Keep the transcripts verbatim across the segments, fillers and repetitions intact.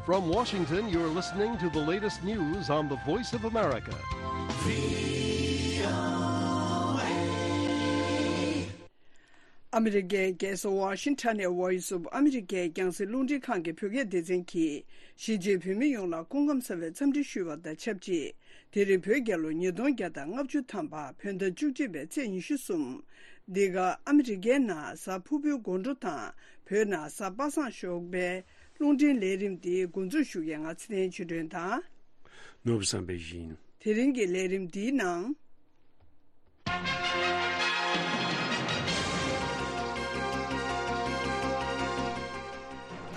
From Washington, you're listening to the latest news on the Voice of America. ཨ་མི་རི་ཀའི་རྒྱལ་ས་ཝ་ཤིང་ཊོན་ནས་Voice of America རྒྱང་སྲིང་རླུང་འཕྲིན་ཁང་གི་བོད་སྐད་སྡེ་ཚན་གྱིས་གཞིས་བྱེས་བོད་མི་ཡོངས་ལ་སྐུ་ཁམས་བཟང་བའི་འཚམས་འདྲི་ཞུ་བ་དང་ཆབས་ཅིག་དེ་རིང་བོད་རྒྱལ་ལོ་ཉིས་སྟོང་བརྒྱ་དང་ལྔ་བཅུ་ཐམ་པ་བོད་ཟླ་བཅུ་གཅིག་པའི་ཚེས་ཉི་ཤུ་གསུམ། འདི་ག་ཨ་མི་རི་ཀའི་ནང་གཟའ་ཕུར་བུའི་དགོང་དྲོ་དང་བོད་ནང་གཟའ་པ་སངས་ཞོགས་པའི་རླུང་འཕྲིན་ལས་རིམ་འདི་འགོ་འཛུགས་ཞུ་མཁན་ང་ཚེ་བརྟན་ཆོས་སྒྲོན་དང་། ནོར་བུ་བསམ་འཕེལ་ཡིན། དེ་རིང་གི་ལས་རིམ་འདིའི་ནང་།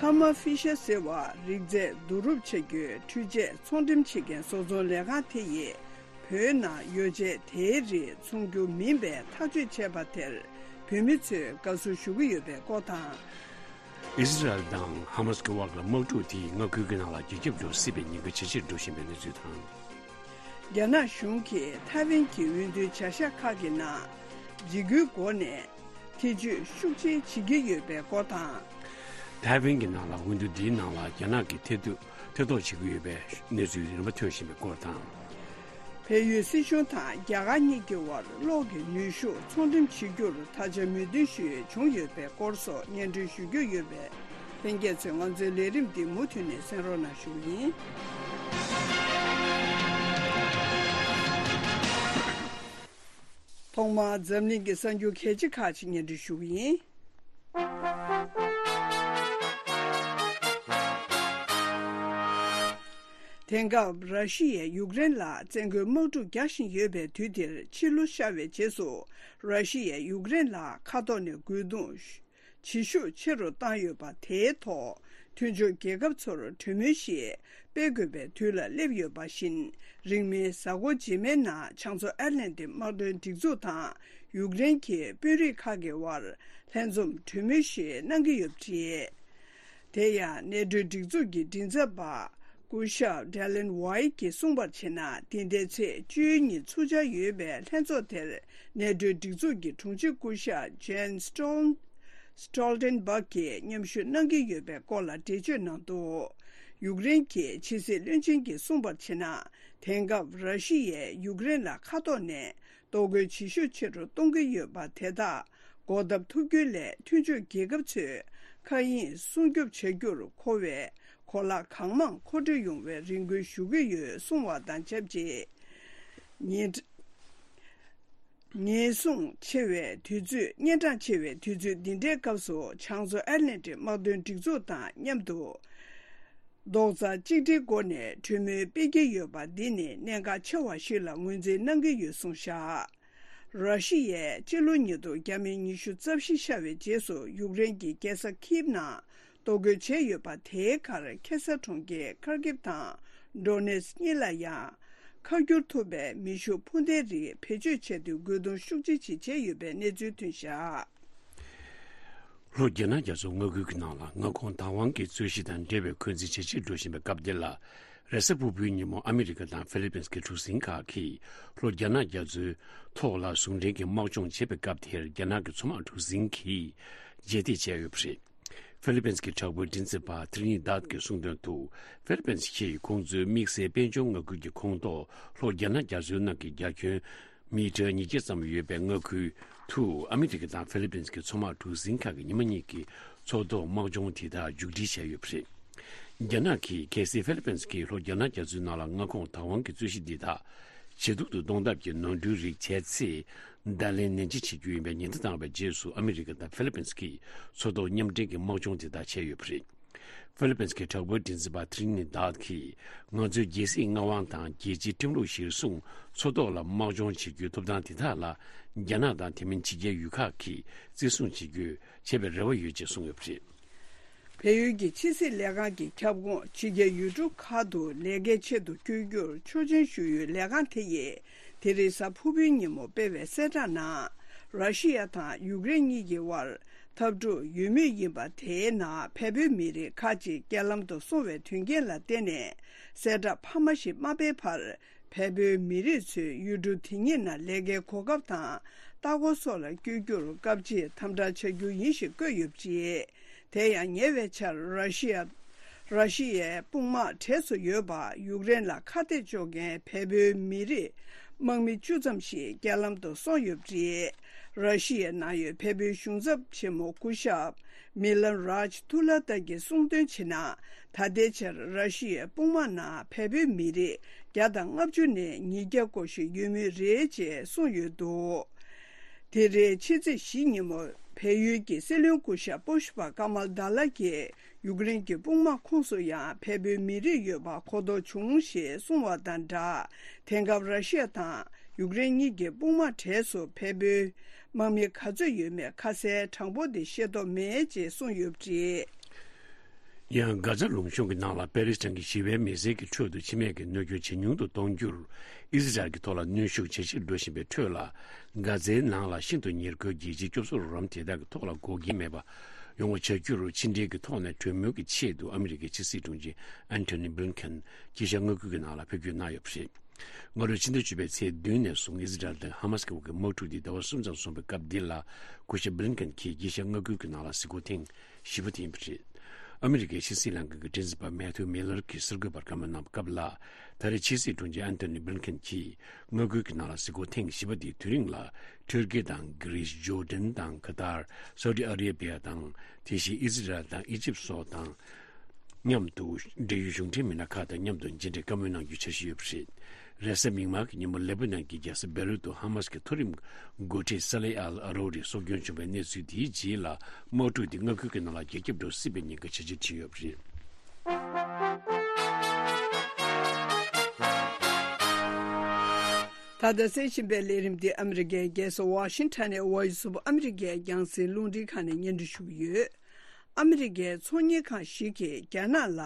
ཐར་མ་ཧྥི་ཤར་ཟེར་བ་རིགས་རྫས་བསྡུ་རུབ་བྱ་རྒྱུའི་འཕྲུལ་ཆས་ཚོང་འགྲེམས་བྱེད་མཁན་བཟོ་ཚོང་ལས་ཁང་དེ་ཡིས་བོད་ནང་ཡོ་བྱད་དེའི་རིགས་ཚོང་རྒྱུ་མིན་པའི་ཐག་གཅོད་བྱས་པ་དེར་བོད་མི་ཚོས་དགའ་བསུ་ཞུ་གི་ཡོད་པའི་སྐོར་དང་། ཨི་ཟི་རལ་དང་ཧ་མ་སི་ཀྱི་དབར་ལ་དམག་འཁྲུག་དེས་མངའ་ཁུལ་གྱི་ནང་ལ་རྒྱ་ཁྱབ་ཏུ་སྲིད་པའི་ཉེན་ཁ་ཇེ་ཆེར་འགྲོ་བཞིན་པའི་གནས་ཚུལ་དང་། རྒྱ་ནག་གཞུང་གིས་ཐའེ་ཝན་གྱི་འོས་བསྡུའི་བྱ་གཞག་ཁག་གི་ནང་འཇིགས་སྐུལ་སྒོ་ནས་ཐེ་བྱུས་ཤུགས་ཆེ་བྱེད་ཀྱི་ཡོད་པའི་སྐོར་དང་། ཐའེ་ཝན་གྱི་ནང་ལ་འོས་བསྡུ་འདིའི་ནང་ལ་རྒྱ་ནག་གིས་ཐེ་གཏོགས་ཐེ་གཏོགས་བྱེད་ཀྱི་ཡོད་པའི་གནས་ཚུལ་རིམ་པ་ཐོན་བཞིན་པའི་སྐོར་དང་། བལ་ཡུལ་སྲིད་གཞུང་དང་རྒྱ་གར་གཉིས་ཀྱི་དབར་གློག་གི་ནུས་ཤུགས་ཚོང་འགྲེམས་བྱེད་རྒྱུར་ད་ཆ་མོས་མཐུན་ཞིག་བྱུང་ཡོད་པའི་སྐོར་སོགས་སྙན་སྒྲོན་ཞུ་རྒྱུ་ཡོད་པས། ལྷན་རྒྱས་ཚོས་ང་ཚོའི་ལས་རིམ་འདི་མུ་མཐུད་ནས་གསན་རོགས་གནང་ཞུ་གི་ཡིན། ཐོག་མར་འཛམ་གླིང་གི་གསར་འགྱུར་གལ་ཆེ་ཁག་ཅིག་སྙན་སྒྲོན་ཞུ་གི་ཡིན། དེང་སྐབས་ར་ཤི་ཡས་ཡུཀ་རེན་ལ་བཙན་རྒོལ་དམག་འཁྲུག་རྒྱག་བཞིན་ཡོད་པའི་དུས་འདིར་ཕྱི་ལོ་ཤར་བའི་རྗེས་སུ་ར་ཤི་ཡས་ཡུཀ་རེན་ལ་མཁའ་ཐོག་ནས་རྒོལ་རྡུང་ཇེ་ཤུགས་ཆེ་རུ་བཏང་ཡོད་པ་དེའི་ཐོག་མཐུན་ཕྱོགས་རྒྱལ་ཁབ་ཚོར་གྲོས་མོལ་ཞིག་སྤེལ་དགོས་པའི་དུས་ལ་སླེབས་ཡོད་པ་བཞིན། རིང་མིན་གཟའ་འཁོར་རྗེས་མའི་ནང་བྱང་མཚོ་ཨེཊ་ལན་ཏིག་དམག་དོན་སྒྲིག་འཛུགས་དང་ཡུཀ་རེན་གྱི་དཔོན་རིགས་ཁག་གི་དབར་ལྷན་འཛོམས་གྲོས་མོལ་ཞིག་གནང་གི་ཡོད་པ་རེད། དེ་ཡང་ནེ་ཊོའི་སྒྲིག་འཛུགས་ཀྱི་མགྲིན་ཚབ་པ་སྐུ་ཞབས་ཌེ་ལན་ཝའི་གིས་གསུངས་པར་བྱས་ན། འདི་ཟླའི་ཚེས་བཅུའི་ཉིན་ཚུགས་འཆར་ཡོད་པའི་ལྷན་ཚོགས་དེར་ནེ་ཊོའི་སྒྲིག་འཛུགས་ཀྱི་དྲུང་ཆེ་སྐུ་ཞབས་ཇན་སི་ཊོལ་སི་ཊོལ་ཊེན་བྷག་གིས་མཉམ་ཞུགས་གནང་གི་ཡོད་པའི་སྐོར་ལ་འགྲེལ་བརྗོད་གནང་འདུག་ཡུཀ་རེན་གྱི་ཕྱི་སྲིད་བློན་ཆེན་གྱིས་གསུངས་པར་བྱས་ན། དེང་སྐབས་ར་ཤི་ཡས་ཡུཀ་རེན་ལ་མཁའ་ཐོག་ནས་གཏོར་རྒོལ་ཇེ་ཤུགས་ཆེ་རུ་གཏོང་གི་ཡོད་པ་དེ་དག་འགོག་ཐབས་ཐུབ་རྒྱུ་ལས་མཐུན་ཕྱོགས་རྒྱལ་ཁབ་ཚོས་མཁའ་དབྱིངས་སྲུང་སྐྱོབ་བྱ་རྒྱུར་མཁོ་བའི་གོ་ལག་གང་མང་མཁོ་སྤྲོད་ཡོང་བའི་རེ་སྐུལ་ཞུ་གི་ཡོད་གསུངས་པ་དང་ཆབས་ཅིག་ཉེན་ཉེན་སྲུང་ཆེ་བའི་དུས་ཚོད། གཉན་འཕྲང་ཆེ་བའི་དུས་ཚོད་འདི་འདྲའི་སྐབས་སུ་བྱང་མཚོ་ཨེཊ་ལན་ཏིག་དམག་དོན་སྒྲིག་འཛུགས་དང་མཉམ་དུ་རྡོག་རྩ་གཅིག་སྒྲིལ་སྒོ་ནས་གྲོས་མོལ་སྤེལ་གྱི་ཡོད་པ་འདི་ནི་གནད་འགག་ཆེ་བ་ཞིག་ལ་ངོས་འཛིན་གནང་གི་ཡོད་གསུངས་བཞག་ར་ཤི་ཡས་སྤྱི་ལོ་ཉིས་སྟོང་ཉི་ཤུ་རྩ་བཞི་ཤར་བའི་རྗེས་སུ་ཡུཀ་རེན་གྱི་རྒྱལ་ས་ཁིབ་ནང་གཏོར་རྒོལ་བྱས་ཡོད་པ། དེའི་ཁར་ཁེ་ས་གྲོང་ཁྱེར་ཁར་ཀིབ་དང་ཌོ་ནེ་སི་གཉིས་ལ་ཡང་ཁ་བསྒྱུར་ཐུབ་པའི་མེ་ཤུགས་འཕུར་མདེལ་རིགས་བེད་སྤྱོད་བྱས་ཏེ་རྒོལ་རྡུང་ཤུགས་ཆེ་ཞིག་བྱས་ཡོད་པའི་གནས་ཚུལ་ཐོན་བཞག་ལྷོ་རྒྱ་ནག་རྒྱ་མཚོའི་མངའ་ཁུལ་གྱི་ནང་ལ་མངའ་ཁོངས་བདག་དབང་གི་རྩོད་གཞི་དང་འབྲེལ་བའི་འཁོན་འཛིན་ཇེ་ཆེར་འགྲོ་བཞིན་པའི་སྐབས་འདི་ལ། རེས་གཟའ་ཕུར་བུའི་ཉིན་མོ་ཨ་མི་རི་ཀ་དང་ཧྥི་ལི་པིན་གྱི་གྲུ་གཟིངས་ཁག་གིས་ལྷོ་རྒྱ་ནག་རྒྱ་མཚོའི་ཐོག་ལ་ཟུང་འབྲེལ་གྱིས་དམག་སྦྱོང་བྱེད་པའི་སྐབས་དེར། རྒྱ་ནག་གི་མཚོ་དམག་གྲུ་གཟིངས་ཀྱིས་རྗེས་འདེད་བྱས་ཡོད་པ་རེད། ཧྥི་ལི་པིན་གྱི་དྲག་པོའི་མགྲིན་ཚབ་པ་ཐི་རི་ནི་ཏཱད་ཀྱིས་གསུངས་དོན་དུ། ཧྥི་ལི་པིན་གྱིས་ཁོང་ཚོའི་དམིགས་བསལ་དཔལ་འབྱོར་མངའ་ཁུལ་གྱི་ཁོངས་གཏོགས་ལྷོ་རྒྱ་ནག་རྒྱ་མཚོའི་ནང་གི་རྒྱ་ཁྱོན་མི་ཊར་ཉིས་བརྒྱ་ཙམ་ཡོད་པའི་མངའ་ཁུལ་དུ་ཨ་མི་རི་ཀ་དང་ཧྥི་ལི་པིན་གྱི་མཚོ་དམག་གྲུ་གཟིངས་ཁག་གིས་ཉི་མ་གཉིས་ཀྱི་མཚོ་ཐོག་དམག་སྦྱོང་དེ་དག་མཇུག་སྒྲིལ་བྱས་ཡོད་པ་རེད། རྒྱ་ནག་གིས་གལ་སྲིད་ཧྥི་ལི་པིན་གྱིས་ལྷོ་རྒྱ་ནག་རྒྱ་མཚོའི་ནང་ལ་མངའ་ཁོངས་བདག་དབང་གི་རྩོད་གཞི་འདི་དག་ཇེ་སྡུག་ཏུ་གཏོང་ཐབས་ཀྱི་ནོར་འཁྲུལ་རིགས་བྱས་ཚེ། བརྡ་ལན་ནན་ཆེ་བྱེད་རྒྱུ་ཡིན་པའི་ཉེན་བརྡ་བཏང་བའི་རྗེས་སུ། ཨ་མི་རི་ཀ་དང་ཧྥི་ལི་པིན་གྱིས་མཚོ་ཐོག་མཉམ་འབྲེལ་གྱི་དམག་སྦྱོང་དེ་དག་བྱས་ཡོད་པ་རེད། ཧྥི་ལི་པིན་གྱི་དྲག་པོའི་མགྲིན་ཚབ་པ་ཐི་རི་ནི་ཏཱད་ཀྱིས། ང་ཚོའི་རྒྱལ་སྲིད་མངའ་དབང་དང་རྒྱལ་སྤྱིའི་ཁྲིམས་ལུགས་གཞིར་བཟུང་མཚོ་ཐོག་ལ་དམག་སྦྱོང་བྱེད་རྒྱུའི་ཐོབ་ཐང་དེ་དག་ལ། རྒྱ་ནག་དང་དེ་མིན་ཕྱི་རྒྱལ་ཡུལ་ཁག་གིས་བརྩི་སྲུང་བྱེད་རྒྱུའི་བྱེད་པའི་རེ་བ་ཡོད་ཅེས་གསུངས་ཡོད་པ་རེད། བལ་ཡུལ་གྱི་ཕྱི་སྲིད་ལས་ཁང་གི་ཁྱབ་ཁོངས་ཕྱི་རྒྱལ་ཡུལ་གྲུ་ཁག་ཏུ་ལས་ཀའི་ཆེད་དུ་བསྐྱོད་རྒྱུར་ཆོག་མཆན་ཞུ་ཡུལ་ལས་ཁང་དེ་ཡིས་དེ་རིང་གཟའ་ཕུར་བུའི་ཉིན་མོ་སྤེལ་བའི་གསལ་བསྒྲགས་ནང་། ར་ཤི་ཡ་དང་ཡུཀ་རེན་གཉིས་ཀྱི་དབར་འཐབ་འཁྲུག་ཡོད་མུས་ཡིན་པ། དེའི་ནང་བལ་པོའི་མི་རིགས་ཁག་ཅིག་རྐྱེན་ལམ་དུ་སོང་བའི་དོན་རྐྱེན་ལ་བརྟེན་ནས། གསལ་བསྒྲགས་འཕར་མ་ཞིག་མ་སྤེལ་བར། བལ་པོའི་མི་རིགས་ཚོས་ཡུལ་གྲུ་དེ་གཉིས་ནང་ལས་ཀའི་གོ་སྐབས་དང་ལྟ་སྐོར་སོགས་ལ་བསྐྱོད་རྒྱུར་སྐབས་གཅིག་དམ་དྲག་བྱ་རྒྱུ་ཡིན་ཞེས་བཀོད་ཡོད་པ་རེད། དེ་ཡང་ཉེ་བའི་ཆར་ར་ཤི་ཡ། ར་ཤི་ཡའི་དཔུང་དམག་གྲས་སུ་ཡོད་པ་ཡུཀ་རེན་ལ་ཁ་གཏད་གཅོག་མཁན་བལ་པོའི་མི་རིགས་དམག་མི་བཅུ་ཙམ་ཞིག་རྐྱེན་ལམ་དུ་སོང་ཡོད་པ་རེད། ར་ཤི་ཡའི་ནང་ཡོད་བལ་པོའི་གཞུང་ཚབ་ཆེན་མོ་སྐུ་ཞབས་མི་ལན་རཱཇ་ཐུ་ལ་ཏཱ་གིས་གསུངས་དོན་བྱས་ན། ད་ལྟའི་ཆར་ར་ཤི་ཡའི་དཔུང་དམག་ནང་བལ་པོའི་མི་རིགས་བརྒྱ་དང་ལྔ་བཅུ་ནས་ཉིས་བརྒྱ་སྐོར་ཞིག་ཡོད་མུས་རེད་ཅེས་གསུངས་ཡོད་འདུག་དེ་རིང་ཕྱི་ཚེས་བཞི་ཉིན་མོ་བལ་ཡུལ་གྱི་སྲིད་བློན་སྐུ་ཞབས་པོ་ཤུ་པ་ཀ་མལ་དཱ་ལ་གིས་ཡུཀ་རེན་གྱི་དཔུང་དམག་ཁོངས་སུ་ཡང་བལ་པོའི་མི་རིགས་ཡོད་པ་གོ་རྟོགས་བྱུང་ཞེས་གསུངས་བ་དང་སྦྲགས། དེང་སྐབས་ར་ཤི་ཡ་དང་ཡུཀ་རེན་གཉིས་ཀྱི་དཔུང་དམག་གྲས་སུ་བལ་པོའི་དམག་མི་ག་ཚོད་ཡོད་མེད་ཁ་གསལ་དྲང་པོ་དེ་ཤེས་རྟོགས་མེད་ཅེས་གསུངས་ཡོད་པ་རེད། ཡང་། གྷ་ཛ་ལུང་གཤོང་གི་ནང་ལ་པེ་ལེ་སི་ཐན་གྱི་ཞི་བའི་མི་སེར་གྱི་ཁྲོད་དུ་འཆི་རྨས་ཀྱི་གནོད་སྐྱོན་ཇེ་ཉུང་དུ་གཏོང་རྒྱུར། ཨི་ཟི་རལ་གྱི་ཐོག་ལ་གནོན་ཤུགས་ཇེ་ཆེར་འགྲོ་བཞིན་པའི་ཁྲོད་ལ། གྷ་ཛའི་ནང་ལ་ཤིན་ཏུ་ཉེར་མཁོའི་རྒྱལ་སྤྱིའི་སྐྱོབ་གསོ་རོགས་རམ་དེ་དག་གི་ཐོག་ལ་འགོག་རྐྱེན་མེད་པ་ཡོང་བ་བྱ་རྒྱུར་ཕྱི་འབྲེལ་གྱི་ཐོག་ནས་གྲོས་མོལ་གྱི་ཆེད་དུ་ཨ་མི་རི་ཀའི་ཕྱི་སྲིད་དྲུང་ཆེ་ཨན་ཐོ་ནི་བྷི་ལིན་ཁན་གྱིས་ཤར་མངའ་ཁུལ་གྱི་ནང་ལ་ཕེབས་སྐྱོད་གནང་ཡོད་པ་རེད། སྔ་ལོའི་ཕྱི་ཟླ་བཅུ་པའི་ཚེས་བདུན་ནས་བཟུང་ཨི་ཟི་རལ་དང་ཧ་མ་སི་བར་གྱི་དམག་འཁྲུག་འདི་ཟླ་བ་གསུམ་ཙམ་སོང་བའི་སྐབས་འདི་ལ། སྐུ་ཞབས་བྷི་ལིན་ཁན་གྱིས་དཀྱིལ་ཤར་མངའ་ཁུལ་གྱི་ནང་ལ་གཟིགས་སྐོར་ཐེངས་བཞི་པ་དེ་ཡིན་པ་རེད། ཨ་མི་རི་ཀའི་ཕྱི་སྲིད་ལྷན་ཁང་གི་མགྲིན་ཚབ་པ་མེ་ཐིའུ་མི་ལར་གྱིས་གསར་འགོད་པར་བཀའ་མོལ་གནང་བའི་སྐབས་ལ། ད་རེས་ཕྱི་སྲིད་དྲུང་ཆེ་ཨན་ཐོ་ནི་བྷི་ལིན་ཁན་གྱིས་མངའ་ཁུལ་གྱི་ནང་ལ་གཟིགས་སྐོར་ཐེངས་བཞི་པ་དེའི་དུས་རིང་ལ། ཐུར་ཀི་དང་། གྷི་རིས། ཇོར་ཌན་དང་། ཁ་ཏར། སའུ་ཏི་ཨ་རེ་བྷི་ཡ་དང་། དེ་བཞིན་ཨི་ཟི་རལ་དང་། ཨི་ཇིབ་སོགས་དང་། མཉམ་དུ་འབྲེལ་ཡོད་གཞུང་འབྲེལ་མི་སྣ་ཁག་དང་མཉམ་དུ་མཇལ་འཕྲད་བཀའ་མོལ་གནང་རྒྱུའི་འཆར་གཞི་ཡོད་པ་རེད། རེས་གཟའ་མིག་དམར་གྱི་ཉིན་མོ་ལེ་པ་ནན་གྱི་རྒྱལ་ས་བེ་རུད་དུ་ཧ་མ་སི་གི་མཐོ་རིམ་འགོ་ཁྲིད་ས་ལེ་ཨལ་ཨ་རོ་རི་སྲོག་སྐྱོན་བྱུང་བའི་གནས་ཚུལ་དེའི་རྗེས་ལ། དམག་འཁྲུག་འདི་མངའ་ཁུལ་གྱི་ནང་ལ་རྒྱ་ཁྱབ་འགྲོ་སྲིད་པའི་ཉེན་ཁ་ཇེ་ཆེར་ཕྱིན་ཡོད་པ་རེད། ད་ལྟ་གསན་བཞིན་པའི་ལས་རིམ་འདི་ཨ་མི་རི་ཀའི་རྒྱལ་ས་ཝ་ཤིང་ཊོན་ནས་Voice of America ཡི་རྒྱང་སྲིང་རླུང་འཕྲིན་ཁང་ནས་སྙན་སྒྲོན་ཞུ་གི་ཡོད། ཨ་མི་རི་ཀའི་ཚོང་གཉེར་ཁང་ཞིག་གིས་རྒྱ་ནག་ལ་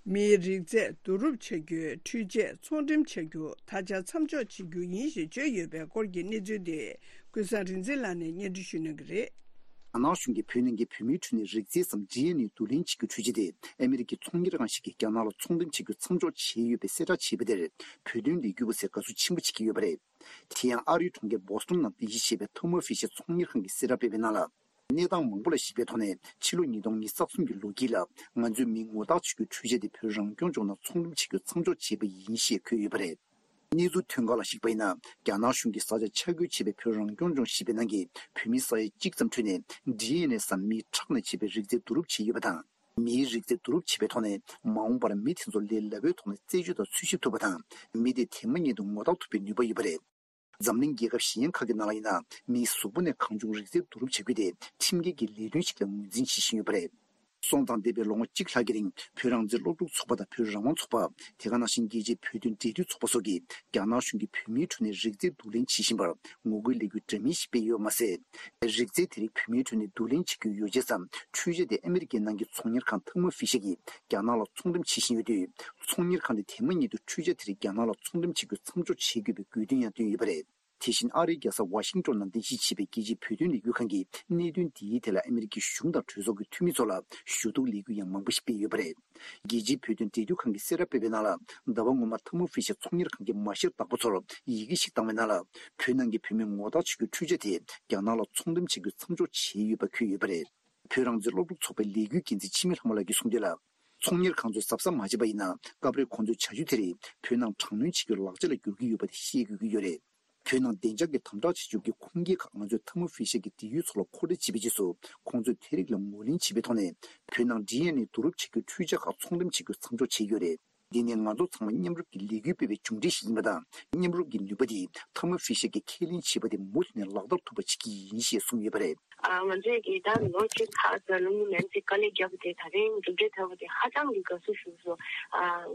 མིའི་རིགས་རྫས་བསྡུ་རུབ་བྱ་རྒྱུའི་འཕྲུལ་ཆས་ཚོང་འགྲེམས་བྱ་རྒྱུ་ད་ཆ་མཚམས་འཇོག་བྱེད་རྒྱུ་ཡིན་ཞེས་བརྗོད་ཡོད་པའི་སྐོར་གྱི་གནས་ཚུལ་དེ་ཀུན་བཟང་རིག་འཛིན་ལགས་ནས་སྙན་སྒྲོན་ཞུ་གནང་གི་རེད། རྒྱ་ནག་གཞུང་གིས་བོད་ནང་གི་བོད་མིའི་ཁྲོད་ནས་རིགས་རྫས་སམ་ཌི་ཨེན་ཨེ་བསྡུ་ལེན་བྱེད་རྒྱུའི་འཕྲུལ་ཆས་དེ་ཨ་མི་རི་ཀའི་ཚོང་གཉེར་ཁང་ཞིག་གིས་རྒྱ་ནག་ལ་ཚོང་འགྲེམས་བྱེད་རྒྱུ་མཚམས་འཇོག་བྱས་ཡོད་པའི་གསལ་བསྒྲགས་བྱས་པ་དེར་བོད་དོན་ལས་འགུལ་བ་ཚོས་དགའ་བསུ་ཆེན་པོ་བྱེད་ཀྱི་ཡོད་པ་རེད། དེ་ཡང་ཨ་རིའི་གྲོང་ཁྱེར་བོ་སི་ཊོན་ནང་རྟེན་གཞི་བྱས་པའི་ཐར་མོ་ཕི་ཤར་ཚོང་གཉེར་ཁང་གིས་གསལ་བསྒྲགས་སྤེལ་བའི་ནང་ལ། གནས་སྟངས་མང་པོ་ལ་གཞིགས་པའི་ཐོག་ནས་ཕྱི་ལོ་ཉིས་སྟོང་ཉི་ཤུ་རྩ་གསུམ་གྱི་ལོ་དཀྱིལ་ལ་ང་ཚོས་མིའི་ངོ་རྟགས་བྱེད་རྒྱུའི་འཕྲུལ་ཆས་དེ་བོད་རང་སྐྱོང་ལྗོངས་ནང་ཚོང་འགྲེམས་བྱེད་རྒྱུ་མཚམས་འཇོག་བྱས་པ་ཡིན་ཞེས་འཁོད་ཡོད་པ་རེད། གནས་ཚུལ་ཐོན་ཁག་ལ་གཞིགས་པ་ཡིན་ན། རྒྱ་ནག་གཞུང་གིས་ས་ཆ་ཆ་བགོས་བྱས་པའི་བོད་རང་སྐྱོང་ལྗོངས་བཞི་པའི་ནང་གི་བོད་མི་ས་ཡ་གཅིག་ཙམ་ཁྲོད་ནས་ཌི་ཨེན་ཨེ་སམ་མིའི་ཁྲག་ནས་བྱས་པའི་རིགས་རྫས་བསྡུ་རུབ་བྱས་ཡོད་པ་དང་། མིའི་རིགས་རྫས་བསྡུ་རུབ་བྱས་པའི་ཐོག་ནས་མ་འོངས་པར་མི་དེ་ཚོ་ལས་སླ་པོའི་ཐོག་ནས་རྩད་གཅོད་དང་འཚོལ་ཞིབ་ཐུབ་པ་དང་། མི་དེ་དེ་མ་ཉིད་དུ་ངོ་རྟགས་ཐུབ་པའི་ནུས་པ་ཡོད་པ་རེད། འཛམ་གླིང་རྒྱལ་ཁབ་གཞན་ཁག་གི་ནང་ལ་ཡིན་ན། མིའི་གཟུགས་པོ་ནས་གང་བྱུང་རིགས་རྫས་བསྡུ་རུབ་བྱ་རྒྱུ་དེ་ཁྲིམས་འགལ་གྱི་ལས་དོན་ཞིག་ལ་ངོས་འཛིན་བྱེད་བཞིན་ཡོད་པ་རེད། སོང་ཙང་། འདས་པའི་ལོ་ངོ་གཅིག་ལྷག་གི་རིང་བོད་རང་བཙན་སློབ་ཕྲུག་ཚོགས་པ་དང་བོད་རང་དབང་ཚོགས་པ། དེ་ག་ནང་བཞིན་རྒྱལ་སྤྱིའི་བོད་དོན་འབྲེལ་མཐུད་ཚོགས་པ་སོགས་ཀྱིས་རྒྱ་ནག་གཞུང་གིས་བོད་མིའི་ཁྲོད་ནས་རིགས་རྫས་བསྡུ་ལེན་བྱེད་བཞིན་པར་ངོ་རྒོལ་ལས་འགུལ་འདྲ་མིན་ཞིག་སྤེལ་ཡོད་པ་མ་ཟད། རིགས་རྫས་དེ་རིགས་བོད་མིའི་ཁྲོད་ནས་བསྡུ་ལེན་བྱེད་རྒྱུའི་ཡོ་བྱད་སམ་འཕྲུལ་ཆས་དེ་ཨ་མི་རི་ཀའི་ནང་གི་ཚོང་གཉེར་ཁང་ཐར་མོ་ཕི་ཤར་གྱིས་རྒྱ་ནག་ལ་ཚོང་འགྲེམས་བྱེད་བཞིན་ཡོད་དུས། ཚོང་གཉེར་ཁང་དེ་དེ་མ་ཉིད་དུ་འཕྲུལ་ཆས་དེ་རིགས་རྒྱ་ནག་ལ་ཚོང་འགྲེམས་བྱེད་རྒྱུ་མཚམས་འཇོག་བྱེད་དགོས་པའི་དགོས་འདུན་ཡང་བཏོན་ཡོད་པ་རེད། དེ་བཞིན་ཨ་རིའི་རྒྱལ་ས་ཝ་ཤིང་ཏོན་ནང་རྟེན་གཞི་བྱས་པའི་རྒྱལ་སྤྱིའི་བོད་དོན་ལས་འགུལ་ཁང་གིས་གནད་དོན་འདིའི་ཐད་ལ་ཨ་མི་རི་ཀའི་གཞུང་དང་གྲོས་ཚོགས་ཀྱི་འཐུས་མི་ཚོ་ལ་ཞུ་གཏུག་ལས་འགུལ་ཡང་མང་པོ་ཞིག་སྤེལ་ཡོད་པ་རེད། རྒྱལ་སྤྱིའི་བོད་དོན་འབྲེལ་མཐུད་ཁང་གིས་གསལ་བསྒྲགས་སྤེལ་བའི་ནང་ལ། ཟླ་བ་སྔོན་མ་ཐར་མོ་ཕི་ཤར་ཚོང་གཉེར་ཁང་གི་མ་ཤེར་བདག་པོ་ཚོར་ཡི་གེ་ཞིག་བཏང་བའི་ནང་ལ། བོད་ནང་གི་བོད་མིའི་ངོ་རྟགས་བྱེད་རྒྱུའི་འཕྲུལ་ཆས་དེ་རྒྱ་ནག་ལ་ཚོང་འགྲེམས་བྱེད་རྒྱུ་མཚམས་འཇོག་བྱས་ཡོད་པ་འཁོད་ཡོད་པ་རེད། བོད་རང་བཙན་སློབ་ཕྲུག་ཚོགས་པའི་ལས་འགུལ་འགན་འཛིན་འཆི་མེད་ལྷ་མོ་ལགས་ཀྱིས་གསུངས་དོན་ལ། ཚོང་གཉེར་ཁང་ཚོས་གཟབ་གཟབ་མ་བྱས་པ་ཡིན་ན། སྐབས་རེ་ཁོང་ཚོའི་བྱ་སྤྱོད་དེ་རིགས་བོད་ནང་དྲག་གནོན་བྱེད་རྒྱུའི་ལག་ཆ་ལ་འགྱུར་གྱི་ཡོད་པ་དེ་ཤེས་དགོས་ཀྱི་ཡོད་རེད། བོད་ནང་བདེ་འཇགས་ཀྱི་དམ་དྲག་བྱེད་ཕྱོགས་ཀྱི་ཁུངས་སྐྱེལ་ཁག་ང་ཚོས་ཐར་མོ་ཕི་ཤར་གྱི་འབྲེལ་ཡོད་ཚོ་ལ་མཁོ་སྤྲོད་བྱས་པའི་རྗེས་སུ། ཁོང་ཚོས་དེ་རིགས་ལ་ངོས་ལེན་བྱས་པའི་ཐོག་ནས། བོད་ནང་ཌི་ཨེན་ཨེ་བསྡུ་རུབ་བྱེད་རྒྱུའི་འཕྲུལ་ཆས་ཁག་ཚོང་འགྲེམས་བྱེད་རྒྱུ་མཚམས་འཇོག་བྱས་ཡོད་རེད། འདི་ནི་ང་ཚོ་ཚང་མ་མཉམ་རུབ་ཀྱི་ལས་འགུལ་སྤེལ་བའི་མཇུག་འབྲས་ཤིག་ཡིན་པ་དང་། མཉམ་རུབ་ཀྱི་ནུས་པ་དེ་ཐར་མོ་ཕི་ཤར་གྱིས་ཁས་ལེན་བྱས་པ་དེ་མུ་མཐུད་ནས་ལག་བསྟར་ཐུབ་པ་བྱེད་ཀྱི་ཡིན་ཞེས་གསུངས་ཡོད་པ་རེད། ང་ཚོས་ཀྱིས་ད་ལོ་གཅིག་ལྷག་ཙམ་ལུང་ནན་ཙི་དཀའ་ལས་བརྒྱབ་པ་དེ་ད་རིང་མཇུག་འབྲས་ཐོབ་པ་དེ་ཧ་ཅང་གི་དགའ་བསུ་ཞུ་སོང་།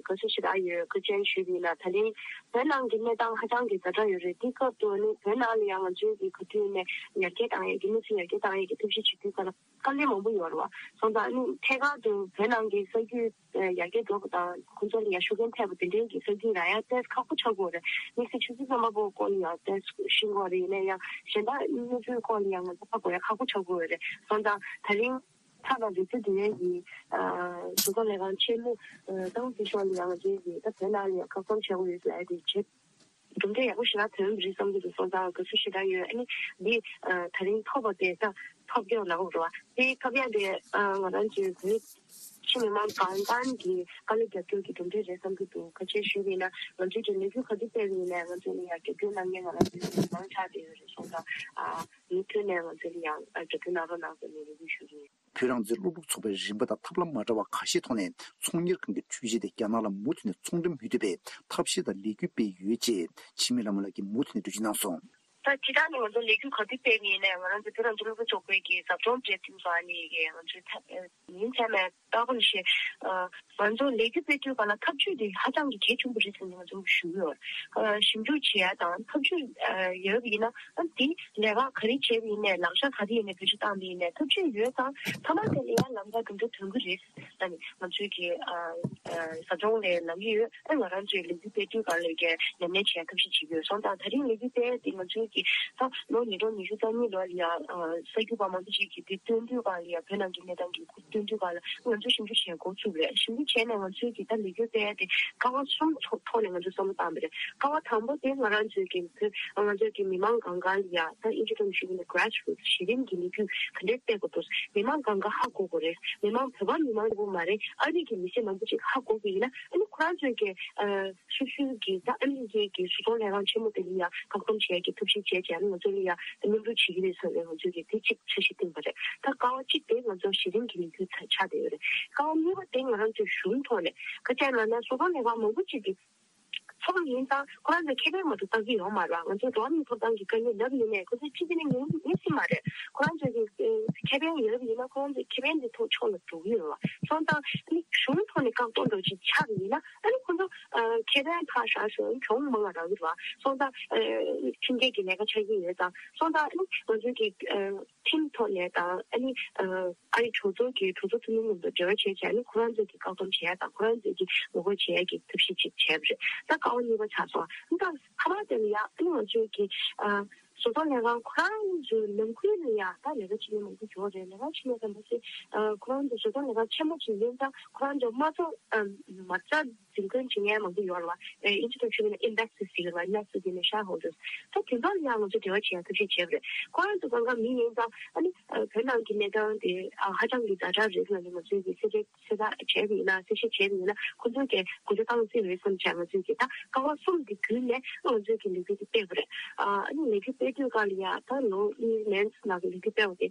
དགའ་བསུ་ཞེ་དྲག་ཡོད། བཀའ་དྲིན་ཞུ་གི་ཡིན་ལ། ད་རིང་བོད་ནང་གི་གནས་སྟངས་ཧ་ཅང་གི་ཛ་དྲག་ཡོད་རེད། དེའི་སྐབས་དུ་ནི་བོད་ནང་ལ་ཡང་ང་ཚོས་ཀྱིས་ག་དུས་ནས་ཡར་རྒྱས་བཏང་ཡས་ཀྱི་གནས་ཚུལ་ཡར་རྒྱས་བཏང་ཡས་ཀྱི་ཐབས་ཤེས་བྱེད་དུས་སྐབས་ལ། དཀའ་ལས་མང་པོ་ཡོད་རེད་བ། སོང་ཙང་ཨ་ནི་ཐད་ཀར་དུ་བོད་ནང་གི་ས་རྒྱུས་ཡར་རྒྱས་འགྲོ་བ་དང་ཁོང་ཚོ་ལ་ཡང་ཤུགས་རྐྱེན་ཐེབས་པ་དེ་འདྲའི་གི་ས་རྒྱུས་རག་ཡ་ཏོག་ཙམ་ཁག་པོ་ཆགས་ཀྱི་ཡོད་རེད། དམིགས་བསལ་ཆུ་ཚོད་གསར་པ་པོ་སྐོར་ལ་ཡང་ཏོག་ཙམ་ཤེས་ཀྱི་ཡོད་རེད། ཡིན་ན་ཡང་གཞན་དག་གནས་ཚུལ་སྐོར་ལ་ཡང་ང་ཚོ་ཧ་གོ་ཡ་ཁག་པོ་ཆགས་ཀྱི་ཡོད་རེད། སོང་ཙང་ད་རིང་ཐག་དང་རིག་རྩེད་དེ་ཡན་གྱི་གཟུགས་པོ་ལས་ཁང་ཆེན་མོ་ཏང་ཙི་ཤོག་ལ་ཡང་ང་ཚོའི་གི་ད་བོད་ནང་ལ་ཡང་ཁ་སྐོང་བྱེད་དགོས་ཡོད་ཟེར་ཡ་དེ་བྱེད། གྲུབ་འབྲས་ཡག་པོ་ཞེ་དྲག་ཐོན་རེད་བསམ་གྱི་འདུག་སོང་ཙང་དགའ་བསུ་ཞེ་དྲག་ཡོད། ཨ་ནི་འདི་ད་རིང་ཐོབ་པ་དེ་ད་ ཁ་གཡར་ལབ་དགོས་རེད་བ། དེ་ཁ་གཡར་དེ་ང་རང་ཚོའི་བོད་ཕྱི་མི་མང་གང་གང་གི་དཀའ་ལས་རྒྱབ་སྐྱོར་གྱི་གྲུབ་འབྲས་རེད་བསམ་གྱི་འདུག་ཁ་ཆེ་ཞུས་པ་ཡིན་ན་ང་ཚོའི་གི་ལས་འགུལ་ག་དུས་སྤེལ་བ་ཡིན་ནའི་ང་ཚོ་ལ་ཡང་རྒྱབ་སྐྱོར་གནང་མཁན་ང་རང་ཚོའི་མི་མང་ཆགས་བསྡད་ཡོད་རེད་སོང་ཙང་། མུ་མཐུད་ནས་ང་ཚོ་ལ་ཡང་རྒྱབ་སྐྱོར་གནང་རོགས་གནང་ཟེར་ནས་རེ་སྐུལ་ཞུ་གི་ཡིན། བོད་རང་བཙན་སློབ་ཕྲུག་ཚོགས་པའི་རིམ་པ་དང་ཐབས་ལམ་མ་འདྲ་བ་ཁ་ཤས་ཐོག་ནས་ཚོང་གཉེར་ཁང་གི་འཕྲུལ་ཆས་དེ་རྒྱ་ནག་ལ་མུ་མཐུད་ནས་ཚོང་འགྲེམས་མི་ཐུབ་པའི་ཐབས་ཤེས་དང་ལས་འགུལ་སྤེལ་ཡོད་ཅེས་འཆི་མེད་ལྷ་མོ་ལགས་ཀྱིས་མུ་མཐུད་ནས་འགྲེལ་བརྗོད་གནང་སོང་། ད་སྤྱིར་བཏང་ནས་ང་ཚོ་ལས་འགུལ་ག་དུས་སྤེལ་བ་ཡིན་ནའི་ང་རང་ཚོ་བོད་རང་བཙན་སློབ་ཕྲུག་ཚོགས་པའི་གི་ཟབ་སྦྱོང་སྤྲད་དུས་སུ་ཨ་ནི་གི་ང་ཚོའི་ཐ་ཉིན་མཚན་མའི་རྟག་པར་བཤད། ང་ཚོ་ལས་འགུལ་སྤེལ་དུས་ག་ལ་ཐབས་ཇུས་དེ་ཧ་ཅང་གི་གལ་ཆེན་པོ་རེད་ཟེར་ནས་ང་ཚོ་ཞུ་གི་ཡོད། ཞིབ་འཇུག་བྱེད་ཡ་དང་ཐབས་ཇུས་ཡོད་པ་ཡིན་ན་ཨ་དེ་ལས་ཀ་ག་རེ་བྱས་པ་ཡིན་ནའི་ལག་ཆ་ག་རེ་ཡིན་ནའི་བེད་སྤྱོད་བཏང་པ་ཡིན་ནའི་ཐབས་ཇུས་ཡོད་ཙང་མཐའ་མ་དེ་ལ་ཡང་ལམ་ཁ་གང་འདྲ་ཐོན་གི་རེད། ཨ་ནི་ང་ཚོའི་གི་ཟབ་སྦྱོང་ལས་གནང་གི་ཡོད། ཨ་ང་རང་ཚོའི་ལས་འགུལ་སྤེལ་དུས་ག་ལ་གི་ཉམས་ལེན་བྱེད་ཡ་ཐབས་ཤེས་བྱེད་ཀྱི་ཡོད་སོང་ཙང་ད་རིང་ལས་འགུལ་སྤེལ་ཡ་དེ་ང་ཚོའི་གི་ད་ལོ་ཉིས་སྟོང་ཉི་ཤུ་རྩ་གཉིས་ལོ་ལ་ཡང་གསར་འགྱུར་པ་མང་པོ་ཅིག་གིས་དེ་སྟོན་དུས་ག་ལ་ཡང་བོད་ནང་གི་གནས་སྟངས་ཀྱི་སྟོན་དུས་ག་ལ་ང་ཚོ་ཞིབ་འཇུག་བྱེད་འགོ་ཚུགས་རེད། ཞིབ་འཇུག་བྱས་ནས་ང་ཚོའི་གི་ད་ལས་འགུལ་སྤེལ་ཡ་དེ་ཀ་བ་གསུམ་ཐོག་ཐོག་ནས་ང་ཚོས་བསམ་བློ་བཏང་བ་རེད། ཀ་བ་དང་པོ་དེ་ང་རང་ཚོའི་གི་བོད་ང་ཚོའི་གི་མི་མང་གང་ག་ལ་ཡ་ད་ཨིན་ཇི་ཐོག་ནས་ཞུས་པ་ཡིན་ན་grassroots གཞི་རིམ་གྱི་ལས་འགུལ་ག་འདྲས་སྤེལ་དགོས་འདུག་མི་མང་གང་ག་ཧ་གོ་དགོས་རེད། མི་མང་བོད་པ་མི་མང་གཅིག་པུ་མ་རེད། ཨ་རི་གི་མི་སེར་མང་པོ་ཅིག་ཧ་གོ་གི་ཡིན་ན་ཨ་ནི་ཁོ་རང་ཚོའི་གི་སོ་སོའི་གི་ད་ཨ་མི་རི་ཀའི་གི་བཟོ་ཚོང་ལས་ཁང་ཆེན་མོ་དེ་ལ་ཡ་བཀག་སྡོམ་བྱེད་ཡ་གི་ཐབས་ཤེས་བྱས་བྱས་ཨ་ནི་ང་ཚོ་ལ་ཡ་མཉམ་རུབ་བྱེད་ཀྱི་རེད་ཟེར་ནས་ང་ཚོའི་གི་དེ་གཅིག་འཆར་གཞི་བཏིང་བ་རེད། ད་ཀ་བ་གཅིག་དེ་ང་ཚོ་གཞི་རིམ་གྱི་ལས་འགུལ་ཆགས་བསྡད་ཡོད་རེད། ཀ་བ་གཉིས་པ་དེ་ང་རང་ཚོའི་གཞུང་ཐོག་ནས་ག་རེ་ལབ་ན་བཟོ་ཚོང་ལས་ཁང་མང་པོ་ཅིག་གི་ཚོགས་པ་ཡིན་ཙང་ཁོ་རང་ཚོས་ཁེ་ཕན་མ་གཏོགས་བཏང་གི་ཡོད་མ་རེད་བ། ང་ཚོ་འགྲོ་བ་མིའི་ཐོབ་ཐང་གི་དཀའ་ངལ་ལབ་ཡིན་ནའི་ཁོ་ཚོས་ཕྱི་རྒྱལ་ནས་ཉན་ཉན་སྲིད་མ་རེད། ཁོ་རང་ཚོས་ཀྱི་ཁེ་ཕན་ཡོད་པ་ཡིན་ན་ཁོ་རང་ཚོས་ཁེ་ཕན་དེ་ཐོག་ཕྱོགས་ལ་འགྲོ་གི་ཡོད་རེད་བ། སོང་ཙང་ཨ་ནི་གཞུང་ཐོག་ནས་བཀག་སྡོམ་འདྲ་ཅིག་ཆགས་པ་ཡིན་ན་ཨ་ནི་ཁོ་ཚོ་ཁེ་ཕན་ཕར་བཞག་ཞོག་གྱོང་མང་བ་རག་གི་རེད་བ། སོང་ཙང་ཁྲིམས་འགལ་གྱི་ལས་ཀ་ཆགས་ཀྱི་ཡོད་ཙང་སོང་ཙང་ཨ་ནི་ང་ཚོའི་ཀྱི་ཁྲིམས་ཐོག་ནས་དང་ཨ་ནི་ཨ་རི་གྲོས་ཚོགས་ཀྱི་གྲོས་ཚོགས་འཐུས་མི་མཉམ་དུ་འབྲེལ་བ་བྱས་བྱས་ནས་ཁོ་རང་ཚོས་ཀྱི་བཀག་སྡོམ་བྱས་ཡ་དང་ཁོ་རང་ཚོས་ཀྱི་ངོ་རྒོལ་བྱས་ཡ་གི་ཐབས་ཤེས་ཅིག་བྱས་པ་རེད། ད་ཀ་བ་གཉིས་པ་ཆགས་སོང་། ད་ཁ་པར་དེ་ལ་ཡ་ཨ་ནི་ང་ཚོས་ཀྱི་བཟོ་ཚོང་ལས་ཁང་ཁོ་རང་ཚོའི་ནང་ཁུལ་ལ་ཡ་ད་ལས་ཀ་བྱེད་མཁན་མང་པོ་ཡོད་རེད། ལས་ཀ་བྱེད་མཁན་དང་པོ་ཚེ་ཁོ་རང་ཚོ་བཟོ་ཚོང་ལས་ཁང་ཆེན་མོ་ཅིག་ཡིན་ཙང་ཁོ་རང་ཚོ་མ་རྩ་མ་རྩ་འཛིན་སྐྱོང་བྱེད་མཁན་མང་པོ་ཡོད་རེད་བ། ཨིན་ཇི་ཐོག་ཞུས་པ་ཡིན་ན་investors་ཟེར་གྱི་རེད་བ། investors ཟེར་ནས་shareholders། ད་དེ་ཚོ་ལ་ཡང་ང་ཚོས་འབྲེལ་བ་བྱེད་ཡ་ཐབས་ཤེས་བྱས་པ་རེད། ཁོ་རང་ཚོ་གང་ག་མི་ཡིན་ཙང་ཨ་ནི་བོད་ནང་གི་གནས་སྟངས་དེ་ཧ་ཅང་གི་ཛ་དྲག་རེད་ཟེར་ནས་ང་ཚོས་ཀྱི་གསལ་བཤད་གསལ་བསྒྲགས་བྱས་པ་ཡིན་ན་གསལ་བཤད་བྱས་པ་ཡིན་ན་ཁོ་ཚོས་ཀྱི་དགོངས་འཆར་བཏང་སྲིད་རེད་བསམ་བྱས་ང་ཚོས་ཀྱི་ད་ཀ་བ་གསུམ་དེ་བརྒྱུད་ནས་ང་ཚོས་ཀྱི་ལས་འགུལ་དེ་སྤེལ་བ་རེད། ཨ་ནི་ལས་འགུལ་སྤེལ་དུས་ག་ལ་ཡ་ད་ལོ་གཉིས་ནང་ལ་ལས་འགུལ་སྤེལ་བ་དེ་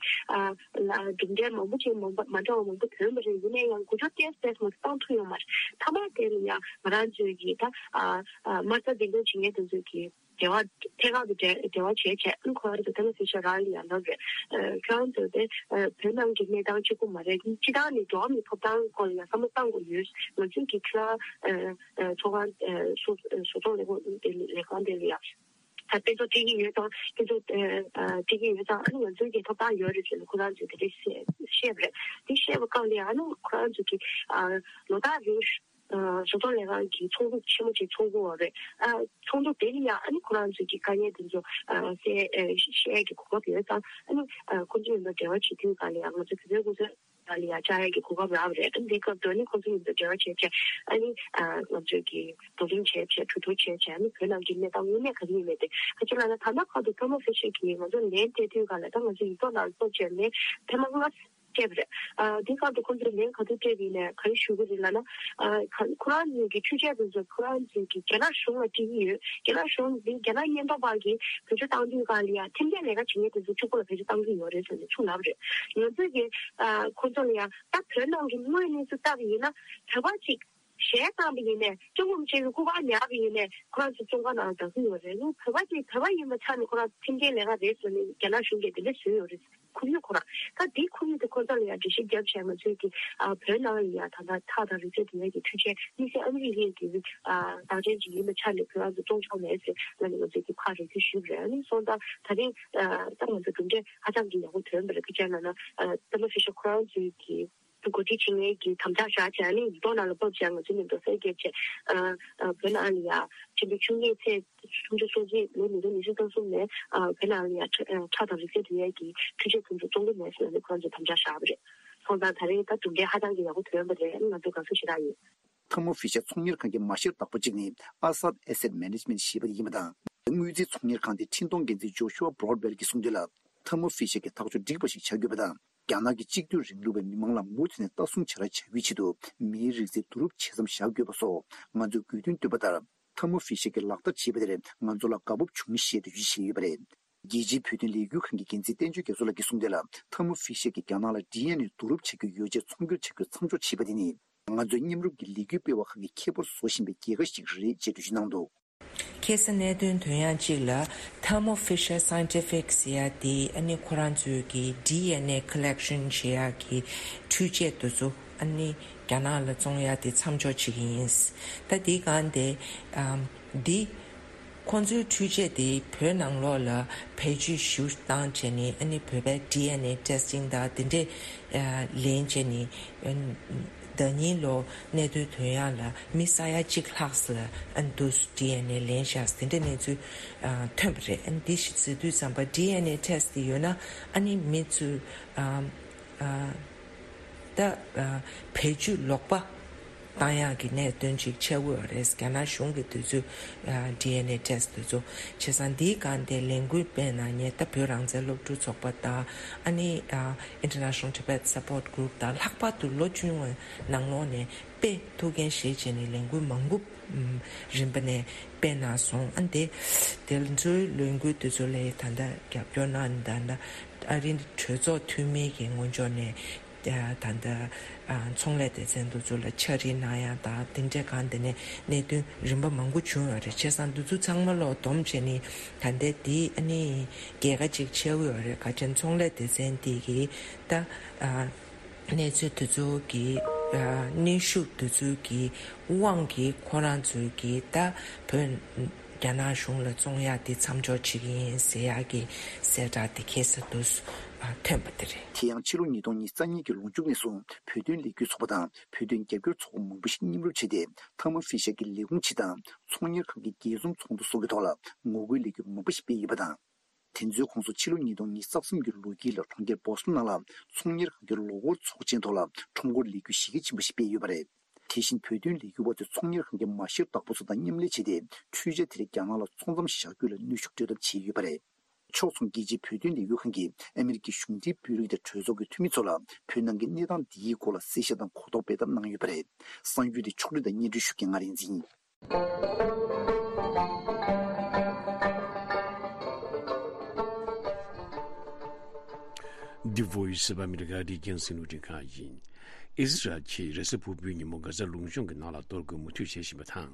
གྲུབ་འབྲས་མང་པོ་ཅིག་མ་འདྲ་བ་མང་པོ་ཐོན་པ་རེད། ཡིན་ན་ཡང་འགོ་ཁྲིད་ཏོག་ཙམ་མ་གཏོགས་བཏང་ཐུབ་ཡོད་མ་རེད། མཐའ་མ་དེ་ལ་ཡང་ང་རང་ཚོའི་གི་ད་མ་རྩ་འཛིན་སྐྱོང་བྱེད་མཁན་དེ་ཚོས་གི་འབྲེལ་བ་ཐད་ཀར་དུ་འབྲེལ་འབྲེལ་བ་བྱས་བྱས་ཨ་ཁོ་རང་ཚོ་ཐེ་མོ་ཕི་ཤར་རང་ལ་ཡང་ལབ་རེད། ཁྱོད་རང་ཚོ་དེ་བོད་ནང་གི་གནས་སྟངས་གཅིག་པུ་མ་རེད། སྤྱིར་བཏང་ནས་འགྲོ་བ་མིའི་ཐོབ་ཐང་སྐོར་ལ་ཡང་བསམ་བློ་གཏང་དགོས་ཡོད། ང་ཚོའི་གི་ཁྱོད་རང་ཚོགས་ཁང་བཟོ་ཚོང་ལས་ཁང་དེ་ལས་ཁང་དེ་ལ་ཡང་། ད་དཔེ་མཚོན་སྤྲད་ཀྱི་ཡོད་ཙང་དཔེ་མཚོན་སྤྲད་ཀྱི་ཡོད་ཙང་ཨ་ནི་ང་ཚོའི་གི་ཐོབ་ཐང་ཡོད་རེད་ཟེར་ནས་ཁོ་རང་ཚོས་དེ་འདྲས་བཤད་བཤད་པ་རེད། དེ་བཤད་པ་སྐབས་ལ་ཨ་ནི་ཁོ་རང་ཚོས་ཀྱི་ལོ་ལྟར་རིང་བཟོ་ཚོང་ལས་ཁང་གི་ཚོགས་འདུ་ཆེན་མོ་ཅིག་ཚོགས་ཀྱི་ཡོད་རེད། ཨ་ཚོགས་འདུ་དེ་ལ་ཡང་ཨ་ནི་ཁོ་རང་ཚོས་ཀྱི་དཀའ་ངལ་དེ་ཚོ་ཨ་བཤད་ཨ་བཤད་ཀྱི་གོ་སྐབས་ཡོད་ཙང་ཨ་ནི་ཨ་ཁོ་ཚོ་མཉམ་དུ་འབྲེལ་བ་བྱེད་དུས་ག་ལ་ཡང་ང་ཚོ་བོད་པའི་སྐུ་ཚབ་ལ་ཡང་བཅར་ཡག་གི་གོ་སྐབས་རག་པ་རེད། ཨ་ནི་འདི་སྐབས་དོན་ནི་ཁོང་ཚོ་མཉམ་དུ་འབྲེལ་བ་བྱས་བྱས་ཨ་ནི་ང་ཚོས་ཀྱི་བགྲོ་གླེང་བྱས་བྱས་གྲོས་བསྡུར་བྱས་བྱས་ཨ་ནི་བོད་ནང་གི་གནས་སྟངས་དངོས་གནས་ག་རེ་ཡིན་མིན་དེ་ག་ཅི་ལབ་ན་ད་ལྟ་བར་དུ་ཐོ་མ་ཧྥི་ཤར་གྱིས་ང་ཚོ་ལན་སྤྲད་དུས་ག་ལ་ད་ང་ཚོ་ཡིག་ཐོག་ནང་ལ་སྤོབས་བྱས་ལན་ཐེངས་མ་ལྔ་སྤྲད་པ་རེད། ཨ་འདི་སྐབས་དུ་ཁོང་ཚོས་ལན་ག་དུས་སྤྲད་པ་ཡིན་ནའི་ག་རེ་ཞུ་གི་རེད་ལབ་ན་ཨ་ཁོ་རང་ཚོའི་གི་འཕྲུལ་ཆས་དེ་ཚོ་ཁོ་རང་ཚོའི་གི་རྒྱ་ནག་གཞུང་ལ་སྤྲད་ཀྱི་ཡོད། རྒྱ་ནག་གཞུང་འདི་རྒྱ་ནག་ཉེན་རྟོག་པ་གིས་བེད་སྤྱོད་བཏང་དུས་ག་ལ་ཡང་ཁྲིམས་འགལ་ལས་ཀ་བྱེད་མཁན་དེ་ཚོ་གཅིག་པུ་ལ་བེད་སྤྱོད་བཏང་གི་ཡོད་རེད་ཟེར་ནས་ཚུར་ལབ་པ་རེད། ང་ཚོས་ཀྱི་ཨ་ཁོང་ཚོ་ལ་ཡང་ད་བོད་ནང་གི་དངོས་གནས་སུ་ལྟ་བ་ཡིན་ན་བོད་པ་གཅིག་གཞས་བཏང་བ་ཡིན་ནའི་སྐྱོ་ངོམ་བྱས་པའི་སྐུ་པར་ཉར་བ་ཡིན་ནའི་ཁོ་རང་ཚོ་བཙོན་ཁང་ནང་ལ་བསྡད་ཀྱི་ཡོད་རེད། ཨ་ནི་བོད་པ་གཅིག་བོད་པ་ཡིན་པའི་ཆ་ནས་ཁོ་རང་ཁྲིམས་འགལ་ལས་ཀ་རེད་ཟེར་ནས་རྒྱ་ནག་གཞུང་གིས་དེ་འདྲ་བཟོས་ཡོད་རེད། ཁོར་ཡུག་ཁོ་རང་ད་དེའི་ཁོར་ཡུག་དེ་ཁོ་ཚོ་ལ་ཡང་འགྲེལ་བཤད་བརྒྱབ་བྱས་ང་ཚོས་ཀྱི་ཨ་བོད་ནང་ལ་ཡང་ད་ལྟ་ཐག་དང་རིགས་རྩལ་དེ་བས་ཀྱི་འཕྲུལ་ཆས་དམིགས་བསལ་ཨ་མི་རི་ཀའི་གི་ཨ་རྟགས་ཅན་ཅིག་ཡིན་པའི་ཆ་ནས་བོད་རང་ཚོ་བཙོང་ཆོག་མེད་ཟེར་ང་ནས་ང་ཚོས་ཀྱི་ཁག་རེ་ཁུལ་ཞུས་པ་རེད། ཨ་ནི་སོང་ཙང་ད་རིང་ཨ་ད་ང་ཚོ་གྲུབ་འབྲས་ཧ་ཅང་གི་ཡག་པོ་ཐོན་པ་རེད། ཁ་ཆེ་ལ་ན་ཨ་ཐེ་མོ་ཕི་ཤར་ཁོ་རང་ཚོའི་གི་འགོ་ཁྲིད་བྱེད་མཁན་གྱི་དམ་དྲག་བཞག་བྱས་ཨ་ནི་ཡིག་ཐོག་ནང་ལ་ཕབ་བྱས་ང་ཚོའི་མཉམ་དུ་གསལ་འགེབས་བྱས་ཨ་ཨ་བོད་ནང་ལ་ཡ་ཆེན་པོའི་ཆུ་ངོས་ཚེས་སུམ་ཅུ་སོ་གཅིག་ལོ་ཉིས་སྟོང་ཉི་ཤུ་རྩ་གསུམ་ནས་ཨ་བོད་ནང་ལ་ཡ་ཁྲ་ཨ་ཁྲག་དང་རིགས་རྩལ་དེ་ཡས་ཀྱི་འཕྲུལ་ཆས་ཁོང་ཚོ་བཙོང་གི་མེད་ཟེར་ནས་ཁོང་ཚོས་དམ་བཅའ་བཞག་པ་རེད། སོང་ཙང་ད་རེས་ད་གྲུབ་འབྲས་ཧ་ཅང་གི་ཡག་པོ་ཐོན་པ་རེད། ང་ཚོ་དགའ་བསུ་ཞེ་དྲག་ཡོད། ཐ་མོ་ཧྥི་ཤར་ཚོང་གཉེར་ཁང་གི་མ་བཤེར་བདག་པོ་གཅིག་ནི་ཨ་སད་ཨེ་སེད་མེ་ནེ་ཇི་མེན་ཊི་ཞེས་པ་ཡིན་པ་དང་། དངུལ་རྩིས་ཚོང་གཉེར་ཁང་དེ་འཕྲིན་གཏོང་འགན་འཛིན་ཇོ་ཤུ་ཨ་བྷོ་རོཌ་ཝེལ་གྱིས་གསུངས་དོན་ལ། ཐར་མོ་ཧྥི་ཤར་གྱི་ཐག་གཅོད་འགྲིག་པ་ཞིག་བྱ་དགོས་པ་དང་། རྒྱ་ནག་གི་གཅིག་སྡུད་རིང་ལུགས་པའི་མི་མང་ལ་མུ་མཐུད་ནས་ལྟ་སྲུང་བྱ་ར་བྱ་རྒྱུའི་ཆེད་དུ་མིའི་རིགས་རྫས་བསྡུ་རུབ་བྱེད་མཚམས་བཞག་དགོས་པ་སོགས་ང་ཚོས་དགོས་འདུན་བཏོན་པ་ལྟར། ཐར་མོ་ཧྥི་ཤར་གྱིས་ལག་བསྟར་བྱས་པ་དེར་ང་ཚོ་ལ་དགའ་སྤོབས་བྱུང་ཞེས་འགྲེལ་བརྗོད་བྱས་ཡོད་པ་རེད། རྒྱལ་སྤྱིའི་བོད་དོན་ལས་འགུལ་ཁང་གི་འགན་འཛིན་བསྟན་ཆོས་རྒྱ་མཚོ་ལགས་ཀྱིས་གསུངས་དོན་ལ། ཐར་མོ་ཧྥི་ཤར་གྱིས་རྒྱ་ནག་ལ་ཌི་ཨེན་ཨེ་བསྡུ་རུབ་བྱ་རྒྱུའི་ཡོ་བྱད་ཚོང་སྒྱུར་བྱ་རྒྱུ་མཚམས་འཇོག་བྱས་པ་དེ་ནི། ང་ཚོའི་མཉམ་རུབ་ཀྱི་ལས་འགུལ་སྤེལ་བ་ཁག་གི་ཁེ་ཕོར་བཟོ་བཞིན་པའི་རྒྱལ་ཁ་ཞིག་རེད་ཅེས་འགྲེལ་བརྗོད་གནང་འདུག། ཁ་སང་གནད་དོན་དོན་ཡང་གཅིག་ལ། Thermo Fisher Scientific ཟེར་ཡ་དེ་ཨ་ནི་ཁོ་རང་ཚོའི་གི་ཌི་ཨེན་ཨེ་ཁོ་ལེག་ཤན་བྱེད་ཡ་གི་འཕྲུལ་ཆས་དེ་ཚོ་ཨ་ནི་རྒྱ་ནག་ལ་བཙོང་ཡ་དེ་མཚམས་འཇོག་བྱེད་ཀྱི་ཡིན། ད་དེའི་སྒང་དེ་ཨམ་འདི་ཁོང་ཚོའི་འཕྲུལ་ཆས་དེ་བོད་ནང་ལོགས་ལ་བེད་སྤྱོད་ཞུ་སྟངས་བྱས་ནས་ཨ་ནི་བོད་པའི་ཌི་ཨེན་ཨེ་ཊེ་སི་ཊིང་དང་དེ་འདྲས་ལེན་བྱས་ནས་ཨ་ནི་ཟླ་ཉིན་ལོ་གནས་སྡོད་དོན་ཡག་ལ་མི་ས་ཡ་གཅིག་ལྷག་ཙམ་ལ་ཨ་ནི་འདུག་ཌི་ཨེན་ཨེ་ལེན་བཞག་དེ་འདྲ་གནས་ཚུལ་ཨ་ཐོན་པ་རེད། ཨ་ནི་འདི་ཞིག་ཟེར་དུས་ཙམ་པ་ཌི་ཨེན་ཨེ་ཊེ་སི་ཊི་དེ་ཡོད་ན་ཨ་ནི་མི་ཚོས་ཨ་ཨ་ད་ཨ་བེད་སྤྱོད་ལོག་པ་བཏང་ཡག་གི་གནད་དོན་ཅིག་ཆགས་ཀྱི་ཡོད་རེད། རྒྱ་ནག་གཞུང་གིས་དུས་ཚོད་ཨ་ཌི་ཨེན་ཨེ་ཊེ་སི་ཊི་དེ་ཚོ་བྱས་ཙང་འདིའི་སྒང་དེ་ལས་འགུལ་སྤེལ་གནང་མཁན་ད་བོད་རང་བཙན་སློབ་ཕྲུག་ཚོགས་པ་དང་ཨ་ནི་ཨ་International Tibet Support Group དང་ལྷག་པར་དུ་ལོ་བཅོ་ལྔའི་ནང་ལོགས་ནས་དཔེ་ཐུགས་འགན་བཞེས་བྱས་ནས་ལས་འགུལ་མང་པོ་ཨམ་རིམ་པ་ནས་སྤེལ་གནང་སོང་། ཨ་ནི་དེ་དེ་ཚོའི་ལས་འགུལ་དེ་ཚོ་ལ་ད་ལྟ་རྒྱབ་སྐྱོར་གནང་ནས་ད་ལྟ་ཨ་རི་གྲོས་ཚོགས་འཐུས་མི་གི་ངོས་ཕྱོགས་ནས་ད་ལྟ་ཨ་ཚོང་ལས་སྡེ་ཚན་དེ་ཚོ་ལ་ཕྱག་བྲིས་གནང་ཡག་དང་དེ་འདྲའི་སྒང་དེ་ནས་གནད་དོན་རིམ་པ་མང་པོ་བྱུང་ཡོད་རེད། བྱས་ཙང་དེ་ཚོ་ཚང་མ་ལོག་བསྡོམས་བྱས་ནས་ད་ལྟ་དེ་ཨ་ནི་རྒྱལ་ཁ་ཅིག་ཆགས་ཀྱི་ཡོད་རེད། ག་ཅན་ཚོང་ལས་སྡེ་ཚན་དེ་གི་ད་ཨ་གནས་ཚུལ་དེ་ཚོ་གི་ཨ་གནོན་ཤུགས་དེ་ཚོ་གི་དབང་གིས་ཁོ་རང་ཚོས་གི་ད་བོད་རྒྱ་ནག་གཞུང་ལ་བཙོང་ཡག་དེ་མཚམས་འཇོག་བྱེད་ཀྱི་ཡིན་ཟེར་ཡག་གི་གསལ་བསྒྲགས་དེ་ཁ་སང་དུ་ཐོན་པ་དེ་རེད། དེ་ཡང་ཕྱི་ལོ་ཉིས་སྟོང་ཉི་ཤུ་རྩ་གཉིས་ཀྱི་ལོ་མཇུག་ནས་བཟུང་བོད་དོན་ལས་འགུལ་ཚོགས་པ་དང་བོད་དོན་རྒྱབ་སྐྱོར་ཚོགས་པ་མང་པོ་ཞིག་མཉམ་རུབ་བྱས་ཏེ་ཐར་མོ་ཧྥི་ཤར་གྱི་ལས་ཁུངས་སྤྱི་དང་ཚོང་གཉེར་ཁང་གི་རྒྱལ་གསུམ་ཚོགས་འདུ་སོགས་ཀྱི་ཐོག་ལ་ངོ་རྒོལ་ལས་འགུལ་མང་པོ་ཞིག་སྤེལ་ཡོད་པ་དང་། དེ་ཚོའི་ཁོངས་སུ་ཕྱི་ལོ་ཉིས་སྟོང་ཉི་ཤུ་རྩ་གསུམ་གྱི་ལོ་དཀྱིལ་ལ་གྲོང་ཁྱེར་བོ་སི་ཊོན་ནང་ལ་ཚོང་གཉེར་ཁང་གི་ལོ་འཁོར་ཚོགས་ཆེན་ཐོག་ལ་ཁྲོམ་སྐོར་ལས་འགུལ་གཞི་རྒྱ་ཆེན་པོ་ཞིག་སྤེལ་ཡོད་པ་རེད། དེ་བཞིན་བོད་དོན་ལས་འགུལ་བ་ཚོས་ཚོང་གཉེར་ཁང་གི་མ་བཤེར་བདག་པོ་ཚོ་དང་མཉམ་ལས་བྱས་ཏེ་འཕྲུལ་ཆས་དེ་རིགས་རྒྱ་ནག་ལ་ཚོང་མཚམས་བཞག་རྒྱུ་ལ་གནོན་ཤུགས་སྤྲོད་ཐབས་བྱས་ཡོད་པ་རེད། ཕྱོགས་མཚུངས་རྒྱལ་སྤྱིའི་བོད་དོན་ལས་འགུལ་ཁང་གིས་ཨ་མི་རི་ཀའི་གཞུང་འབྲེལ་དཔོན་རིགས་དང་གྲོས་ཚོགས་ཀྱི་འཐུས་མི་ཚོ་ལ་བོད་ནང་གི་གནས་སྟངས་འདིའི་སྐོར་ལ་གསལ་བཤད་དང་གོ་རྟོགས་སྤེལ་ཐབས་གནང་ཡོད་པ་རེད། གསར་འགྱུར་དེ་ཕྱོགས་སྒྲིག་དང་སྙན་སྒྲོན་ཞུ་མཁན་ང་རིག་འཛིན་ཡིན། The Voice of America རྒྱང་སྲིང་རླུང་འཕྲིན་ཁང་ཡིན། ཨི་ཟི་རལ་གྱིས་རེས་གཟའ་ཕུར་བུའི་ཉིན་མོ་གྷ་ཛ་ལུང་གཤོང་གི་ནང་ལ་གཏོར་རྒོལ་མུ་མཐུད་བྱེད་བཞིན་པ་དང་།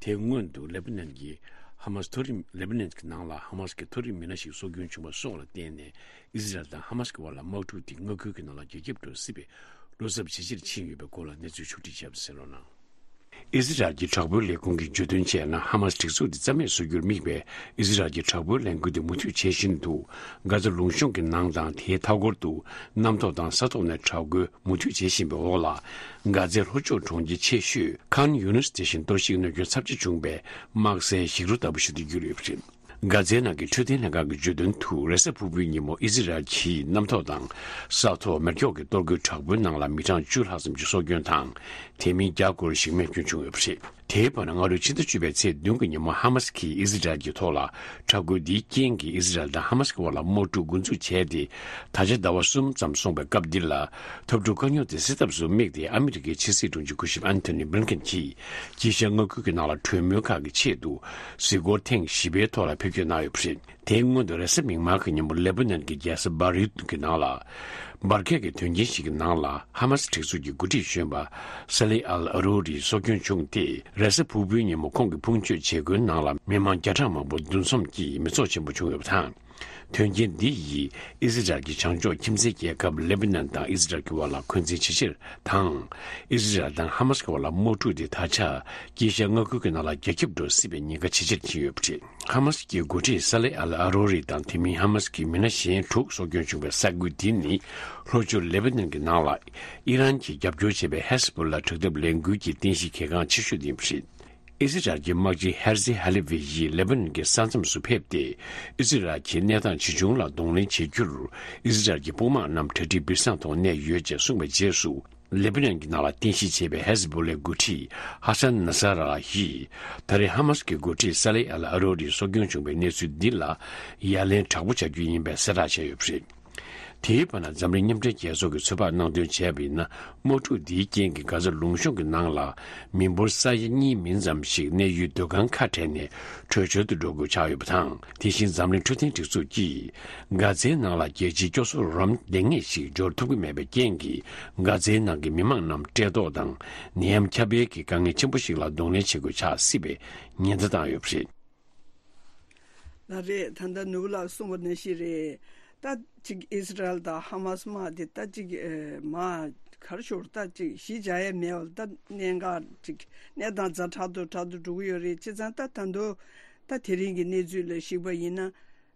དེའི་སྔོན་དུ་ལེ་པ་ནན་གྱི་ཧ་མ་སི་མཐོ་རིམ། ལེ་པ་ནན་གྱི་ནང་ལ་ཧ་མ་སི་གི་མཐོ་རིམ་མི་སྣ་ཞིག་སྲོག་སྐྱོན་བྱུང་བ་སོགས་ལ་བརྟེན་ནས་ཨི་ཟི་རལ་དང་ཧ་མ་སི་གི་བར་ལ་དམག་འཁྲུག་དེ་མངའ་ཁུལ་གྱི་ནང་ལ་རྒྱ་ཁྱབ་འགྲོ་སྲིད་པའི་བློ་འཚབ་ཇེ་ཆེར་ཕྱིན་ཡོད་པའི་སྐོར་ལ་གནས་ཚུལ་ཕྱོགས་སྒྲིག་བྱས་པ་གསན་རོགས་གནང་། ཨི་ཟི་རལ་གྱི་དྲག་པོའི་ལས་ཁུངས་ཀྱིས་བརྗོད་དོན་བྱས་ན། ཧ་མ་སི་སྒྲིག་འཛུགས་དེ་རྩ་མེད་བཟོ་རྒྱུར་དམིགས་པའི་ཨི་ཟི་རལ་གྱི་དྲག་པོའི་ལས་འགུལ་དེ་མུ་མཐུད་བྱེད་བཞིན་འདུག། གྷ་ཛ་ལུང་གཤོང་གི་ནང་དང་དེའི་མཐའ་འཁོར་དུ་གནམ་ཐོག་དང་ས་ཐོག་ནས་དྲག་རྒོལ་མུ་མཐུད་བྱེད་བཞིན་པའི་འོག་ལ། གྷ་ཛའི་ལྷོ་ཕྱོགས་གྲོང་ཁྱེར་ཆེ་ཤོས་ཁཱན་ཡུ་ནུས་དེ་བཞིན་གཏོར་བཤིག་གནོད་སྐྱོན་ཚབས་ཆེ་བྱུང་བའི་དམག་སའི་ཞིག་རོ་ལྟ་བུ་ཞིག་ཏུ་གྱུར་ཡོད་པ་རེད། གྷ་ཛའི་ནང་གི་འཕྲོད་བསྟེན་ལྷན་ཁང་གི་བརྗོད་དོན་དུ། རེས་གཟའ་ཕུར་བུའི་ཉིན་མོ་ཨི་ཟི་རལ་གྱིས་གནམ་ཐོག་དང་ས་ཐོག་མེ་སྒྱོགས་ཀྱི་གཏོར་རྒོལ་དྲག་པོའི་ནང་ལ་མི་གྲངས་བཅུ་ལྷག་ཙམ་གྱི་སྲོག་སྐྱོན་དང་། དེ་མིན་བརྒྱ་སྐོར་ཞིག་རྨས་སྐྱོན་བྱུང་ཡོད་པ་རེད། དེའི་བར་ན་སྔ་རོལ་ཕྱི་ཟླ་བཅུ་པའི་ཚེས་བདུན་གྱི་ཉིན་མོ་ཧ་མ་སི་གིས་ཨི་ཟི་རལ་གྱི་ཐོག་ལ་དྲག་རྒོལ་འདིའི་རྐྱེན་གྱིས་ཨི་ཟི་རལ་དང་ཧ་མ་སི་གི་བར་ལ་དམག་འཁྲུག་འགོ་འཛུགས་བྱས་ཏེ། ད་ཆ་ཟླ་བ་གསུམ་ཙམ་སོང་བའི་སྐབས་འདི་ལ། འཐབ་འཁྲུག་དཀའ་རྙོག་དེ་སེལ་ཐབས་སུ་དམིགས་ཏེ་ཨ་མི་རི་ཀའི་ཕྱི་སྲིད་དྲུང་ཆེ་སྐུ་ཞབས་ཨན་ཐོ་ནི་བྷི་ལིན་ཀེན་གྱིས་དཀྱིལ་ཤར་མངའ་ཁུལ་གྱི་ནང་ལ་གྲོས་མོལ་ཁག་གི་ཆེད་དུ་གཟིགས་སྐོར་ཐེངས་བཞི་པའི་ཐོག་ལ་ཕེབས་སྐྱོད་གནང་ཡོད་པ་རེད། དེའི་སྔོན་དུ་རེས་གཟའ་མིག་དམར་གྱི་ཉིན་མོ་ལེ་པ་ནན་གྱི་རྒྱལ་ས་བེ་རུད་ཀྱི་ནང་ལ། འབར་གས་ཀྱི་དོན་རྐྱེན་ཞིག་གི་ནང་ལ་ཧ་མ་སི་སྒྲིག་འཛུགས་ཀྱི་འགོ་ཁྲིད་གཞོན་པ་ས་ལེ་ཨལ་ཨ་རོ་རི་སྲོག་སྐྱོན་བྱུང་སྟེ། རེས་གཟའ་ཕུར་བུའི་ཉིན་མོ་ཁོང་གི་ཕུང་མཆོད་བྱེད་སྒོའི་ནང་ལ་མི་མང་བརྒྱ་ཕྲག་མང་པོ་འདུ་འཛོམས་ཀྱིས་མི་ཚོགས་ཆེན་པོ་བྱུང་ཡོད་པ་དང་། དོན་རྐྱེན་འདི་ཡིས་ཨི་ཟི་རལ་གྱི་བྱང་ཕྱོགས་ཁྱིམ་མཚེས་རྒྱལ་ཁབ་ལེ་པ་ནན་དང་ཨི་ཟི་རལ་གྱི་བར་ལ་འཁོན་འཛིན་ཇེ་ཆེར་དང་། ཨི་ཟི་རལ་དང་ཧ་མ་སི་གི་བར་ལ་དམག་འཁྲུག་དེ་ད་ཆ་དཀྱིལ་ཤར་མངའ་ཁུལ་གྱི་ནང་ལ་རྒྱ་ཁྱབ་འགྲོ་སྲིད་པའི་ཉེན་ཁ་ཇེ་ཆེར་ཕྱིན་ཡོད་པ་རེད། ཧ་མ་སི་གི་འགོ་ཁྲིད་ས་ལེ་ཨལ་ཨ་རོ་རི་དང་དེ་མིན་ཧ་མ་སི་གི་མི་སྣ་གཞན་དྲུག་སྲོག་སྐྱོན་བྱུང་བའི་ས་ཁུལ་འདི་ནི་ལྷོ་ཕྱོགས་ལེ་པ་ནན་གྱི་ནང་ལ་ཨི་རན་གྱིས་རྒྱབ་སྐྱོར་བྱེད་པའི་ཧེ་ཟ་བྷོ་ལ་དྲག་འཐབ་ལས་འགུལ་གྱི་རྟེན་གཞི་གལ་འགངས་ཆེ་ཤོས་དེ་ཡིན་པ་རེད། ཨི་ཟི་རལ་གྱི་དམག་སྤྱི་ཧེར་ཛི་ཧ་ལི་ཝི་ཡིས་ལེ་པ་ནན་གྱི་ས་མཚམས་སུ་ཕེབས་ཏེ། ཨི་ཟི་རལ་གྱི་གནས་སྟངས་ཇི་བྱུང་ལ་གདོང་ལེན་བྱེད་རྒྱུར། ཨི་ཟི་རལ་གྱི་དཔུང་དམག་རྣམས་གྲ་སྒྲིག་སྦིར་སང་ཐོག་གནས་ཡོད་ཅེས་གསུངས་པའི་རྗེས་སུ། ལེ་པ་ནན་གྱི་ནང་ལ་རྟེན་གཞི་བྱས་པའི་ཧེ་ཟི་བྷོ་ལའི་འགོ་ཁྲིད་ཧ་སན་ན་ས་ར་ཡིས། ད་རེས་ཧ་མ་སི་ཀྱི་འགོ་ཁྲིད་ས་ལེ་ཨལ་ཨ་རོ་རིའི་སྲོག་སྐྱོན་བྱུང་བའི་གནས་ཚུལ་འདི་ལ་ཡ་ལན་དྲག་པོ་བྱ་རྒྱུ་ཡིན་པའི་གསལ་བསྒྲགས་བྱས་ཡོད་པ་རེད། དེའི་བར་ན་འཛམ་གླིང་མཉམ་འབྲེལ་རྒྱལ་ཚོགས་ཀྱིས་ཚོད་དཔག་གནང་དོན་བྱས་པ་ཡིན་ན། དམག་འཁྲུག་འདིའི་རྐྱེན་གྱིས་གྷ་ཛ་ལུང་གཤོང་གི་ནང་ལ་མི་འབོར་ས་ཡ་གཉིས་མིན་ཙམ་ཞིག་གནས་ཡུལ་སྡོད་ཁང་ཁ་བྲལ་ནས་བྲོས་བྱོལ་དུ་འགྲོ་དགོས་ཆགས་ཡོད་པ་དང་། དེ་བཞིན་འཛམ་གླིང་འཕྲོད་བསྟེན་སྒྲིག་འཛུགས་ཀྱིས་གྷ་ཛའི་ནང་ལ་རྒྱལ་སྤྱིའི་སྐྱོ་གསོ་རོགས་རམ་ལེགས་ཉེས་ཤིག་འབྱོར་ཐུབ་ཀྱི་མེད་པའི་རྐྱེན་གྱིས། གྷ་ཛའི་ནང་གི་མི་མང་རྣམས་བཀྲེས་ལྟོགས་དང་ནད་ཡམས་ཁྱབ་སྤེལ་གྱི་དཀའ་ངལ་ཆེན་པོ་ཞིག་ལ་གདོང་ལེན་བྱེད་དགོས་ཆགས་སྲིད་པའི་ཉེན་བརྡ་བཏང་ཡོད་པ་རེད། ལགས་རེད། ད་ལྟ་ནོར་བུ་ལགས་གསུངས་པ་ནང་བཞིན་རེད། ད་ཅིག་ཨིས་ར་ཨེལ་དང་ཧ་མ་སི་དམག་དེ་ད་ཅིག་ཨེ་མ་གར་ཤོར་ད་ཅིག་གཞིས་བྱ་ཡས་མེད་པ་ད་གནད་འགག་ཅིག་གནས་སྟངས་ཛ་དྲག་ཏུ་དྲག་ཏུ་འགྲོ་གི་ཡོད་རེད། བྱས་ཙང་ད་ད་དུང་ད་དེ་རིང་གི་གནས་ཚུལ་ལ་གཞིགས་པ་ཡིན་ན།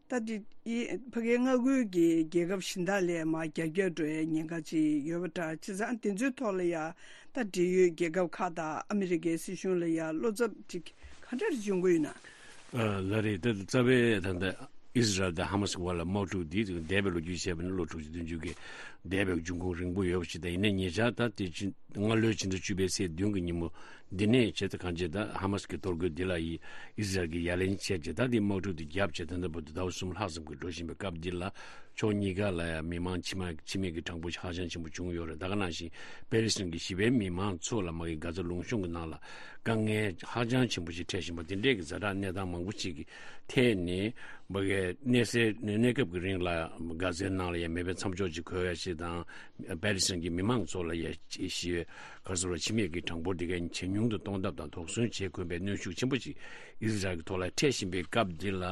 ད་དེ་ཡི་ཕ་གིའི་མངའ་ཁུལ་གྱི་རྒྱལ་ཁབ་གཞན་དག་ལས་མར་རྒྱ་སྐྱོད་འགྲོ་ཡའི་ཉེན་ཁ་ཅིག་ཡོད་པ་འདྲ། བྱས་ཙང་དེ་ཚོའི་ཐོག་ལ་ཡ་ད་འབྲེལ་ཡོད་རྒྱལ་ཁབ་ཁག་དང་ཨ་མི་རི་ཀའི་སྲིད་གཞུང་ལ་ཡ་བློ་འཚབ་ཅིག་ག་འདྲ་རེ་བྱུང་གི་ཡོད་ན། ཨ་ལགས་རེད། ད་རྩ་བའི་ད་ལྟ་ཨིས་ར་ཨེལ་དང་ཧ་མ་སི་གི་བར་ལ་དམག་འཁྲུག་འདི་འདས་པའི་ལོ་རྒྱུས་བྱས་པ་ནི་ལོ་དྲུག་ཅུ་བདུན་ཅུ་གི་འདས་པའི་འབྱུང་ཁུངས་རིང་པོ་ཡོད་པ་ཞིག་དང་། ཡིན་ནའི་ཉེ་ཆར་ད་དེ་ཕྱི་སྔ་ལོའི་ཕྱི་ཟླ་བཅུ་པའི་ཚེས་བདུན་གྱི་ཉིན་མོ་འདི་ནས་བྱས་ཏེ་གང་ཅི་ད་ཧ་མ་སི་གི་གཏོར་རྒོལ་འདི་ལ་ཡི་ཨིས་ར་ཨེལ་གྱིས་ཡ་ལན་བྱས་རྗེས། ད་འདི་དམག་འཁྲུག་འདི་བརྒྱབ་རྗེས་ད་ལྟ་བར་དུ་ཟླ་བ་གསུམ་ལྷག་ཙམ་གྱི་འགྲོ་བཞིན་པའི་སྐབས་འདི་ལ། ཕྱོགས་གཉིས་ཀ་ལ་ཡང་མི་མང་འཆི་མ་འཆི་རྨས་ཀྱི་གྲངས་འབོར་ཧ་ཅང་ཆེན་པོ་བྱུང་ཡོད་རེད། ད་ག་ནང་བཞིན་པེ་ལི་སི་ཐན་གྱི་གཞིས་པའི་མི་མང་ཚོ་ལ་མ་གི་གྷ་ཛ་ལུང་གཤོང་གི་ནང་ལ་དཀའ་ངལ་ཧ་ཅང་ཆེན་པོ་ཞིག་འཕྲད་བཞིན་པ་འདི་འདྲས་ཀྱི་ཛ་དྲག་གནས་སྟངས་མང་པོ་ཞིག་གི་ཐད་ནས་མ་གི་གནས་སའི་གནས་སྐབས་ཀྱི་རིང་ལ་གྷ་ཛའི་ནང་ལ་ཡང་མེ་འཕེན་མཚམས་འཇོག་ཅིག་དགོས་ཡ་ཞིག་དང་། པེ་ལི་སི་ཐན་གྱི་མི་མང་ཚོ་ལ་ཡང་ཞི་བའི་ག་རེ་ཟེར་བ་འཆི་རྨས་ཀྱི་གྲངས་འབོར་འདི་གའི་ཇེ་ཉུང་དུ་གཏོང་ཐབས་དང་དོགས་ཟོན་བྱེད་དགོས་པའི་གནོན་ཤུགས་ཆེན་པོ་ཞིག་ཨིས་ར་ཨེལ་གྱི་ཐོག་ལ་འཕྲད་བཞིན་པའི་སྐབས་འདི་ལ།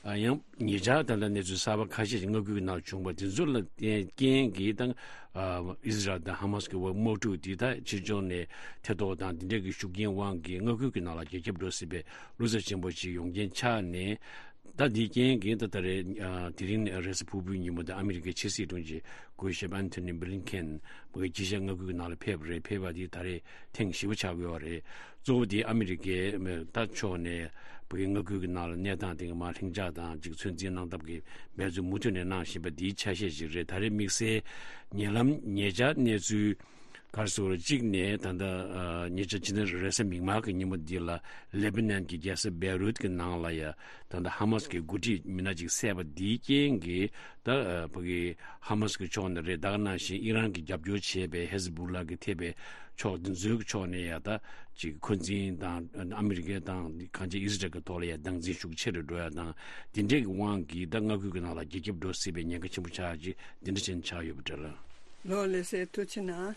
ཨ་ཡང་ཉེ་ཆར་ད་ལྟ་གནས་ཚུལ་གསར་པ་ཁ་ཤས་ཤིག་མངའ་ཁུལ་གྱི་ནང་བྱུང་བ་དེ་ཚོ་ལ་བརྟེན་རྐྱེན་གྱིས་ད་ཨ་ཨིས་ར་ཨེལ་དང་ཧ་མ་སི་གི་དམག་འཁྲུག་འདི་ད་ཕྱི་ཕྱོགས་ནས་ཐེ་གཏོགས་དང་འདི་འདྲའི་གི་ཤུགས་རྐྱེན་དབང་གིས་མངའ་ཁུལ་གྱི་ནང་ལ་རྒྱ་ཁྱབ་འགྲོ་སྲིད་པའི་བློ་འཚབ་ཆེན་པོ་ཞིག་ཡོང་རྐྱེན་ཆགས་ནས། ད་འདིའི་རྐྱེན་གྱིས་ད་ད་རེས་ཨ་དེ་རིང་རེས་གཟའ་ཕུར་བུའི་ཉིན་མོ་དེ་ཨ་མི་རི་ཀའི་ཕྱི་སྲིད་དྲུང་ཆེ་སྐུ་ཞབས་ཨན་ཐོ་ནི་བྷི་ལིན་ཁེན་མ་གི་ཅི་ཤ་མངའ་ཁུལ་གྱི་ནང་ལ་ཕེབས་པ་རེད། ཕེབས་པ་འདི་ད་རེས་ཐེངས་བཞི་པ་ཆགས་ཀྱི་ཡོད་རེད། གཙོ་བོ་དེ་ཨ་མི་རི་ཀའི་ད་ཕྱོགས་ནས་བོད་ཀྱི་མངའ་ཁུལ་གྱི་ནང་ལ་གནས་སྟངས་དེ་ག་མར་ལྷིང་འཇགས་དང་ཅིག་ཚོད་འཛིན་གནང་ཐབས་ཀྱི་འབད་བརྩོན་མུ་མཐུད་ནས་གནང་བཞིན་པ་འདིའི་ཆ་ཤས་ཤིག་རེད། ད་རེས་དམིགས་བསལ་ཉེ་ལམ་ཉེ་ཆར་གནས་ཚུལ་ག་རེ་ཟེར་བ་གཅིག་ནས་ད་ལྟ་ཉེ་ཆར་ཕྱི་ཟླ་རེས་གཟའ་མིག་དམར་གྱི་ཉིན་མོ་འདི་ལ་ལེ་བྷ་ནན་གྱི་རྒྱལ་ས་བེ་རུད་ཀྱི་ནང་ལ་ཡ་ད་ལྟ་ཧ་མ་སི་གི་འགོ་ཁྲིད་མི་སྣ་གཅིག་བསད་པ་འདིའི་རྐྱེན་གྱིས། ད་ཨ་ཕ་གི་ཧ་མ་སི་གི་ཕྱོགས་ནས་རེད། ད་ག་ནང་བཞིན་ཨི་རན་གྱིས་རྒྱབ་སྐྱོར་བྱས་པའི་ཧེ་ཟི་བུ་ལ་གི་ཐེ་བའི་ཕྱོགས་འདི་ཚོའི་ཕྱོགས་ནས་ཡ་ད་ཅིག་འཁོན་འཛིན་དང་ཨ་མི་རི་ཀའི་དང་གང་ཅི་ཨིས་རལ་གྱི་ཐོག་ལ་ཡ་སྡང་འཛིན་ཤུགས་ཆེ་རུ་འགྲོ་ཡ་དང་། འདི་འདྲའི་གི་དབང་གིས་ད་མངའ་ཁུལ་གྱི་ནང་ལ་རྒྱ་ཁྱབ་འགྲོ་སྲིད་པའི་ཉེན་ཁ་ཆེན་པོ་ཆགས་ཀྱི་འདི་འདྲ་ཅན་ཆགས་ཡོད་པ་འདྲ་ལ། ལོ་ལེ་སའི་ཐུགས་ཆེ་ན།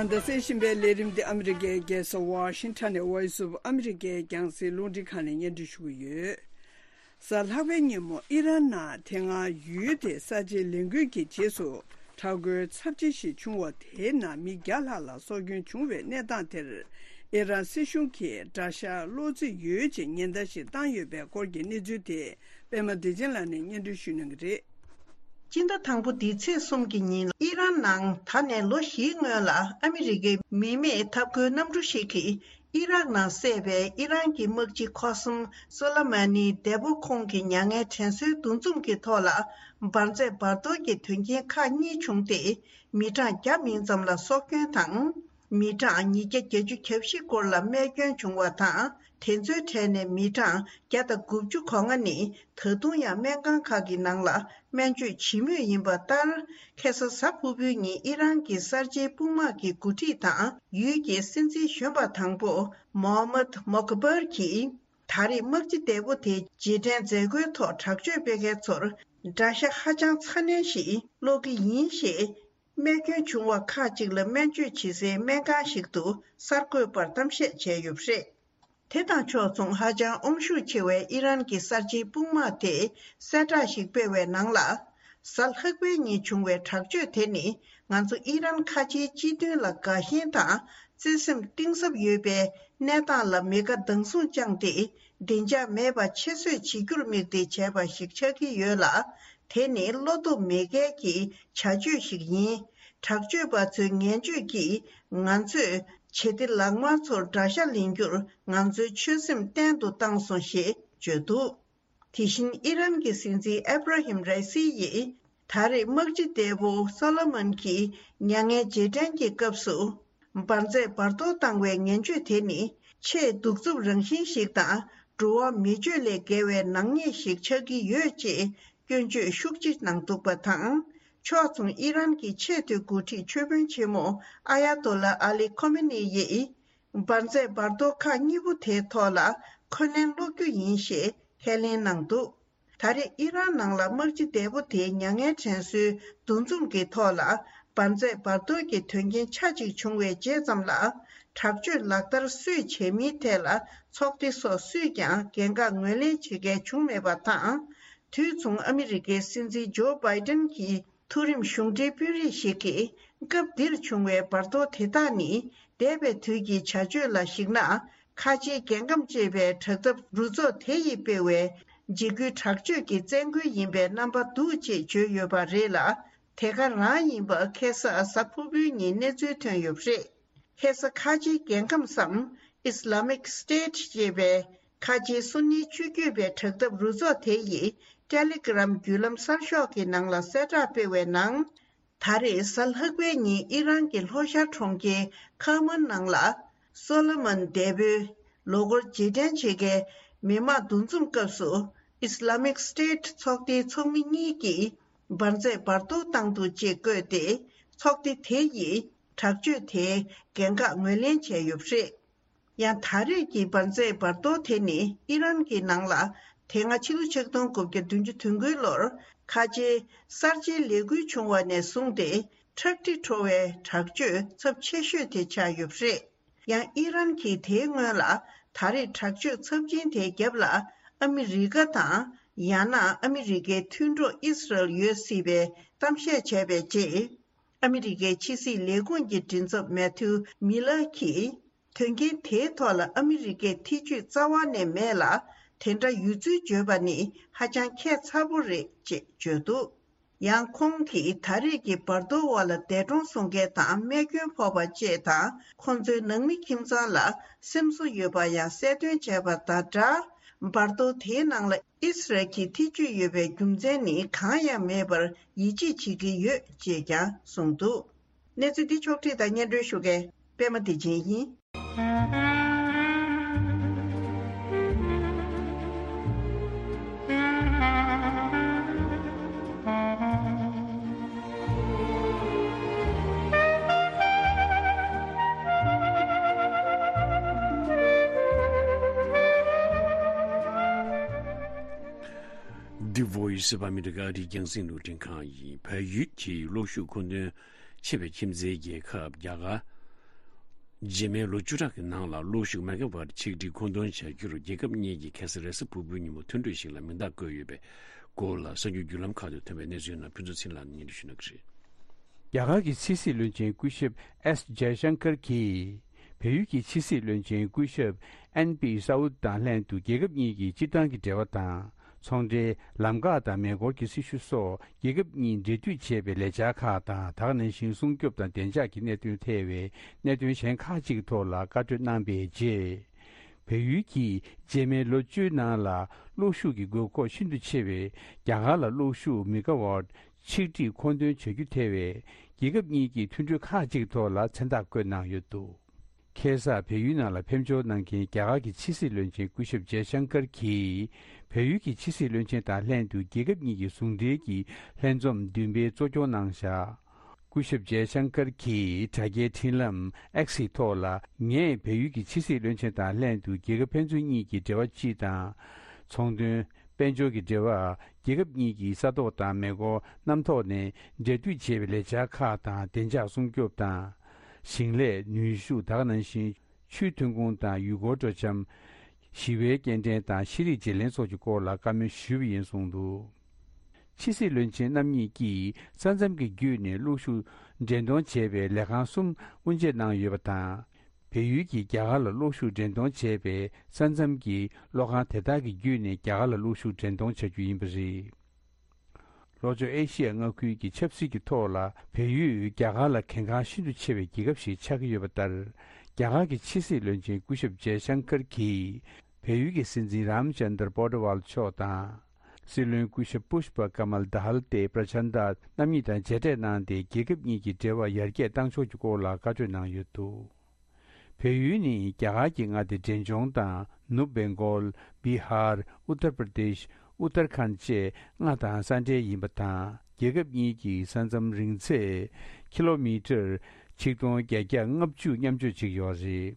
ད་ལྟ་གསན་བཞིན་པའི་ལས་རིམ་འདི་ཨ་མི་རི་ཀའི་རྒྱལ་ས་ཝ་ཤིང་ཊོན་ནས་Voice of America རྒྱང་སྲིང་རླུང་འཕྲིན་ཁང་ནས་སྙན་སྒྲོན་ཞུ་གི་ཡོད། གཟའ་ལྷག་པའི་ཉིན་མོ་ཨི་རན་ནང་དེ་སྔ་ཡུལ་དེའི་གསར་བརྗེའི་ལས་འགུལ་གྱི་རྗེས་སུ་དྲག་རྒོལ་ཚབས་ཆེ་ཞིག་བྱུང་བ་དེའི་ནང་མི་བརྒྱ་ལྷག་ལ་སྲོག་སྐྱོན་བྱུང་བའི་གནས་སྟངས་དེར། ཨི་རན་སྲིད་གཞུང་གིས་དགྲ་ཤ་གློ་རྩིས་ཡོད་ཅེས་ཉེན་བརྡ་ཞིག་བཏང་ཡོད་པའི་སྐོར་གྱི་གནས་ཚུལ་དེ་པད་མ་བདེ་ཆེན་ལགས་ནས་སྙན་སྒྲོན་ཞུ་གནང་གི་རེད། སྤྱི་ཟླ་དང་པོ་འདིའི་ཚེས་གསུམ་གྱི་ཉིན་ཨི་རན་ནང་ད་ནས་ལོ་བཞིའི་སྔོན་ལ་ཨ་མི་རི་ཀའི་མི་མེད་འཐབ་རྒོལ་གནམ་གྲུ་ཞིག་གིས། ཨི་རག་ནང་བསད་པའི་ཨི་རན་གྱི་དམག་སྤྱི་ཁོ་སམ་སོ་ལ་མ་ནིའི་འདས་པོ་ཁོང་གི་མྱ་ངན་དྲན་གསོའི་འདུ་འཛོམས་ཀྱི་ཐོག་ལ་འབར་རྫས་འབར་གཏོར་གྱི་དོན་རྐྱེན་ཁག་གཉིས་བྱུང་སྟེ། མི་གྲངས་བརྒྱ་མིན་ཙམ་ལ་སྲོག་སྐྱོན་དང་། མི་གྲངས་ཉིས་བརྒྱ་བརྒྱད་ཅུ་གྱ་བཞི་སྐོར་ལ་རྨས་སྐྱོན་བྱུང་བ་དང་། དེ་ཚོའི་གྲས་ནས་མི་གྲངས་བརྒྱ་དང་དགུ་བཅུ་གོ་ལྔ་ནི་ད་དུང་ཡང་སྨན་ཁང་ཁག་གི་ནང་ལ་སྨན་བཅོས་བྱེད་མུས་ཡིན་པ་ལྟར། ཁ་སང་གཟའ་ཕུར་བུའི་ཉིན་ཨི་རན་གྱི་གསར་བརྗེའི་དཔུང་དམག་གི་འགོ་ཁྲིད་དང་ཡུལ་གྱི་སྲིད་འཛིན་གཞོན་པ་དང་པོ་མོ་ཧམ་མད་མོག་བར་གྱིས། ད་རེས་དམག་སྤྱི་འདས་པོ་དེའི་རྗེས་དྲན་མཛད་སྒོའི་ཐོག་དྲག་སྤྱོད་སྤེལ་མཁན་ཚོར་དགྲ་ཤ་ཧ་ཅང་ཚ་ནན་ཞིག་སློག་གི་ཡིན་ཞེས། རྨས་སྐྱོན་བྱུང་བ་ཁག་ཅིག་ལ་སྨན་བཅོས་བྱེད་སའི་སྨན་ཁང་ཞིག་ཏུ་གསར་འགོད་པར་གཏམ་བཤད་བྱས་ཡོད་པ་རེད། དེ་དང་ཕྱོགས་མཚུངས་ཧ་ཅང་དབང་ཤུགས་ཆེ་བའི་ཨི་རན་གྱི་གསར་བརྗེའི་དཔུང་དམག་དེས་གསལ་བསྒྲགས་ཤིག་སྤེལ་བའི་ནང་ལ། གཟའ་ལྷག་པའི་ཉིན་བྱུང་བའི་དྲག་སྤྱོད་དེ་ནི་ང་ཚོ་ཨི་རན་ཁ་ཆེའི་སྤྱི་མཐུན་ལ་དགའ་ཞེན་དང་བརྩེ་སེམས་གཏིང་ཟབ་ཡོད་པའི་གནས་སྟངས་ལ་མེ་ཁ་མདངས་ཟུང་བཅངས་ཏེ། བདེ་འཇགས་མེད་པ་ཆེད་བཟོས་བྱེད་རྒྱུར་དམིགས་ཏེ་བྱས་པ་ཞིག་ཆགས་ཀྱི་ཡོད་ལ། དེ་ནི་བློ་སྟོབས་མེད་མཁན་གྱི་བྱ་སྤྱོད་ཞིག་ཡིན། དྲག་སྤྱོད་པ་ཚོའི་ངན་སྤྱོད་ཀྱིས་ང་ཚོས་ཞི་བདེ་ལག་དམར་ཚོར་དགྲ་ཤ་ལེན་རྒྱུར་ང་ཚོའི་ཆོད་སེམས་བརྟན་དུ་བཏང་སོང་ཞེས་བརྗོད་འདུག། དེ་བཞིན་ཨི་རན་གྱི་སྲིད་འཛིན་ཨེབ་ར་ཧིམ་རའི་སི་ཡིས་ད་རེས་དམག་སྤྱི་འདས་པོ་སོ་ལོ་མོན་གྱིས་མྱ་ངན་རྗེས་དྲན་གྱི་སྐབས་སུ། འབར་རྫས་འབར་གཏོར་བཏང་བའི་ངན་སྤྱོད་དེ་ནི་ཆེས་གདུག་རྩུབ་རང་བཞིན་ཞིག་དང་། འགྲོ་བ་མི་སྤྱོད་ལས་བརྒལ་བའི་ནག་ཉེས་ཤིག་ཆགས་ཀྱི་ཡོད་ཅེས་སྐྱོན་བརྗོད་ཤུགས་ཆེ་གནང་འདུག་པ་དང་། ཕྱོགས་མཚུངས་ཨི་རན་གྱི་ཆེས་མཐོའི་འགོ་ཁྲིད་ཆོས་དཔོན་ཆེན་མོ་ཨ་ཡ་ཏོ་ལ་ཨ་ལི་ཁོ་མེ་ནི་ཡིས། འབར་རྫས་འབར་གཏོར་ཁག་གཉིས་པོ་དེའི་ཐོག་ལ་འཁོན་ལན་སློག་རྒྱུ་ཡིན་ཞེས་ཁས་ལེན་གནང་འདུག། ད་རེས་ཨི་རན་ནང་ལ་དམག་སྤྱི་འདས་པོ་དེའི་མྱ་ངན་དྲན་གསོའི་འདུ་འཛོམས་ཀྱི་ཐོག་ལ། འབར་རྫས་འབར་གཏོར་གྱི་དོན་རྐྱེན་ཆ་གཅིག་བྱུང་བའི་རྗེས་ཙམ་ལ། དྲག་སྤྱོད་ལག་བསྟར་སུས་བྱས་མིན་ཐད་ལ་ཚོགས་སྡེ་སོགས་སུས་ཀྱང་འགན་ཁག་ངོས་ལེན་བྱེད་མཁན་བྱུང་མེད་པ་དང་། དུས་མཚུངས་ཨ་མི་རི་ཀའི་སྲིད་འཛིན་ཇོ་བྷའི་ཏན་གྱི་མཐོ་རིམ་གཞུང་འབྲེལ་དཔོན་རིགས་ཤིག་གིས། སྐབས་འདིར་བྱུང་བའི་འབར་གཏོར་དེ་དག་ནི། འདས་པའི་དུས་ཀྱི་བྱ་སྤྱོད་ལ་གཞིགས་ན། ཁ་ཆེའི་རྒྱལ་ཁམས་ཅེས་པའི་དྲག་འཐབ་རུ་ཚོགས་དེ་ཡིས་སྤེལ་བའི་འཇིགས་སྐུལ་དྲག་སྤྱོད་ཀྱི་བཙན་རྒོལ་ཡིན་པའི་རྣམ་པ་འདུག་ཅེས་བརྗོད་ཡོད་པ་རེད་ལ། དེ་ག་རང་ཡིན་པ་ཁ་སང་གཟའ་ཕུར་བུའི་ཉིན་གནས་ཚུལ་ཐོན་ཡོད་པ་རེད། ཁ་སང་ཁ་ཆེའི་རྒྱལ་ཁམས་སམ། Islamic State ཅེས་པའི་ཁ་ཆེའི་སུ་ནི་ཆོས་བརྒྱུད་པའི་དྲག་འཐབ་རུ་ཚོགས་དེ་ཡིས་ཊེ་ལི་གྷི་རམ་བརྒྱུད་ལམ་གསར་ཤོག་གི་ནང་ལ་གསལ་བསྒྲགས་སྤེལ་བའི་ནང་། ད་རེས་གཟའ་ལྷག་པའི་ཉིན་ཨི་རན་གྱི་ལྷོ་ཤར་གྲོང་ཁྱེར་ཁ་མན་ནང་ལ། སོ་ལོ་མོན་འདས་པོའི་ལོ་འཁོར་རྗེས་དྲན་བྱེད་མཁན་མི་མང་འདུ་འཛོམས་སྐབས་སུ། Islamic State ཚོགས་སྡེའི་ཚོགས་མི་གཉིས་ཀྱིས་འབར་རྫས་འབར་གཏོར་བཏང་འདུག་ཅེས་བཀོད་དེ། ཚོགས་སྡེ་དེ་ཡིས་དྲག་སྤྱོད་དེའི་འགན་ཁག་ངོས་ལེན་བྱས་ཡོད་པ་རེད། ཡང་ད་རེས་ཀྱི་འབར་རྫས་འབར་གཏོར་དེ་ནི་ཨི་རན་གྱི་ནང་ལ་དེ་སྔ་ཕྱི་ལོ་ཆིག་སྟོང་དགུ་བརྒྱ་བདུན་ཅུ་དོན་དགུའི་ལོར་ཁ་ཆེའི་གསར་བརྗེའི་ལས་འགུལ་བྱུང་བ་ནས་བཟུང་སྟེ་ཁྲག་དྲི་བྲོ་བའི་དྲག་སྤྱོད་ཚབས་ཆེ་ཤོས་དེ་ཆགས་ཡོད་པ་རེད། ཡང་ཨི་རན་གྱིས་དེའི་སྔོན་ལ་ད་རེས་དྲག་སྤྱོད་ཚབས་ཆེན་དེའི་རྒྱབ་ལ་ཨ་མི་རི་ཀ་དང་། ཡང་ན་ཨ་མི་རི་ཀའི་མཐུན་གྲོགས་ཨི་སི་རལ་ཡོད་སྲིད་པའི་གཏམ་བཤད་བྱས་པའི་རྗེས། ཨ་མི་རི་ཀའི་ཕྱི་སྲིད་ལས་ཁུངས་ཀྱི་མགྲིན་ཚབ་མེ་ཐིའུ་མི་ལར་གྱིས། དོན་རྐྱེན་དེའི་ཐོག་ལ་ཨ་མི་རི་ཀས་ཐེ་བྱུས་རྩ་བ་ནས་མེད་ལ། དེ་འདྲ་ཡོད་ཚུལ་བརྗོད་པ་ནི་ཧ་ཅང་ཁྱད་མཚར་པོ་རེད་ཅེས་བརྗོད་འདུག། ཡང་ཁོང་གིས་ད་རེས་ཀྱི་འབར་གཏོར་འོག་ལ་འདས་གྲོངས་སོང་མཁན་དང་རྨས་སྐྱོན་ཕོག་པ་བཅས་དང་། ཁོང་ཚོའི་ནང་མི་ཁྱིམ་ཚང་ལ་སེམས་གསོ་ཡོད་པ་ཡང་གསལ་སྟོན་བྱས་པ་དང་སྦྲགས། འབར་གཏོར་དེའི་ནང་ལ་ཨི་སི་རལ་གྱིས་ཐེ་བྱུས་ཡོད་པའི་རྒྱུ་མཚན་ནི་གང་ཡང་མེད་པར་ཡིད་ཆེས་བྱེད་ཀྱི་ཡོད་ཅེས་ཀྱང་གསུངས་འདུག། གནས་ཚུལ་འདི་ཕྱོགས་བསྒྲིགས་དང་སྙན་སྒྲོན་ཞུ་མཁན་པད་མ་བདེ་ཆེན་ཡིན། The Voice of America རྒྱང་སྲིང་རླུང་འཕྲིན་ཁང་ཡིན། བལ་ཡུལ་གྱི་གློག་ཤུགས་མཁོ་འདོན་ཆེ་བའི་ཁྱིམ་མཚེས་རྒྱལ་ཁབ་རྒྱ་གར། རྗེས་མའི་ལོ་བཅུ་ཕྲག་གི་ནང་ལ་གློག་ཤུགས་མེ་ག་ཝཊ་ཆིག་ཁྲི་མཁོ་འདོན་བྱ་རྒྱུར་རྒྱལ་ཁབ་གཉིས་ཀྱིས་ཁ་སང་རེས་གཟའ་ཕུར་བུའི་ཉིན་མོ་མཐུན་གྲོས་ཤིག་ལ་མིང་རྟགས་བཀོད་ཡོད་པའི་སྐོར་ལ་གསར་འགྱུར་བརྒྱུད་ལམ་ཁག་ཏུ་ཐོན་པའི་གནས་ཚུལ་རྣམས་ཕུན་ཚོགས་ཚེ་རིང་ལགས་ནས་སྙན་སྒྲོན་ཞུ་གནང་གི་རེད། རྒྱ་གར་གྱི་ཕྱི་སྲིད་བློན་ཆེན་སྐུ་ཞབས་ཨེསི་ཇའི་ཤང་ཀར་གྱིས། བལ་ཡུལ་གྱི་ཕྱི་སྲིད་བློན་ཆེན་སྐུ་ཞབས་ཨེན་པི་སའུ་དང་ལྷན་དུ་རྒྱལ་ཁབ་གཉིས་ཀྱི་སྤྱིར་བཏང་གི་འབྲེལ་བ་དང་། ཚོང་འབྲེལ། ལམ་ཁ་དང་མེ་འཁོར་གྱི་སྲི་ཞུ་སོགས་རྒྱལ་ཁབ་གཉིས་འབྲེལ་མཐུད་བྱས་པའི་ལས་འཆར་ཁག་དང་། ད་ག་ནང་བཞིན་སྲུང་སྐྱོབ་དང་བདེ་འཇགས་ཀྱི་གནད་དོན་ཐད་པའི་གནད་དོན་གཞན་ཁག་ཅིག་གི་ཐོག་ལ་བཀའ་གྲོས་གནང་པའི་རྗེས། བལ་ཡུལ་གྱིས་རྗེས་མའི་ལོ་བཅུའི་ནང་ལ་གློག་ཤུགས་ཀྱི་དགོས་མཁོ་ཤིན་ཏུ་ཆེ་བའི་རྒྱ་གར་ལ་གློག་ཤུགས་མེ་ག་ཝཊ་ཆིག་ཁྲི་མཁོ་འདོན་བྱ་རྒྱུ་ཐད་པའི་རྒྱལ་ཁབ་གཉིས་ཀྱི་མཐུན་གྲོས་ཁག་ཅིག་ཐོག་ལ་མཚན་རྟགས་བཀོད་གནང་ཡོད་འདུག། ཁ་སང་བལ་ཡུལ་ནང་ལ་ཕེབས་འབྱོར་གནང་མཁན་རྒྱ་གར་གྱི་ཕྱི་སྲིད་བློན་ཆེན་སྐུ་ཞབས་ཇའི་ཤང་ཀར་གྱིས་བལ་ཡུལ་གྱི་ཕྱི་སྲིད་བློན་ཆེན་དང་ལྷན་དུ་རྒྱལ་ཁབ་གཉིས་ཀྱི་ཟུང་འབྲེལ་གྱི་ལྷན་འཛོམས་བདུན་པའི་གཙོ་སྐྱོང་གནང་བཞག། སྐུ་ཞབས་ཇའི་ཤང་ཀར་གྱིས་དྲ་རྒྱའི་འཕྲིན་ལམ་ཨེག་སི་ཐོག་ལ། ངས་བལ་ཡུལ་གྱི་ཕྱི་སྲིད་བློན་ཆེན་དང་ལྷན་དུ་རྒྱལ་ཁབ་ཕན་ཚུན་གཉིས་ཀྱི་འབྲེལ་བ་སྤྱི་དང་། ཚོང་དོན། དཔལ་འབྱོར་གྱི་འབྲེལ་བ། རྒྱལ་ཁབ་གཉིས་ཀྱི་ས་ཐོག་དང་མེ་འཁོར་གནམ་ཐོག་ནས་འབྲེལ་མཐུད་བྱེད་པའི་ལས་འཆར་ཁག་དང་བདེ་འཇགས་སྲུང་སྐྱོབ་དང་། ཞིང་ལས། ནུས་ཤུགས། ད་ག་ནང་བཞིན་ཆུའི་ཐོན་ཁུངས་དང་ཡུལ་སྐོར་སྤྲོ་འཆམ། ཞི་བའི་སྐྱེལ་འདྲེན་དང་ཤེས་རིག་བརྗེ་ལེན་སོགས་ཀྱི་སྐོར་ལ་བཀའ་མོལ་ཞུས་པ་ཡིན་གསུངས་འདུག། ཕྱི་སྲིད་བློན་ཆེན་རྣམ་གཉིས་ཀྱིས་ས་མཚམས་ཀྱི་བརྒྱུད་ནས་གློག་ཤུགས་འདྲེན་གཏོང་བྱེད་པའི་ལས་ཁང་གསུམ་དབུ་འབྱེད་གནང་ཡོད་པ་དང་། བལ་ཡུལ་གྱིས་རྒྱ་གར་ལ་གློག་ཤུགས་འདྲེན་གཏོང་བྱས་པའི་ས་མཚམས་ཀྱི་གློག་ཁང་དེ་དག་གི་བརྒྱུད་ནས་རྒྱ་གར་ལ་གློག་ཤུགས་འདྲེན་གཏོང་བྱ་རྒྱུ་ཡིན་པ་རེད། ལྷོ་ཕྱོགས་ཨེ་ཤི་ཡ་མངའ་ཁུལ་གྱི་ཆབ་སྲིད་ཀྱི་ཐོག་ལ་བལ་ཡུལ་རྒྱ་གར་ལ་གལ་འགངས་ཤིན་ཏུ་ཆེ་བའི་རྒྱལ་ཁབ་ཞིག་ཆགས་ཀྱི་ཡོད་པ་ལྟར། རྒྱ་གར་གྱི་ཕྱི་སྲིད་བློན་ཆེན་སྐུ་ཞབས་ཇེ་ཤང་ཀར་གྱིས་བལ་ཡུལ་གྱི་སྲིད་འཛིན་རམ་ཅན་དར་པོ་ཏི་ཝལ་མཆོག་དང་། སྲིད་བློན་སྐུ་ཞབས་པུཤ་པ་ཀ་མལ་དྷལ་ཏེ་པྲ་ཆན་དྷ་རྣམ་གཉིས་དང་མཇལ་འཕྲད་གནང་སྟེ། རྒྱལ་ཁབ་གཉིས་ཀྱི་འབྲེལ་བ་ཡར་རྒྱས་གཏང་ཕྱོགས་ཀྱི་སྐོར་ལ་བཀའ་གྲོས་གནང་ཡོད་འདུག། བལ་ཡུལ་ནི་རྒྱ་གར་གྱི་མངའ་སྡེ་འབྲས་ལྗོངས་དང་ནུབ་བེང་གོལ། བི་ཧར། ཨུ་ཏར་པྲ་དེཤ། ཨུ་ཏར་ཁཱན་བཅས་མངའ་ཐང་ས་འབྲེལ་ཡིན་པ་དང་། རྒྱལ་ཁབ་གཉིས་ཀྱི་ས་མཚམས་རིང་ཚད་ཀི་ལོ་མི་ཊར་ཆིག་སྟོང་བརྒྱད་བརྒྱ་ལྔ་བཅུ་མཉམ་སྤྱོད་བྱེད་ཀྱི་ཡོད་རེད།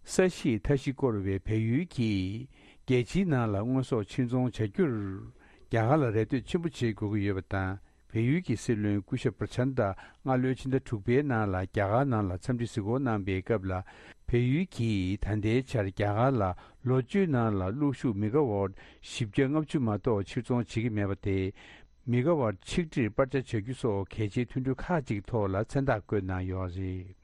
ས་གཞིས་མཐའ་བཞི་བསྐོར་བའི་བལ་ཡུལ་གྱིས་རྒྱལ་སྤྱིའི་ནང་ལ་དངོས་ཟོག་ཕྱིར་ཚོང་བྱ་རྒྱུར་རྒྱ་གར་ལ་རེ་ལྟོས་ཆེན་པོ་བྱེད་དགོས་ཀྱི་ཡོད་པ་དང་། བལ་ཡུལ་གྱི་སྲིད་བློན་སྐུ་ཞབས་པྲ་ཆན་དྷ་སྔ་ལོའི་ཕྱི་ཟླ་དྲུག་པའི་ནང་ལ་རྒྱ་གར་ནང་ལ་འཚམས་འདྲི་གཟིགས་སྐོར་གནང་པའི་སྐབས་ལ། བལ་ཡུལ་གྱིས་ད་ལྟའི་ཆར་རྒྱ་གར་ལ་ལོ་བཅུའི་ནང་ལ་གློག་ཤུགས་མི་ག་ཝཊ་བཞི་བརྒྱ་ལྔ་བཅུ་མ་གཏོགས་ཕྱིར་ཚོང་བྱེད་ཀྱི་མེད་པ་དེས། མི་ག་ཝཊ་ཆིག་ཁྲིར་སྤར་ཆ་བྱ་རྒྱུ་སོགས་གལ་ཆེའི་མཐུན་གྲོས་ཁག་ཅིག་ཐོག་ལ་མཚན་རྟགས་བཀོད་གནང་ཡོད་རེད།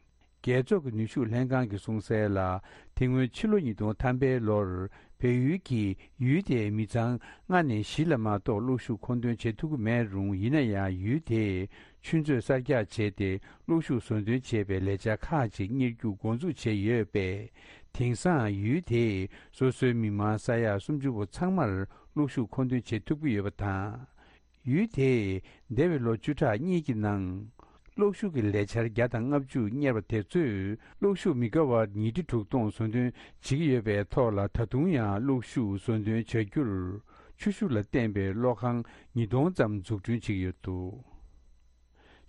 རྒྱལ་ཚོགས་ཀྱི་ནུས་ཤུགས་ལྷན་ཁང་གིས་གསུངས་གསལ་ལ། དེ་སྔོན་ཕྱི་ལོ་ཉིས་སྟོང་ཐམ་པའི་ལོར་བལ་ཡུལ་གྱིས་ཡུལ་དེའི་མི་ཚང་ལྔ་ནས་བཞི་ལ་མ་གཏོགས་གློག་ཤུགས་མཁོ་འདོན་བྱེད་ཐུབ་ཀྱི་མེད་རུང་། ཡིན་ན་ཡང་ཡུལ་དེས་ཆུ་མཛོད་གསར་རྒྱག་བྱས་ཏེ་གློག་ཤུགས་བཟོ་འདོན་བྱེད་པའི་ལས་འཆར་ཁག་ཅིག་གཉེར་རྒྱུ་འགོ་འཛུགས་བྱས་ཡོད་པས། དེང་སང་ཡུལ་དེས་སོ་སོའི་མི་མང་ས་ཡ་སུམ་ཅུ་པོ་ཚང་མར་གློག་ཤུགས་མཁོ་འདོན་བྱེད་ཐུབ་ཀྱི་ཡོད་པ་དང་། ཡུལ་དེས་འདས་པའི་ལོ་བཅུ་ཕྲག་གཉིས་ཀྱི་ནང་། གློག་ཤུགས་ཀྱི་ལས་འཆར་བརྒྱ་དང་ལྔ་བཅུ་གཉེར་བ་དེ་ཚོས་གློག་ཤུགས་མི་ག་ཝཊ་ཉིས་ཁྲི་དྲུག་སྟོང་བཟོ་འདོན་བྱེད་ཀྱི་ཡོད་པའི་ཐོག་ལ། ད་དུང་ཡང་གློག་ཤུགས་བཟོ་འདོན་བྱ་རྒྱུར་ཆུ་ཤུགས་ལ་བརྟེན་པའི་གློག་ཁང་ཉིས་སྟོང་ཙམ་འཛུགས་སྐྲུན་བྱེད་ཀྱི་ཡོད་འདུག།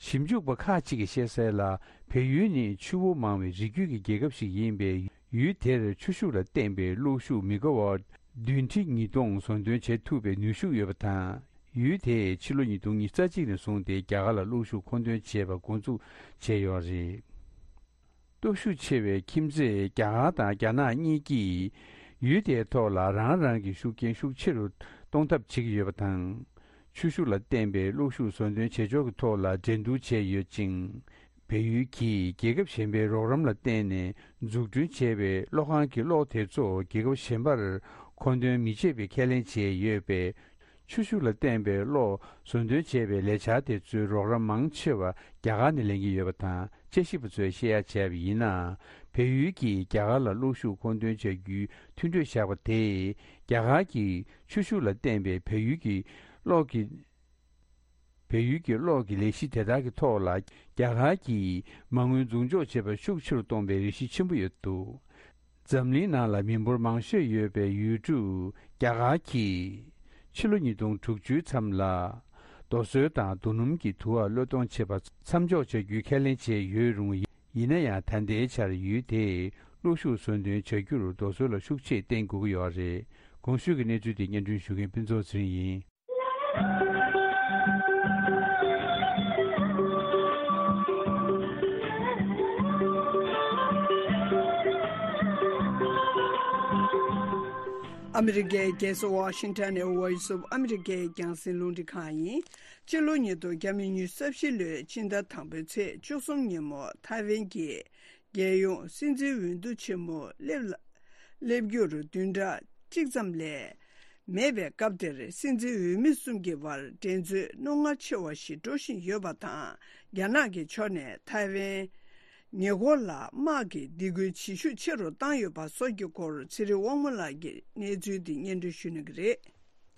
ཞིབ་འཇུག་པ་ཁག་ཅིག་གིས་བཤད་གསལ་ལ། བལ་ཡུལ་ནི་ཆུ་བོ་མང་བའི་རི་རྒྱུད་ཀྱི་རྒྱལ་ཁབ་ཞིག་ཡིན་པས། ཡུལ་དེར་ཆུ་ཤུགས་ལ་བརྟེན་པའི་གློག་ཤུགས་མི་ག་ཝཊ་བདུན་ཁྲི་ཉིས་སྟོང་བཟོ་འདོན་བྱེད་ཐུབ་པའི་ནུས་ཤུགས་ཡོད་པ་དང་། ཡུལ་དེས་ཕྱི་ལོ་ཉིས་སྟོང་ཉི་ཤུ་རྩ་གཅིག་ནས་བཟུང་སྟེ་རྒྱ་གར་ལ་གློག་ཤུགས་མཁོ་འདོན་བྱས་པ་འགོ་འཛུགས་བྱས་ཡོད་རེད། སྟོབས་ཤུགས་ཆེ་བའི་ཁྱིམ་མཚེས་རྒྱ་གར་དང་རྒྱ་ནག་གཉིས་ཀྱིས་ཡུལ་དེའི་ཐོག་ལ་རང་རང་གི་ཤུགས་རྐྱེན་ཤུགས་ཆེ་རུ་གཏོང་ཐབས་བྱེད་ཀྱི་ཡོད་པ་དང་། ཆུ་ཤུགས་ལ་བརྟེན་པའི་གློག་ཤུགས་བཟོ་འདོན་བྱེད་ཕྱོགས་ཀྱི་ཐོག་ལ་འགྲན་བསྡུར་བྱས་ཡོད་ཅིང་། བལ་ཡུལ་གྱིས་རྒྱལ་ཁབ་གཞན་པའི་རོགས་རམ་ལ་བརྟེན་ནས་འཛུགས་སྐྲུན་བྱས་པའི་གློག་ཁང་གི་གློག་དེ་ཚོ་རྒྱལ་ཁབ་གཞན་པར་མཁོ་འདོན་མི་བྱེད་པའི་ཁས་ལེན་བྱས་ཡོད་པས། ཆུ་ཤུགས་ལ་བརྟེན་པའི་གློག་བཟོ་འདོན་བྱེད་པའི་ལས་འཆར་དེ་ཚོའི་རོགས་རམ་མང་ཆེ་བ་རྒྱ་གར་ནས་ལེན་གྱི་ཡོད་པ་དང་། དཔྱད་ཞིབ་པ་ཚོས་བཤད་ཡ་བྱས་པ་ཡིན་ན། བལ་ཡུལ་གྱིས་རྒྱ་གར་ལ་གློག་ཤུགས་མཁོ་འདོན་བྱ་རྒྱུའི་མཐུན་གྲོས་བཞག་པ་དེས། རྒྱ་གར་གྱིས་ཆུ་ཤུགས་ལ་བརྟེན་པའི་བལ་ཡུལ་གྱི་གློག་གི་བལ་ཡུལ་གྱི་གློག་གི་ལས་གཞི་དེ་དག་གི་ཐོག་ལ་རྒྱ་གར་གྱིས་མ་དངུལ་འཛུགས་འཇོག་བྱེད་པར་ཤུགས་ཆེ་རུ་གཏོང་བའི་རེ་གཞི་ཆེན་པོ་ཡོད་འདུག། འཛམ་གླིང་ནང་ལ་མི་འབོར་མང་ཤོས་ཡོད་པའི་ཡུལ་གྲུ་རྒྱ་གར་གྱིས་ཕྱི་ལོ་ཉིས་སྟོང་དྲུག་ཅུའི་མཚམས་ལ། རྡོ་སོལ་དང་རྡོ་སྣུམ་གྱི་དུ་བ་གློད་གཏོང་བྱེད་པ་མཚམས་འཇོག་བྱ་རྒྱུའི་ཁས་ལེན་བྱས་ཡོད་རུང་། ཡིན་ན་ཡང་། ད་ལྟའི་ཆར་ཡུལ་དེས་གློག་ཤུགས་བཟོ་འདོན་བྱ་རྒྱུར་རྡོ་སོལ་ལ་ཤུགས་ཆེ་བརྟེན་དགོས་ཀྱི་ཡོད་རེད། གོང་ཞུས་ཀྱི་གནས་ཚུལ་དེ་སྙན་སྒྲོན་ཞུ་མཁན་ཕུན་ཚོགས་ཚེ་རིང་ཡིན། ཨ་མི་རི་ཀའི་རྒྱལ་ས་ཝ་ཤིང་ཊོན་ནས་Voice of America་རྒྱང་སྲིང་རླུང་འཕྲིན་ཁང་ཡིན། སྤྱི་ལོ་ཉིས་སྟོང་ཉི་ཤུ་རྩ་བཞི་ལོའི་ཕྱི་ཟླ་དང་པོའི་ཚེས་བཅུ་གསུམ་ཉིན་མོ་ཐའེ་ཝན་གྱི་རྒྱལ་ཡོངས་སྲིད་འཛིན་འོས་བསྡུ་ཆེན་མོ་སླེབས་ལ་སླེབས་རྒྱུར་བདུན་ཕྲག་གཅིག་ཙམ་ལས་མེད་པའི་སྐབས་དེར། སྲིད་འཛིན་འོས་མི་གསུམ་གྱི་བར་འགྲན་རྩོད་རྣོ་ངར་ཆེ་བ་ཞིག་འགྲོ་བཞིན་ཡོད་པ་དང་། རྒྱ་ནག་གི་ཕྱོགས་ནས་ཐའེ་ཝན་ཉེ་འཁོར་ལ་དམག་གི་སྡིགས་སྐུལ་བྱེད་ཤུགས་ཆེ་རུ་བཏང་ཡོད་པ་སོགས་ཀྱི་སྐོར། ཚེ་རིང་དབང་མོ་ལགས་ཀྱིས་གནས་ཚུལ་འདི་སྙན་སྒྲོན་ཞུ་གནང་གི་རེད།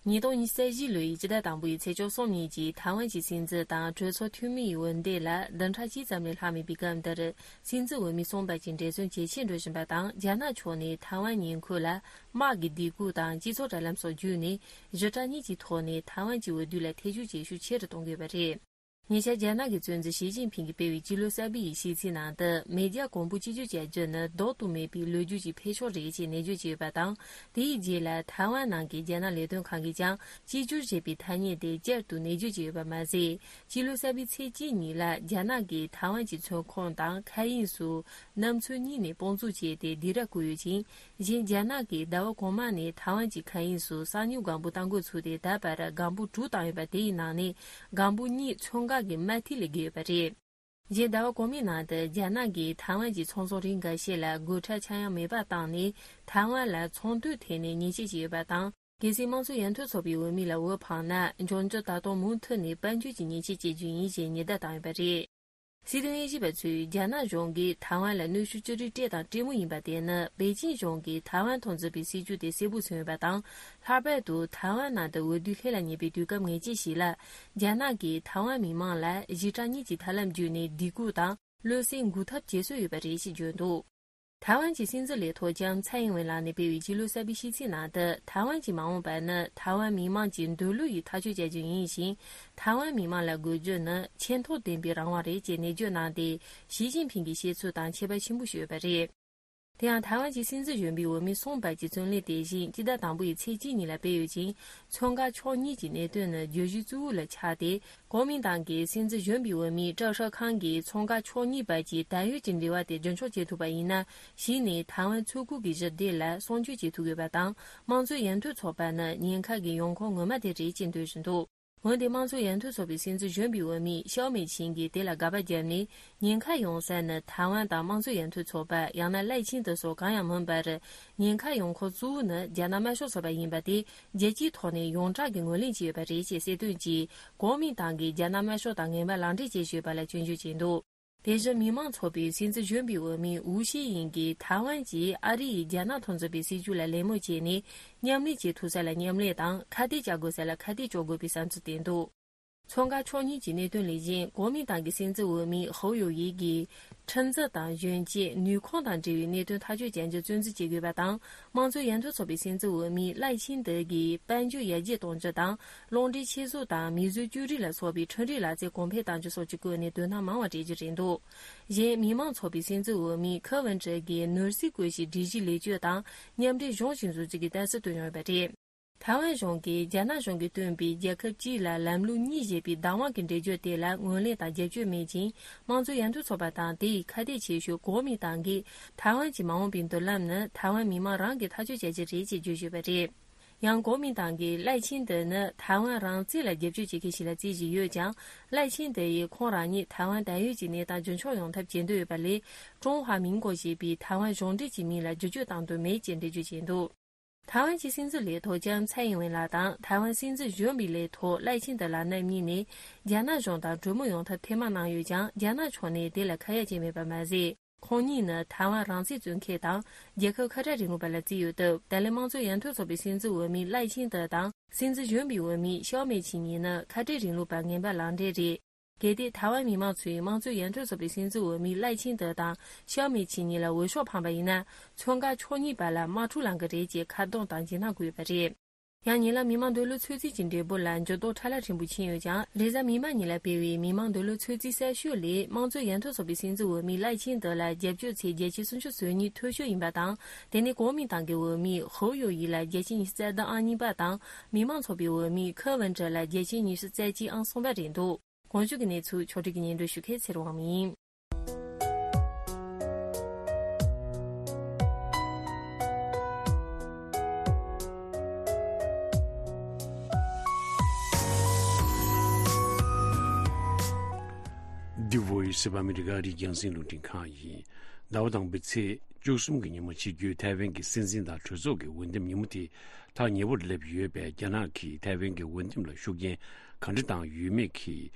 ཉིས་སྟོང་ཉི་ཤུ་རྩ་བཞི་ལོའི་སྤྱི་ཟླ་དང་པོའི་ཚེས་བཅུ་གསུམ་ཉིན་གྱི་ཐའེ་ཝན་གྱི་སྲིད་འཛིན་དང་གྲོས་ཚོགས་འཐུས་མིའི་འོས་འདེམས་ལ་བདུན་ཕྲག་གཅིག་ཙམ་ལས་ལྷག་མེད་པའི་སྐབས་འདིར། སྲིད་འཛིན་འོས་མི་གསུམ་བར་གྱི་འགྲན་རྩོད་ཇེ་ཆེར་འགྲོ་བཞིན་པ་དང་། རྒྱ་ནག་ཕྱོགས་ནས་ཐའེ་ཝན་ཉེ་འཁོར་ལ་དམག་གི་སྡིགས་སྐུལ་དང་སྤྱི་ཚོགས་དྲ་ལམ་སོགས་བརྒྱུད་ནས་ཞི་དྲག་གཉིས་ཀྱི་ཐོག་ནས་ཐའེ་ཝན་གྱི་འོས་བསྡུ་ལ་ཐེ་ཇུས་བྱེད་ཤུགས་ཆེ་རུ་གཏོང་གི་ཡོད་པ་རེད། ཉེ་ཆར་རྒྱ་ནག་གི་གཙོ་འཛིན་ཞི་ཅིན་ཕིང་གིས་སྤེལ་བའི་སྤྱི་ལོ་གསར་པའི་ཤིས་ཚིག་ནང་དུ། མེ་རྒྱལ་གོང་བུ་གཅིག་གྱུར་བྱ་རྒྱུ་ནི་ལྡོག་ཏུ་མེད་པའི་ལོ་རྒྱུས་ཀྱི་འཕེལ་ཕྱོགས་རེད་ཅེས་ནན་བརྗོད་བྱས་ཡོད་པ་དང་། དེའི་རྗེས་ལ་ཐའེ་ཝན་ནང་གི་རྒྱ་ནག་ལས་དོན་ཁང་གིས་ཀྱང་གཅིག་གྱུར་ཞེས་པའི་ཐ་སྙད་དེ་བསྐྱར་དུ་ནན་བརྗོད་བྱས་ཡོད་པ་མ་ཟད། སྤྱི་ལོ་གསར་པའི་ཚེས་གཅིག་ཉིན་ལ་རྒྱ་ནག་གིས་ཐའེ་ཝན་གྱི་མཚོན་ཁང་དང་མཁའ་དབྱིངས་སུ་གནམ་མཚོན་གཉིས་ནས་དཔུང་འཛུགས་བྱས་ཏེ་སྡིགས་ར་བསྐུལ་ཡོད་ཅིང་། གཞན། རྒྱ་ནག་གིས་ཟླ་བ་གོང་མ་ནས་ཐའེ་ཝན་གྱི་མཁའ་དབྱིངས་སུ་གསང་མྱུལ་སྒམ་པོ་གཏང་འགོ་ཚུགས་ཏེ། ད་བར་སྒམ་པོ་དྲུག་བཏང་ཡོད་པ། དེའི་ནང་ནས་སྒམ་པོ་གཉིས་མཚོན་འགག་གི་དམར་ཐིག་ལས་བརྒལ་ཡོད་པ་རེད། གཞན། ཟླ་བ་གོང་མའི་ནང་དུ་རྒྱ་ནག་གིས་ཐའེ་ཝན་གྱི་ཚོང་ཟོག་རིགས་འགའ་ཤས་ལ་སྒོ་ཁྲལ་ཆག་ཡང་མེད་པ་བཏང་ནས། ཐའེ་ཝན་ལ་ཚོང་དོན་ཐད་ནས་ཉེས་ཆད་བཅད་ཡོད་པ་དང་། གལ་སྲིད་དམངས་གཙོ་ཡར་ཐོན་ཚོགས་པའི་འོས་མི་ལ་འོས་འཕངས་ན། འབྱུང་འགྱུར་ད་དུང་མུ་མཐུད་ནས་དཔལ་འབྱོར་གྱི་ཉེས་ཆད་བཅད་རྒྱུ་ཡིན་ཞེས་ཉེན་བརྡ་བཏང་ཡོད་པ་རེད། སྲིད་དོན་དབྱེ་ཞིབ་པ་ཚོས་རྒྱ་ནག་གཞུང་གིས་ཐའེ་ཝན་ལ་གནོན་ཤུགས་ཅི་རིགས་སྤྲད་དང་སྤྲད་མུས་ཡིན་པ་དེ་ནི། པེ་ཅིང་གཞུང་གིས་ཐའེ་ཝན་ཐོག་འཛིན་པའི་སྲིད་ཇུས་དེ་གསལ་པོ་མཚོན་ཡོད་པ་དང་། ལྷག་པར་དུ་ཐའེ་ཝན་ནང་དུ་འོས་བསྡུ་ལྷད་ལ་ཉེ་བའི་དུས་སྐབས་ངེས་ཅན་ཞིག་ལ། རྒྱ་ནག་གིས་ཐའེ་ཝན་མི་མང་ལ་ཞི་དྲག་གཉིས་ཀྱི་ཐབས་ལམ་བརྒྱུད་ནས་སྡིགས་སྐུལ་དང་། བློ་སེམས་འགུག་ཐབས་བྱེད་སྲོལ་ཡོད་པ་རེད་ཅེས་བརྗོད་འདུག་ཐའེ་ཝན་གྱི་སྲིད་འཛིན་ལས་ཐོག་ལྕམ་ཚའེ་ཨིན་ཝེན་ལགས་ནས་སྤེལ་བའི་ཕྱི་ལོ་གསར་པའི་ཤིས་ཚིག་ནང་དུ། ཐའེ་ཝན་གྱི་མ་འོངས་པ་ནི་ཐའེ་ཝན་མི་དམངས་ཀྱི་འདོད་བློ་ཡིས་ཐག་གཅོད་བྱ་རྒྱུ་ཡིན་ཞིང་། ཐའེ་ཝན་མི་དམངས་ལ་དགོས་རྒྱུ་ནི་ཆེས་མཐོར་ལྡན་པའི་རང་དབང་རེད་ཅེས་ནན་བརྗོད་གནང་སྟེ། ཞི་ཅིན་ཕིང་གི་བཤད་ཚུལ་དང་ཁྱད་པར་ཆེན་པོ་ཞིག་ཡོད་པ་རེད། དེ་ཡང་ཐའེ་ཝན་གྱི་སྲིད་འཛིན་གཞོན་པའི་འོས་མི་གསུམ་བར་གྱི་བཙོན་ལས་དེ་བཞིན་སྤྱི་ཟླ་དང་པོའི་ཚེས་གཅིག་ཉིན་ལ་སྤེལ་ཡོད་ཅིང་། མཚོན་ཁ་ཕྱོགས་གཉིས་ཀྱི་གནད་དོན་ནི་བརྗོད་གཞི་གཙོ་བོ་ལ་ཆགས་ཏེ། གོ་མིན་ཏང་གི་སྲིད་འཛིན་གཞོན་པའི་འོས་མི་ཀྲའོ་ཧྲེ་ཁང་གིས་མཚོན་ཁ་ཕྱོགས་གཉིས་བར་གྱི་དར་ཡོད་ཀྱི་འབྲེལ་བ་དེ་རྒྱུན་འཁྱོངས་བྱེད་ཐུབ་པ་ཡིན་ན། གཞི་ནས་ཐའེ་ཝན་མཚོ་ཁུག་གི་ཞི་བདེ་ལ་སྲུང་སྐྱོབ་བྱེད་ཐུབ་ཡོད་པ་དང་། དམངས་གཙོའི་ཡར་ཐོན་ཚོགས་པ་ནི་ཉེན་ཁ་གི་ཡོང་ཁུངས་ངོ་མ་དེ་རེད་ཅེས་འདོད་བཞིན་འདུག་འོན་ཏེ་དམངས་གཙོ་ཡར་ཐོན་ཚོགས་པའི་སྲིད་འཛིན་གཞོན་པའི་འོས་མི་ཤའོ་མེ་ཆིང་གིས་དེ་ལ་དགག་པ་བརྒྱབ་ནས། ཉེན་ཁ་ཡོང་ས་ནི་ཐའེ་ཝན་དང་དམངས་གཙོ་ཡར་ཐོན་ཚོགས་པ་ཡང་ན་ལའེ་ཆིང་ཏེ་སོགས་གང་ཡང་མིན་པར། ཉེན་ཁ་ཡོང་ཁུངས་གཙོ་བོ་ནི་རྒྱ་ནག་དམར་ཤོག་ཚོགས་པ་ཡིན་པ་དེ་རྒྱལ་སྤྱིའི་ཐོག་ནས་ཡོངས་གྲགས་ཀྱིས་ངོས་ལེན་བྱས་ཡོད་པ་རེད་ཅེས་གསལ་སྟོན་གྱིས། གོ་མིན་ཏང་གིས་རྒྱ་ནག་དམར་ཤོག་དང་ངན་པ་ལག་འབྲེལ་བྱས་ཡོད་པ་ལ་སྐྱོན་བརྗོད་བྱས་འདུག་དེ་བཞིན་མི་མང་ཚོགས་པའི་སྲིད་འཛིན་གཞོན་པའི་འོས་མི་ཝུའུ་ཤི་ཡིན་གྱིས་ཐའེ་ཝན་གྱིས་ཨ་རི་ཡིས་རྒྱ་ནག་ཐོག་འཛིན་པའི་སྲིད་ཇུས་ལ་ལད་མོ་བྱས་ནས། མཉམ་ལས་བྱེད་ཐུབ་ས་ལ་མཉམ་ལས་དང་། ཁ་གཏད་གཅོག་དགོས་ས་ལ་ཁ་གཏད་གཅོག་དགོས་པའི་བསམ་ཚུལ་བསྟན་འདུག་མཚོན་ཁ་ཕྱོགས་གཉིས་ཀྱི་གནད་དོན་ལས་བཞིན། གོ་མིན་ཏང་གི་སྲིད་འཛིན་འོས་མི་ཧོ་ཡོ་ཡི་གིས། ཁྲིམས་འཛིན་དང་གཞོན་སྐྱེས། ནུས་ཁུངས་དང་འབྲེལ་བའི་གནད་དོན་ཐག་གཅོད་བྱ་རྒྱུ་བརྩོན་འགྲུས་བྱེད་དགོས་པ་དང་། དམངས་གཙོ་ཡར་ཐོན་ཚོགས་པའི་སྲིད་འཛིན་འོས་མི་ལའེ་ཆིང་ཏེ་གིས་དཔལ་འབྱོར་ཡར་རྒྱས་གཏོང་རྒྱུ་དང་། རླུང་འཕྲིན་ཆེད་བཟོ་དང་མིས་བཟོས་བཅོས་སྒྲིག་ལ་སོགས་པའི་ཁྲིམས་རིག་ལག་རྩལ་གོང་འཕེལ་གཏང་རྒྱུ་སོགས་ཀྱི་སྐོར་ནས་དོ་སྣང་མང་བ་སྤྲད་རྒྱུ་རེད་འདུག་གཞན། མི་མང་ཚོགས་པའི་སྲིད་འཛིན་འོས་མི་ཁེ་ཝིན་ཀྲི་གིས་ནོར་སྲིད་བཀོད་ཤིང་སྒྲིག་གཞི་ལེགས་བཅོས་དང་མཉམ་འབྲེལ་གཞུང་བཞིན་བཟོ་རྒྱུ་གི་ལྟ་ཚུལ་བཏོན་ཡོད་པ་རེད། ཐའེ་ཝན་གཞུང་གིས་རྒྱ་ནག་གཞུང་གིས་བཏོན་པའི་རྒྱལ་ཁབ་གཅིག་ལ་ལམ་ལུགས་གཉིས་ཞེས་པའི་བདག་དབང་གི་འགྲེལ་བརྗོད་དེ་ལ་ངོས་ལེན་དང་རྒྱབ་སྐྱོར་མེད་ཅིང་། དམངས་གཙོ་ཡར་ཐོན་ཚོགས་པ་དང་དེའི་ཁ་གཏད་ཆེ་ཤོས་གོ་མིན་ཏང་གིས། ཐའེ་ཝན་གྱི་མ་འོངས་པའི་མདུན་ལམ་ནི་ཐའེ་ཝན་མི་མང་རང་གིས་ཐག་གཅོད་བྱ་རྒྱུ་རེད་ཅེས་བརྗོད་བཞིན་པ་རེད། ཡང་གོ་མིན་ཏང་གིས་ལའེ་ཆིང་ཏེ་ནི་ཐའེ་ཝན་རང་བཙན་ལ་རྒྱབ་སྐྱོར་བྱེད་མཁན་ཞིག་ལ་བརྩི་བཞིན་ཡོད་ཀྱང་། ལའེ་ཆིང་ཏེ་ཡིས་ཁོང་རང་ཉིད་ཐའེ་ཝན་དར་ཡོད་ཀྱི་གནས་སྟངས་རྒྱུན་འཁྱོངས་ཡོང་ཐབས་བྱེད་འདོད་ཡོད་པ་ལས། ཀྲུང་ཧྭ་མིན་གོ་ཞེས་པའི་ཐའེ་ཝན་གཞུང་འབྲེལ་གྱི་མིང་ལ་བསྒྱུར་བཅོས་གཏང་འདོད་མེད་ཅེས་འགྲེལ་བརྗོད་བྱས་འདུག་ཐའེ་ཝན་གྱི་སྲིད་འཛིན་ལས་ཐོག་ལྕམ་ཚའེ་ཨིན་ཝེན་ལགས་དང་། ཐའེ་ཝན་སྲིད་འཛིན་གཞོན་པའི་ལས་ཐོག་ལའེ་ཆིང་ཏེ་ལགས་རྣམ་གཉིས་ནས། རྒྱ་ནག་གཞུང་དང་གྲོས་མོལ་ཡོང་ཐབས་ཐེངས་མང་གནང་ཡོད་ཀྱང་། རྒྱ་ནག་ཕྱོགས་ནས་དེ་ལ་ཁ་ཡ་བྱས་མེད་པ་མ་ཟད། ཁོང་གཉིས་ནི་ཐའེ་ཝན་རང་བཙན་རྩོད་མཁན་དང་། རྒྱལ་ཁབ་ཁ་བྲལ་རིང་ལུགས་པ་ལ་བརྩི་ཡོད་སྟབས། ད་ལན་དམངས་གཙོ་ཡར་ཐོན་ཚོགས་པའི་སྲིད་འཛིན་འོས་མི་ལའེ་ཆིང་ཏེ་དང་། སྲིད་འཛིན་གཞོན་པའི་འོས་མི་ཤའོ་མེ་ཆིང་གཉིས་ནི་ཁ་བྲལ་རིང་ལུགས་པ་ངན་པ་ལག་འབྲེལ་རེད། གལ་ཏེ་ཐའེ་ཝན་མི་མང་ཚོས་དམངས་གཙོ་ཡར་ཐོན་ཚོགས་པའི་སྲིད་འཛིན་འོས་མི་ལའེ་ཆིང་ཏེ་དང་ཤའོ་མེ་ཆིང་གཉིས་ལ་འོས་ཤོག་འཕངས་པ་ཡིན་ན། མཚོན་ཁ་ཕྱོགས་གཉིས་བར་ལ་དམག་འཁྲུག་ལངས་ཀྱི་རེད་ཅེས་ཁ་རྡུང་དང་འཇིགས་སྣང་བསྐུལ་ཡོད་པ་རེད། ཡང་ཉེ་ལམ་མི་མང་འདོད་བློ་ཚོད་རྩིས་ཀྱི་འབྲས་བུ་ལ་འགྱུར་ལྡོག་ཕྲ་ལ་ཕྲན་བུ་ཕྱིན་ཡོད་ཀྱང་། རེས་གཟའ་མིག་དམར་ཉིན་ལ་སྤེལ་བའི་མི་མང་འདོད་བློ་ཚོད་རྩིས་གསར་ཤོས་ལས། དམངས་གཙོ་ཡར་ཐོན་ཚོགས་པའི་སྲིད་འཛིན་འོས་མི་ལའེ་ཆིང་ཏེ་ལ་རྒྱབ་སྐྱོར་ཚད་བརྒྱ་ཆ་སུམ་ཅུ་སོ་གཉིས་མཐོ་ཤོས་ཡིན་པ་དང་། དེ་ནས་གོ་མིན་ཏང་གི་འོས་མི་ཧོ་ཡོ་ཡི་ལ་བརྒྱ་ཆ་ཉི་ཤུ་རྩ་བདུན་ཨང་གཉིས་པ་དང་། མི་མང་ཚོགས་པའི་འོས་མི་ཁེ་ཝིན་ཀྲི་ལ་བརྒྱ་ཆ་ཉི་ཤུ་རྩ་གཅིག་ཨང་གསུམ་པ་རེད་འདུག་གོང་བརྗོད་ཀྱི་གནས་ཚུལ་ཕྱོགས་སྒྲིག་གིས་སྙན་སྒྲོན་ཞུ་མཁན་ཚེ་རིང་དབང་མོ་ཡིན། འདི་Voice of America རི་རྒྱང་སྲིང་རླུང་འཕྲིན་ཁང་ཡིན། ཟླ་བ་དང་པོའི་ཚེས་བཅུ་གསུམ་གྱི་ཉིན་མོ་ཆིབས་བསྒྱུར་ཐའེ་ཝན་གྱི་སྲིད་འཛིན་དང་གྲོས་ཚོགས་ཀྱི་འོས་འདེམས་ཉིན་མོ་དེ་ཐག་ཉེ་བོར་སླེབས་ཡོད་པས། རྒྱ་ནག་གིས་ཐའེ་ཝན་གྱི་འོས་འདེམས་ལ་ཤུགས་རྐྱེན་ག་འདྲ་བཏང་ཡོད་མེད་ཀྱི་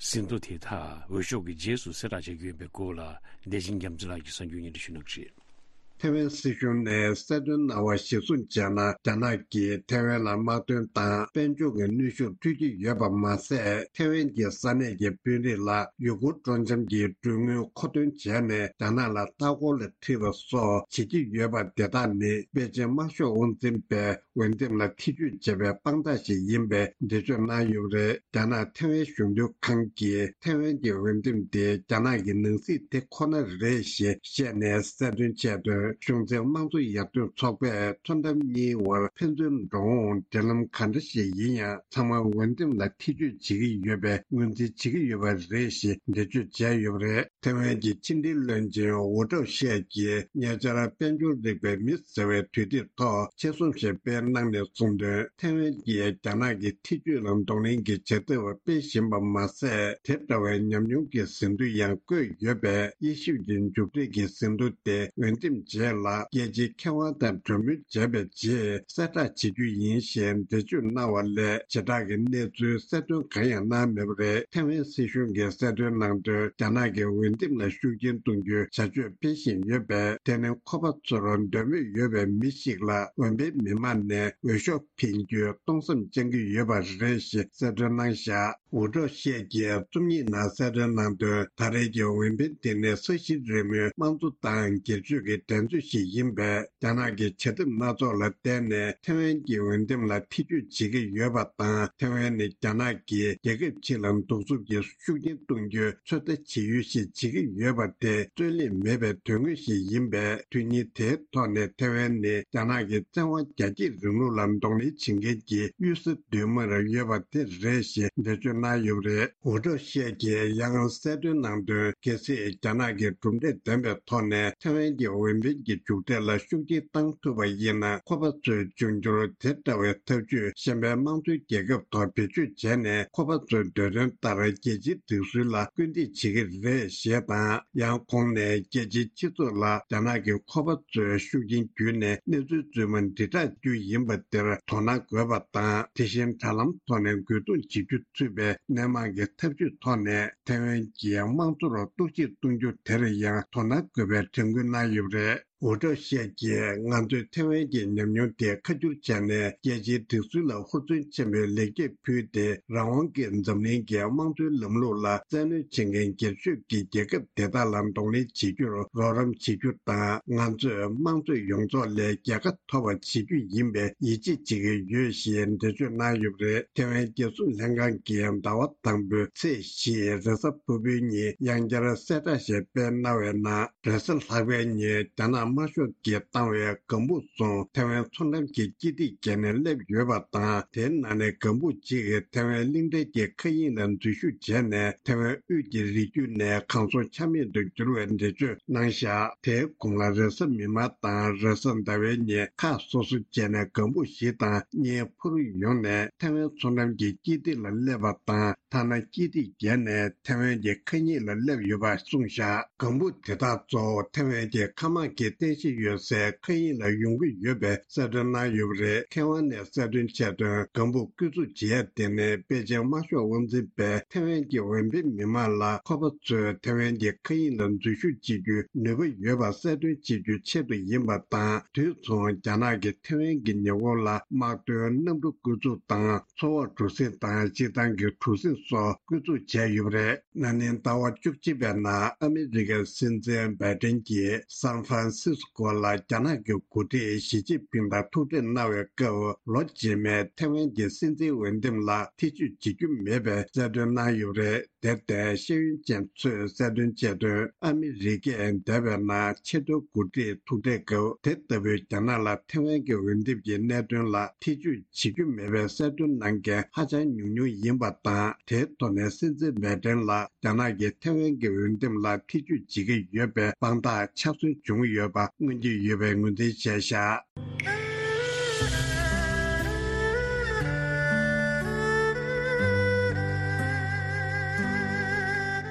ཟིན་ཐོ་དེ་དག་འོས་ཤོག་གི་རྗེས་སུ་གསལ་བསྒྲགས་བྱེད་ཀྱི་ཡོད་པའི་སྐོར་ལ། བདེ་ཆེན་རྒྱ་མཚོ་ལགས་ཀྱིས་གསར་འགྱུར་སྙན་སྒྲོན་ཞུ་གནང་གི་རེད། ཐའེ་ཝན་སྲིད་གཞུང་ནས་གསལ་སྟོན་གནང་བར་གཞིར་བཟུང་བྱས་ན། རྒྱ་ནག་གིས་ཐའེ་ཝན་ལ་དམག་དོན་དང་དཔལ་འབྱོར་གྱི་གནོན་ཤུགས་སྤྲོད་ཀྱི་ཡོད་པ་མ་ཟད། ཐའེ་ཝན་གྱི་ས་གནས་ཀྱི་དཔོན་རིགས་ལ་ཡུ་གུར་སྤྲོ་འཆམ་གྱི་གྲོན་དངུལ་མཁོ་འདོན་བྱས་ནས། རྒྱ་ནག་ལ་ལྟ་སྐོར་ལ་ཁྲིད་པ་སོགས་བྱེད་ཀྱི་ཡོད་པ་དེ་དག་ནི། པེ་ཅིན་དམར་ཤོག་དབང་འཛིན་པས་འོས་འདེམས་ལ་ཐེ་ཇུས་བྱས་པའི་དཔང་རྟགས་ཤིག་ཡིན་པའི་འགྲེལ་བརྗོད་གནང་ཡོད་པ་རེད། རྒྱ་ནག་ཐའེ་ཝན་གཞུང་དོན་ཁང་གིས་ཐའེ་ཝན་གྱི་འོས་འདེམས་དེ་རྒྱ་ནག་གི་ནང་སྲིད་དེ་ཁོ་ན་རེད་ཞེས་བཤད་ནས་གསལ་སྟོན་བྱས་དོན། གཞུང་འཛིན་དམངས་གཙོ་ཡར་ཐོན་ཚོགས་པས་མཚོ་འགྲམ་གཉིས་བར་ཕན་ཚུན་འགྲོ་འོང་འབྲེལ་ལམ་ག་འདྲ་ཞིག་ཡིན་ཡང་། ཚང་མ་འོས་འདེམས་ལ་ཐེ་ཇུས་བྱེད་ཀྱི་ཡོད་པའི་ངོས་འཛིན་བྱེད་ཀྱི་ཡོད་པ་རེད་ཞེས་འགྲེལ་བརྗོད་བྱས་ཡོད་པ་རེད། ཐའེ་ཝན་གྱི་ཕྱི་འབྲེལ་བློན་ཆེན་ཝུ་ཀྲའོ་ཤས་ཀྱིས་ཉེ་ཆར་དཔལ་འབྱོར་རིག་པའི་མི་ཟེར་བའི་དུས་དེབ་ཐོག་ཆེད་རྩོམ་ཞིག་སྤེལ་གནང་ནས་གསུངས་དོན། ཐའེ་ཝན་གྱིས་རྒྱ་ནག་གི་ཐེ་ཇུས་ལ་གདོང་ལེན་གྱི་བྱ་ཐབས་སྤེལ་བཞིན་པ་མ་ཟད། དེ་འདྲ་བའི་ཉམས་མྱོང་གི་ཟིན་ཐོ་ཡང་བཀོད་ཡོད་པས། དབྱེ་ཞིབ་ཀྱི་མཇུག་འབྲས་ཀྱི་ཟིན་ཐོ་དེ་འོས་འདེམས་ རྗེས་ལ་རྒྱལ་སྤྱིའི་མཁས་དབང་དང་གྲོས་མོལ་བྱས་པའི་རྗེས་གསལ་བསྒྲགས་བྱེད་རྒྱུ་ཡིན་ཞེས་འགྲེལ་བརྗོད་གནང་བ་ལས་བྱེ་བྲག་གི་གནས་ཚུལ་གསལ་སྟོན་གང་ཡང་གནང་མེད་པ་རེད། ཐེ་ཝན་སྲིད་གཞུང་གིས་གསལ་སྟོན་གནང་དོན། རྒྱ་ནག་གི་འོས་འདེམས་ལ་ཤུགས་རྐྱེན་གཏོང་རྒྱུའི་བྱ་སྤྱོད་སྤེལ་བཞིན་ཡོད་པས། དེ་ནི་ཁོ་པ་ཚོར་འདོད་མོས་ཡོད་པའི་མི་ཞིག་ལ་འོས་འཕེན་མི་མང་ནས་འོས་ཤོག་འཕེན་རྒྱུའི་སྟོང་བསམ་བཅངས་ཀྱི་ཡོད་པ་རེད་ཞེས་གསལ་སྟོན་གནང་བཞག་ཝུ་ཀྲོ་ཤེད་ཀྱིས་རྩོམ་ཡིག་ནང་གསལ་སྟོན་གནང་དོན། ད་རེས་ཀྱི་འོས་འཕེན་དེ་ནི་ས་གཞི་རིལ་མོའི་དམངས་གཙོ་དང་སྒེར་གཅོད་ཀྱི་འགྲན་རྩོད་ཞིག་ཡིན་པས། རྒྱ་ནག་གི་བྱ་ཐབས་སྣ་ཚོགས་ལ་བརྟེན་ནས་ཐེ་ཝན་གྱི་འོས་འདེམས་ལ་ཐེ་བྱུས་བྱེད་ཀྱི་ཡོད་པ་དང་། ཐེ་ཝན་ནི་རྒྱ་ནག་གིས་རྒྱལ་ཁབ་ཕྱི་ལ་གདུག་རྩུབ་ཀྱི་ཤུགས་རྐྱེན་གཏོང་རྒྱུའི་ཚོད་ལྟ་བྱེད་ཡུལ་ཞིག་བྱེད་ཀྱི་ཡོད་པ་དེ་རྩོད་གླེང་མེད་པའི་དོན་དངོས་ཤིག་ཡིན་པས། དོན་སྙིང་དེའི་ཐོག་ནས་ཐེ་ཝན་ནི་རྒྱ་ནག་གི་བཙན་དབང་རྒྱ་སྐྱེད་རིང་ལུགས་ལ་གདོང་ལེན་བྱེད་མཁན་གྱི་གཡུལ་ས་མདུན་མར་ཡོད་པ་དེ་རེད་ཞེས་འགྲེལ་བརྗོད་གནང་ཡོད་པ་རེད། ཝུ་ཀྲོ་ཤེད་ཀྱིས་ཡང་གསལ་སྟོན་གནང་དོན། གལ་སྲིད་རྒྱ་ནག་གིས་གྲུབ་འབྲས་ལྡན་པའི་ཐོག་ནས་ཐེ་ཝན་གྱི་འོས་འཕེན་གྱི་མཇུག་འབྲས་ལ་ཤུགས་རྐྱེན་བཏང་ཐུབ་པ་ཡིན་ན། ཁོ་པ་ཚོའི་འབྱུང་འགྱུར་དེ་འདྲ་བའི་ཐབས་ཇུས་གཞན་པའི་དམངས་གཙོའི་རྒྱལ་ཁབ་ཐོག་བེད་སྤྱོད་བྱས་ནས། ཁོ་པ་ཚོའི་འདོད་དོན་ལྟར་རྒྱལ་སྤྱིའི་སྒྲིག་སྲོལ་ལ་སྐུལ་འདེད་བྱེད་ཀྱི་རེད་ཞེས་དང་། ཡང་ཁོང་ནས་རྒྱལ་སྤྱིའི་སྤྱི་ཚོགས་ལ་རྒྱ་ནག་གིས་ཁོ་པ་ཚོའི་ཤུགས་རྐྱེན་བརྒྱུད་ནས་གནས་ཚུལ་རྫུན་མ་དྲིལ་བསྒྲགས་རྒྱུ་ཡིན་པ་དེར་དོ་སྣང་དགོས་པ་དང་། དེ་བཞིན་དྲ་ལམ་ཐོག་ནས་རྒོལ་རྡུང་བྱེད་རྒྱུ་ཚུད་པའི་སྣེ་མང་གི་ཐབས་ཇུས་ཐོག་ནས་ཐེ་ཝན་གྱི་དམངས་གཙོར་གཏོར་བཤིག་གཏོང་རྒྱུ་དེར་ཡང་དོ་སྣང་དགོས་པའི་དྲན་སྐུལ་གནང་ཡོད་པ་རེད། ཝུ་ཀྲོ་ཤེད་ཀྱིས། ང་ཚོས་ཐེ་ཝན་གྱི་ཉམས་མྱོང་དེ་ཁ་བསྒྱུར་བྱས་ནས། རྒྱལ་སྤྱིའི་སྒྲིག་སྲོལ་ལ་ཧུར་བརྩོན་ཆེན་པོས་ལེགས་སྐྱེས་ཕུལ་ཏེ། རང་དབང་གི་འཛམ་གླིང་གི་དམངས་གཙོའི་ལམ་ལུགས་ལ་བཙན་གནོན་བྱེད་མཁན་སྒེར་གཅོད་ཀྱི་རྒྱལ་ཁབ་དེ་དག་ལ་གདོང་ལེན་བྱེད་རྒྱུར་རོགས་རམ་བྱེད་རྒྱུ་དང་། ང་ཚོས་དམངས་གཙོ་ཡོངས་རྫོགས་ལས་རྒྱལ་ཁ་ཐོབ་པ་བྱེད་རྒྱུ་ཡིན་པའི་ཡིད་ཆེས་བྱེད་ཀྱི་ཡོད་ཞེས་འགྲེལ་བརྗོད་གནང་ཡོད་པ་རེད། ཐེ་ཝན་རྒྱལ་སྲུང་ལྷན་ཁང་གིས་ཟླ་བ་དང་པོའི་ཚེས་བཞི་རེས་གཟའ་ཕུར་བུའི་ཉིན་ཡང་བསྐྱར་གསལ་བསྒྲགས་ཤིག་སྤེལ་གནང་བའི་ནང་། རེས་གཟའ་ལྷག་པའི་ཉིན་རྒྱ་ནག་དམར་ཤོག་གིས་བཏང་བའི་ལྒང་བུ་གསུམ་ཐེ་ཝན་མཚོ་འགྲམ་གྱི་སྐྱིད་སྡེ་བརྒྱད་ནས་སླེབས་ཡོད་པ་དང་། དེའི་ནང་ནས་ལྒང་བུ་གཅིག་ཐེ་ཝན་གླིང་ཕྲན་གྱི་མཁའ་དབྱིངས་ལ་འཛུལ་ཞུགས་བྱས་ནས། ཐེ་ཝན་དབུས་ཀྱི་རི་རྒྱུད་ནས་གང་སར་ཆ་མེད་དུ་གྱུར་བའི་འགྲེལ་བརྗོད་གནང་བཞག་དེའི་གོང་ལ་རེས་གཟའ་མིག་དམར་དང་རེས་གཟའ་ཟླ་བའི་ཉིན་ཁག་སོ་སོ་བྱས་ནས་ལྒང་བུ་བཞི་དང་གཉིས་འཕུར་ཡོང་ནས་ཐེ་ཝན་མཚོ་འགྲམ་གྱི་སྐྱིད་སྡེ་ལ་སླེབས་པ་དང་། ཐ་ན་སྐྱིད་སྡེ་བརྒྱད་ནས་ཐེ་ཝན་གྱི་མཁའ་དབྱིངས་ལ་སླེབས་ཡོད་པ་གསུངས་བཞག་ལྒང་བུ་དེ་དག་གཙོ་བོ་ཐེ་ཝན་གྱི་མཁའ་དམག་གི་རྟེན་གཞི་ཡོད་སའི་མཁའ་དབྱིངས་ལ་ཡོང་གི་ཡོད་པའི་གསལ་སྟོན་གནང་ཡོད་པ་རེད། མཁས་དབང་ནས་གསལ་སྟོན་བྱས་དོན། ལྒང་བུ་བསྐོ་འཛུགས་བྱེད་ཡ་དེ་ནི་པེ་ཅིང་དམར་ཤོག་དབང་འཛིན་པས་ཐེ་ཝན་གྱི་འོས་འཕེན་མི་མང་ལ་ཁོ་པ་ཚོས་ཐེ་ཝན་གྱི་མཁའ་དབྱིངས་ལ་འཛུལ་ཞུགས་བྱེད་རྒྱུའི་ནུས་པ་ཡོད་པ་གསལ་སྟོན་བྱེད་རྒྱུའི་ཆེད་དུ་ཡིན་པ་དང་། དུས་མཚུངས་རྒྱ་ནག་གིས་ཐེ་ཝན་གྱི་ཉེ་འཁོར་ལ་དམག་དོན་གནམ་གྲུ་བསྐོ་འཛུགས་དང་། མཚོ་འོག་གྲུ་གཟིངས་དང་སྤྱིར་བཏང་གི་གྲུ་གཟིངས་སོགས་བསྐོ་འཛུགས་བྱས་ཡོད་པ་རེད། ན་ནིང་ཟླ་བ་བཅུ་གཅིག་པའི་ནང་ཨ་མི་རི་ཀའི་སྲིད་འཛིན་བྷའི་ཏིན་གྱིས་སན་ཧྥ་རན་སིས་ཀོ་ལ་རྒྱ་ནག་གི་འགོ་ཁྲིད་ཞི་ཅིན་ཕིང་དང་ཐུག་འཕྲད་གནང་བའི་སྐབས། ལོ་རྗེས་མའི་ཐེ་ཝན་གྱི་སྲིད་འཛིན་འོས་འདེམས་ལ་ཐེ་བྱུས་བྱེད་རྒྱུ་མེད་པའི་གསལ་སྟོན་གནང་ཡོད་པ་རེད། དེར་བརྟེན་ཤེས་ཡོན་ཅན་ཚོས་གསལ་སྟོན་བྱས་དོན། ཨ་མི་རི་ཀས་འདས་པའི་ནང་ཆེས་མཐོའི་འགོ་ཁྲིད་ཐུག་འཕྲད་སྐབས། དེ་ལྟ་བུའི་རྒྱ་ནག་ལ་ཐེ་ཝན་གྱི་འོས་འདེམས་ཀྱི་གནད་དོན་ལ་ཐེ་བྱུས་བྱེད་རྒྱུ་མེད་པའི་གསལ་སྟོན་གནང་མཁན་ཧ་ཅང་ཉུང་ཉུང་ཡིན་པ་དང་། དེའི་ཐོག་ནས་སྲིད་འཛིན་བྷའི་ཏིན་ལ་རྒྱ་ནག་གིས་ཐེ་ཝན་གྱི་འོས་འདེམས་ལ་ཐེ་བྱུས་བྱེད་ཀྱི་ཡོད་པའི་དཔང་རྟགས་ཆ་ཚང་བྱུང་ཡོད་པ་མངོན་གྱི་ཡོད་པའི་ངོས་འཛིན་བྱས་བཞག་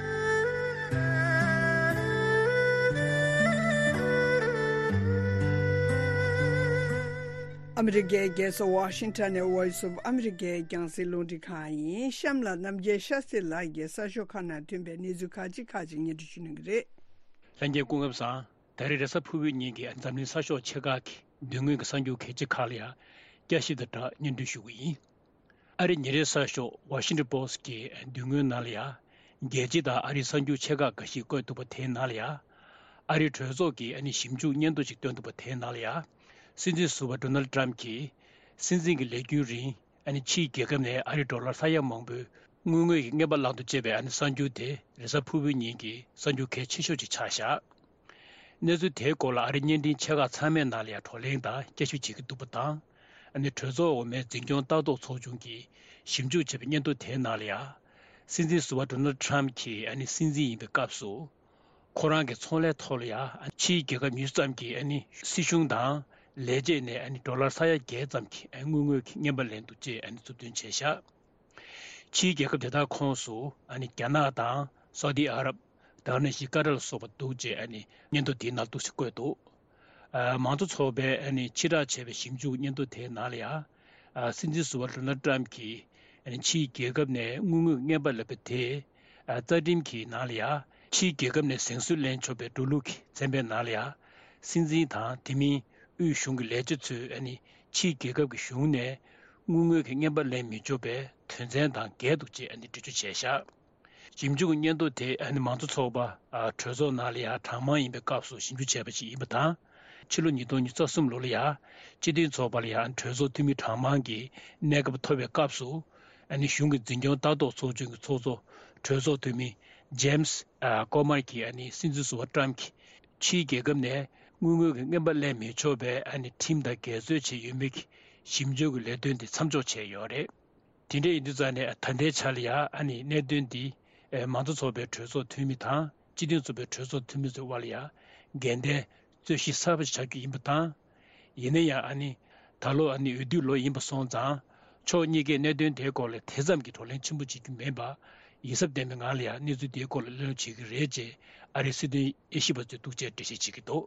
ཨ་མི་རི་ཀའི་རྒྱལ་ས་ཝ་ཤིང་ཊོན་ནས་Voice of America་རྒྱང་སྲིང་རླུང་འཕྲིན་ཁང་ཡིན། གཤམ་ལ་རྣམ་རྒྱལ་ཤཱ་སྟྲི་ལགས་ཀྱིས་གསར་ཤོག་ཁག་ནང་ཐོན་པའི་གནས་ཚུལ་ཁག་ཅིག་ཁག་ཅིག་སྙན་སྒྲོན་ཞུ་གནང་གི་རེད། ལྷན་རྒྱས་སྐུ་ཁམས་བཟང་། ད་རེས་རེས་གཟའ་ཕུར་བུའི་ཉིན་གྱི་འཛམ་གླིང་གསར་ཤོག་ཆེ་ཁག་གི་མདུན་ངོས་ཀྱི་གསར་འགྱུར་གལ་ཆེ་ཁག་ལ་ཡང་བསྐྱར་ཞིབ་དང་སྦྲགས་སྙན་སྒྲོན་ཞུ་གི་ཡིན། ཨ་རིའི་ཉིན་རེའི་གསར་ཤོག་Washington Post་གི་མདུན་ངོས་ནང་ལ་ཡང་། རྒྱལ་སྤྱི་དང་ཨ་རིའི་གསར་འགྱུར་ཆེ་ཁག་འགའ་ཞིག་བཀོད་འདུག་པ་དེའི་ནང་ལ་ཡང་། ཨ་རིའི་གྲོས་ཚོགས་ཀྱིས་ཨ་ནི་ཞིབ་འཇུག་སྙན་ཐོ་ཞིག་བཏོན་འདུག་པ་དེའི་ནང་ལ་ཡང་། སྲིད་འཛིན་ཟུར་པ་Donald Trump་གྱིས་སྲིད་འཛིན་གྱི་ལས་རྒྱུན་རིང་ཨ་ནི་ཕྱིའི་རྒྱལ་ཁབ་ནས་ཨ་རིའི་ཌོ་ལར་ས་ཡ་མང་པོའི་དངུལ་དངོས་ཀྱི་རྔན་པ་བླངས་འདུག་ཅེས་པའི་ཨ་ནི་གསར་འགྱུར་དེ་རེས་གཟའ་ཕུར་བུའི་ཉིན་གྱི་གསར་འགྱུར་གལ་ཆེ་ཤོས་ཤིག་ཆགས་བཞག་གནས་ཚུལ་དེའི་སྐོར་ལ་ཨ་རིའི་བརྙན་འཕྲིན་ཆེ་ཁག་ཚང་མའི་ནང་ལ་ཡང་བགྲོ་གླེང་དང་བསྐྱར་ཞིབ་བྱེད་ཀྱི་འདུག་པ་དང་། ཨ་ནི་གྲོས་ཚོགས་འོག་མའི་འཛིན་སྐྱོང་ལྟ་རྟོག་ཚོགས་ཆུང་གིས་ཞིབ་འཇུག་བྱས་པའི་སྙན་ཐོ་དེའི་ནང་ལ་ཡང་། སྲིད་འཛིན་ཟུར་པ་Donald Trump་གྱིས་ཨ་ནི་སྲིད་འཛིན་ཡིན་པའི་སྐབས་སུ། ཁོ་རང་གི་ཚོང་ལས་ཐོག་ལ་ཡང་ཕྱིའི་རྒྱལ་ཁབ་ཉུང་ཤོས་ཙམ་གྱི་ཨ་ནི་སྲིད་གཞུང་དང་ལས་བྱེད་ནས་ཨ་ནི་ཌོ་ལར་ས་ཡ་བརྒྱད་ཙམ་གྱི་ཨ་ནི་དངུལ་དངོས་ཀྱི་རྔན་པ་ལེན་འདུག་ཅེས་ཨ་ནི་མཛུབ་སྟོན་བྱས་བཞག་ཕྱིའི་རྒྱལ་ཁབ་དེ་དག་ཁོངས་སུ་ཨ་ནི་རྒྱ་ནག་དང་སའུ་ཏི་ཨ་རབ། དེ་ནས་ཤི་ཀ་ཏར་ལ་སོགས་པ་འདུག་ཅེས་ཨ་ནི་སྙན་ཐོ་འདིའི་ནང་འདུག་སེ་བཀོད་འདུག་ཨ་མང་གཙོ་ཚོགས་པས་ཨ་ནི་ཕྱིར་བསྒྲགས་བྱས་པའི་ཞིབ་འཇུག་སྙན་ཐོ་དེའི་ནང་ལ་ཡང་། ཨ་སྲིད་འཛིན་ཟུར་པ་ཌོ་ནལ་ཊམ་གྱིས་ཨ་ནི་ཕྱིའི་རྒྱལ་ཁབ་ནས་དངུལ་དངོས་རྔན་པ་ལེན་པ་དེ་ཨ་རྩ་ཁྲིམས་ཀྱི་ནང་ལ་ཡང་ཕྱིའི་རྒྱལ་ཁབ་ནས་གཟེངས་སུ་ལེན་ཆོག་པའི་འགྲོ་ལུགས་ཀྱི་ཚན་པའི་ནང་ལ་ཡང་། སྲིད་འཛིན་དང་དེ་མིན་དབུས་གཞུང་གི་ལས་བྱེད་ཚོས་ཨ་ནི་ཕྱིའི་རྒྱལ་ཁབ་ཀྱི་གཞུང་ནས་དངུལ་དངོས་ཀྱི་རྔན་པ་ལེན་མི་ཆོག་པའི་དོན་ཚན་དང་འགལ་འདུག་ཅེས་ཨ་ནི་འགྲེལ་བརྗོད་བྱས་བཞག་ཞིབ་འཇུག་སྙན་ཐོ་དེ་ཨ་ནི་མང་གཙོ་ཚོགས་པ་ཨ་གྲོས་ཚོགས་ནང་ལ་ཡང་གྲངས་མང་ཡིན་པའི་སྐབས་སུ་ཞིབ་འཇུག་བྱས་པ་ཞིག་ཡིན་པ་དང་། ཕྱི་ལོ་ཉིས་སྟོང་ཉི་ཤུ་རྩ་གསུམ་ལོ་ལ་ཡང་སྤྱི་མཐུན་ཚོགས་པ་ལ་ཡང་གྲོས་ཚོགས་འཐུས་མི་གྲངས་མང་གི་གནས་སྐབས་ཐོབ་པའི་སྐབས་སུ། ཨ་ནི་གཞུང་གི་འཛིན་སྐྱོང་ལྟ་རྟོག་ཚོགས་ཆུང་གི་ཚོགས་གཙོ་གྲོས་ཚོགས་འཐུས་མི་ཇེམ་སི་ཨ་ཀོ་མར་གྱིས་ཨ་ནི་སྲིད་འཛིན་ཟུར་པ་ཊམ་གྱིས་ཕྱིའི་རྒྱལ་ཁབ་ནས་དངུལ་དངོས་ཀྱི་རྔན་པ་ལེན་མི་ཆོག་པའི་ཨ་ནི་ཁྲིམས་དང་འགལ་འཛོལ་བྱས་ཡོད་མེད་ཀྱི་ཞིབ་འཇུག་གི་ལས་དོན་དེ་མཚམས་འཇོག་བྱས་ཡོད་རེད། དེ་འདྲ་ཡིན་དུས་ཙང་ནས་ད་ལྟའི་ཆ་ལ་ཡང་ཨ་ནི་གནད་དོན་འདི་ཨེ་མང་གཙོ་ཚོགས་པའི་གྲོས་ཚོགས་འཐུས་མི་དང་སྤྱི་མཐུན་ཚོགས་པའི་གྲོས་ཚོགས་འཐུས་མི་ཚོའི་དབར་ལ་ཡང་འགལ་ཟླའི་རྩོད་གཞི་གསར་པ་ཞིག་ཆགས་རྒྱུ་ཡིན་པ་དང་། ཡིན་ན་ཡང་ཨ་ནི་ད་ལོ་ཨ་ནི་འོས་བསྡུ་ལོ་ཡིན་པ་སོང་ཙང་ཕྱོགས་གཉིས་ཀས་གནད་དོན་དེའི་སྐོར་ལ་དེ་ཙམ་གྱི་བགྲོ་གླེང་ཆེན་པོ་བྱེད་རྒྱུ་མིན་པ། ཡིད་གཟབ་ལྡན་པའི་ངང་ལ་ཡང་གནས་ཚུལ་དེའི་སྐོར་ལ་གླེང་སློང་བྱེད་ཀྱི་རེད་ཅེས་ཨ་རིའི་སྲིད་དོན་དབྱེ་ཞིབ་པ་ཚོས་འདུག་ཅེས་འགྲེལ་བཤད་བྱེད་ཀྱི་འདུག་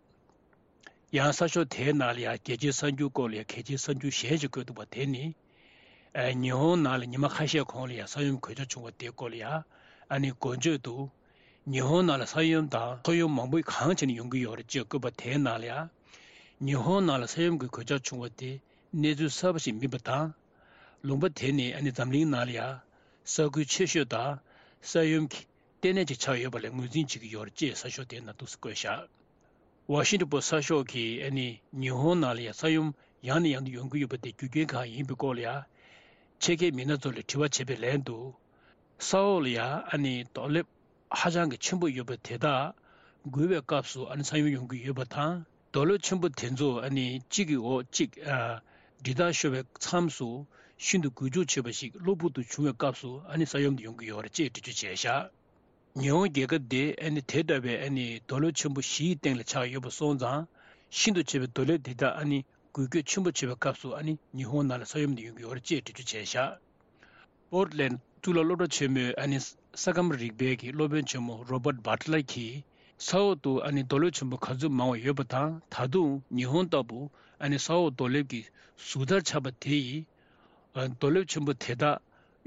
ཡང་གསར་ཤོག་དེའི་ནང་ལ་ཡང་རྒྱལ་སྤྱིའི་གསར་འགྱུར་སྐོར་ལ་ཡང་གལ་ཆེའི་གསར་འགྱུར་གཞན་ཞིག་བཀོད་འདུག་པ་དེ་ནི། ཨ་ཉི་ཧོང་ནང་ལ་ཉི་མ་ཁ་ཤས་གོང་ལ་ཡང་ས་ཡོམ་གོད་ཆག་བྱུང་བ་དེའི་སྐོར་ལ་ཡང་ཨ་ནི་འགོ་བརྗོད་དུ། ཉི་ཧོང་ནང་ལ་ས་ཡོམ་དང་ཐོ་ཡོམ་མང་པོ་གང་བྱས་ནས་ཡོང་གི་ཡོད་རེད་ཅེས་བཀོད་པ་དེའི་ནང་ལ་ཡང་། ཉི་ཧོང་ནང་ལ་ས་ཡོམ་གྱི་གོད་ཆག་བྱུང་བ་དེ་གནས་ཚུལ་གསར་པ་ཞིག་མིན་པ་དང་། ལུང་པ་དེ་ནི་ཨ་ནི་འཛམ་གླིང་ནང་ལ་ཡང་ས་ཁུལ་ཆེ་ཤོས་དང་ས་ཡོམ་གྱི་ལྟེ་གནས་ཅིག་ཆགས་ཡོད་པ་ལ་ངོས་འཛིན་བྱེད་ཀྱི་ཡོད་རེད་ཅེས་གསར་ཤོག་དེའི་ནང་འདུག་སེ་བཀོད་བཞག་ཝ་ཤིང་ཊོན་པོ་སི་གསར་ཤོག་གིས་ཨ་ནི་ཉི་ཧོང་ནང་ལ་ཡང་ས་ཡོམ་ཡང་ནས་ཡང་དུ་ཡོང་གི་ཡོད་པ་དེ་རྒྱུ་རྐྱེན་གང་ཡིན་པའི་སྐོར་ལ་ཡང་ཆེད་མཁས་མི་སྣ་ཚོ་ལ་དྲི་བ་བྱས་པའི་ལན་དུ། ས་འོག་ལ་ཡང་ཨ་ནི་རྡོ་ལེབ་ཧ་ཅང་གི་ཆེན་པོ་ཡོད་པ་དེ་དག་འགུལ་བའི་སྐབས་སུ་ཨ་ནི་ས་ཡོམ་ཡོང་གི་ཡོད་པ་དང་། རྡོ་ལེབ་ཆེན་པོ་དེ་ཚོ་ཨ་ནི་གཅིག་གི་འོག་གཅིག་ཨ་འདྲི་རྟགས་ཤོར་བའི་མཚམས་སུ་ཤིན་ཏུ་འགུལ་སྐྱོད་ཆེ་བ་ཞིག་གློ་བུར་དུ་བྱུང་བའི་སྐབས་སུ་ཨ་ནི་ས་ཡོམ་དེ་ཡོང་གི་ཡོད་རེད་ཅེས་འགྲེལ་བརྗོད་བྱས་བཞག་ཉི་ཧོང་རྒྱལ་ཁབ་དེ་ཨ་ནི་དེ་འདྲ་བའི་ཨ་ནི་རྡོ་ལེབ་ཆེན་པོ་བཞིའི་སྟེང་ལ་ཆགས་ཡོད་པ་སོང་ཙང་། ཤིན་ཏུ་ཆེ་བའི་རྡོ་ལེབ་དེ་དག་ཨ་ནི་འགུལ་སྐྱོད་ཆེན་པོ་བྱེད་པའི་སྐབས་སུ་ཨ་ནི་ཉི་ཧོང་ནང་ལ་ས་ཡོམ་དེ་ཡོང་གི་ཡོད་རེད་ཅེས་འགྲེལ་བརྗོད་བྱས་བཞག་པོར་ཊི་ལེན་ཌི་གཙུག་ལག་སློབ་གྲྭ་ཆེན་མོའི་ཨ་ནི་ས་ཁམས་རིག་པའི་གི་སློབ་དཔོན་ཆེན་མོ་རོ་བར་ཊི་བྷ་ཊི་ལར་གྱིས། ས་འོག་ཏུ་ཨ་ནི་རྡོ་ལེབ་ཆེན་པོ་ག་ཚོད་མང་བ་ཡོད་པ་དང་། ད་དུང་ཉི་ཧོང་ལྟ་བུ་ཨ་ནི་ས་འོག་རྡོ་ལེབ་ཀྱི་ཟུར་མཐར་ཆགས་པ་དེ་ཡིས། ཨ་རྡོ་ལེབ་ཆེན་པོ་དེ་དག་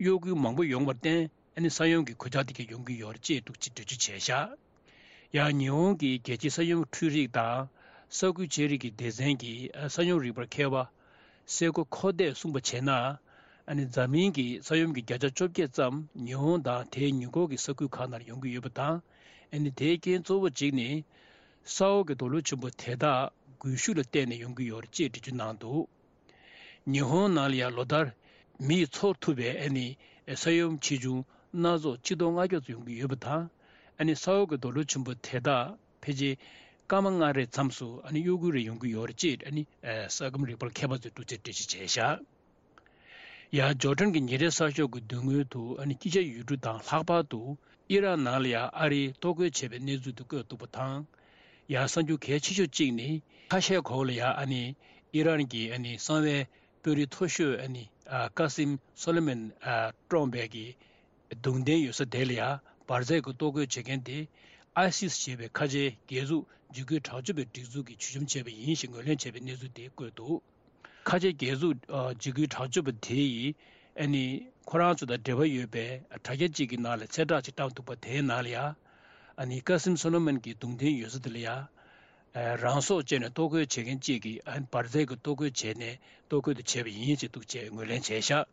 གཡོ་འགུལ་མང་པོ་ཡོང་བར་བརྟེན། ཨ་ནི་ས་ཡོམ་གྱི་གོད་ཆག་དེ་གས་ཡོང་གི་ཡོད་རེད་ཅེས་འདུག་ཅེས་འགྲེལ་བརྗོད་བྱས་བཞག་ཡང་ཉི་ཧོང་གི་རྒྱལ་སྤྱིའི་ས་ཡོམ་འཕྲུལ་རིག་དང་ས་ཁུལ་ཆེད་རིག་གི་སྡེ་ཚན་གྱི་ས་ཡོམ་རིག་པར་མཁས་པ་སེ་ཀོ་ཁོ་ཏས་གསུངས་པ་བྱས་ན། ཨ་ནི་འཛམ་གླིང་གི་ས་ཡོམ་གྱི་བརྒྱ་ཆ་བཅོ་བརྒྱད་ཙམ་ཉི་ཧོང་དང་དེའི་ཉེ་འཁོར་གྱི་ས་ཁུལ་ཁག་ནང་ཡོང་གི་ཡོད་པ་དང་། ཨ་ནི་དེའི་རྐྱེན་གཙོ་བོ་གཅིག་ནི། ས་འོག་གི་རྡོ་ལེབ་ཆེན་པོ་དེ་དག་སྒུལ་ཤུགས་ལ་བརྟེན་ནས་ཡོང་གི་ཡོད་རེད་ཅེས་འགྲེལ་བརྗོད་གནང་འདུག་ཉི་ཧོང་ནང་ལ་ཡང་ལོ་ལྟར་མི་ཡིས་ཚོར་ཐུབ་པའི་ཨ་ནི་ས་ཡོམ་ཆེ་ཆུང་སྣ་ཚོགས་ཆིག་སྟོང་ལྔ་བརྒྱ་ཙམ་ཡོང་གི་ཡོད་པ་དང་། ཨ་ནི་ས་འོག་གི་རྡོ་ལེབ་ཆེན་པོ་དེ་དག་ཕལ་ཆེར་སྐར་མ་ལྔ་རེའི་མཚམས་སུ་ཨ་ནི་གཡོ་འགུལ་རེ་ཡོང་གི་ཡོད་རེད་ཅེས་ཨ་ནི་ས་ཁམས་རིག་པ་མཁས་པ་ཚོས་འདུག་ཅེས་འགྲེལ་བརྗོད་བྱས་བཞག་ཡང་ཇོར་ཌན་གྱི་ཉིན་རེའི་གསར་ཤོག་གི་མདུན་ངོས་དུ་ཨ་ནི་དཀྱིལ་ཆར་ཡུལ་གྲུ་དང་ལྷག་པར་དུ་ཨི་རན་ནང་ལ་ཡང་ཨ་རིས་གཏོར་རྒོལ་བྱས་པའི་གནས་ཚུལ་དུ་བཀོད་འདུག་པ་དང་། ཡང་གསར་འགྱུར་གལ་ཆེ་ཤོས་གཅིག་ནི་ཁ་ཤས་གོང་ལ་ཡང་ཨ་ནི་ཨི་རན་གྱི་ཨ་ནི་གསང་བའི་དཔོན་རིགས་མཐོ་ཤོས་ཨ་ནི་ཀ་སིམ་སོ་ལེ་མན་བཀྲོངས་པའི་གི་གདུང་རྟེན་ཡོད་ས་དེ་ལ་ཡང་འབར་རྫས་ཀྱི་གཏོར་རྒོལ་བྱེད་མཁན་དེ་ཨའི་སིས་ཞེས་པའི་ཁ་ཆེའི་རྒྱལ་འཛུགས་འཇིགས་སྐུལ་དྲག་སྤྱོད་པའི་སྒྲིག་འཛུགས་ཀྱིས་ཇུས་འཆམ་བྱས་པ་ཡིན་ཞེས་ངོས་ལེན་བྱས་པའི་གནས་ཚུལ་དེ་བཀོད་འདུག་ཁ་ཆེ་རྒྱལ་འཛུགས་འཇིགས་སྐུལ་དྲག་སྤྱོད་པ་དེ་ཡིས་ཨ་ནི་ཁོ་རང་ཚོ་དང་འབྲེལ་བ་ཡོད་པའི་དྲ་རྒྱ་གཅིག་གི་ནང་ལ་གསལ་བསྒྲགས་ཅིག་བཏང་འདུག་པ་དེའི་ནང་ལ་ཡང་ཨ་ནི་ཀ་སིམ་སོ་ལོ་མན་གྱི་གདུང་རྟེན་ཡོད་ས་དེ་ལ་ཡང་རང་སྲོག་བཅད་ནས་གཏོར་རྒོལ་བྱེད་མཁན་གཅིག་གིས་ཨ་ནི་འབར་རྫས་ཀྱི་གཏོར་རྒོལ་བྱས་ནས་གཏོར་རྒོལ་དུ་བྱས་པ་ཡིན་ཞེས་འདུག་ཅེས་ངོས་ལེན་བྱས་ཤག་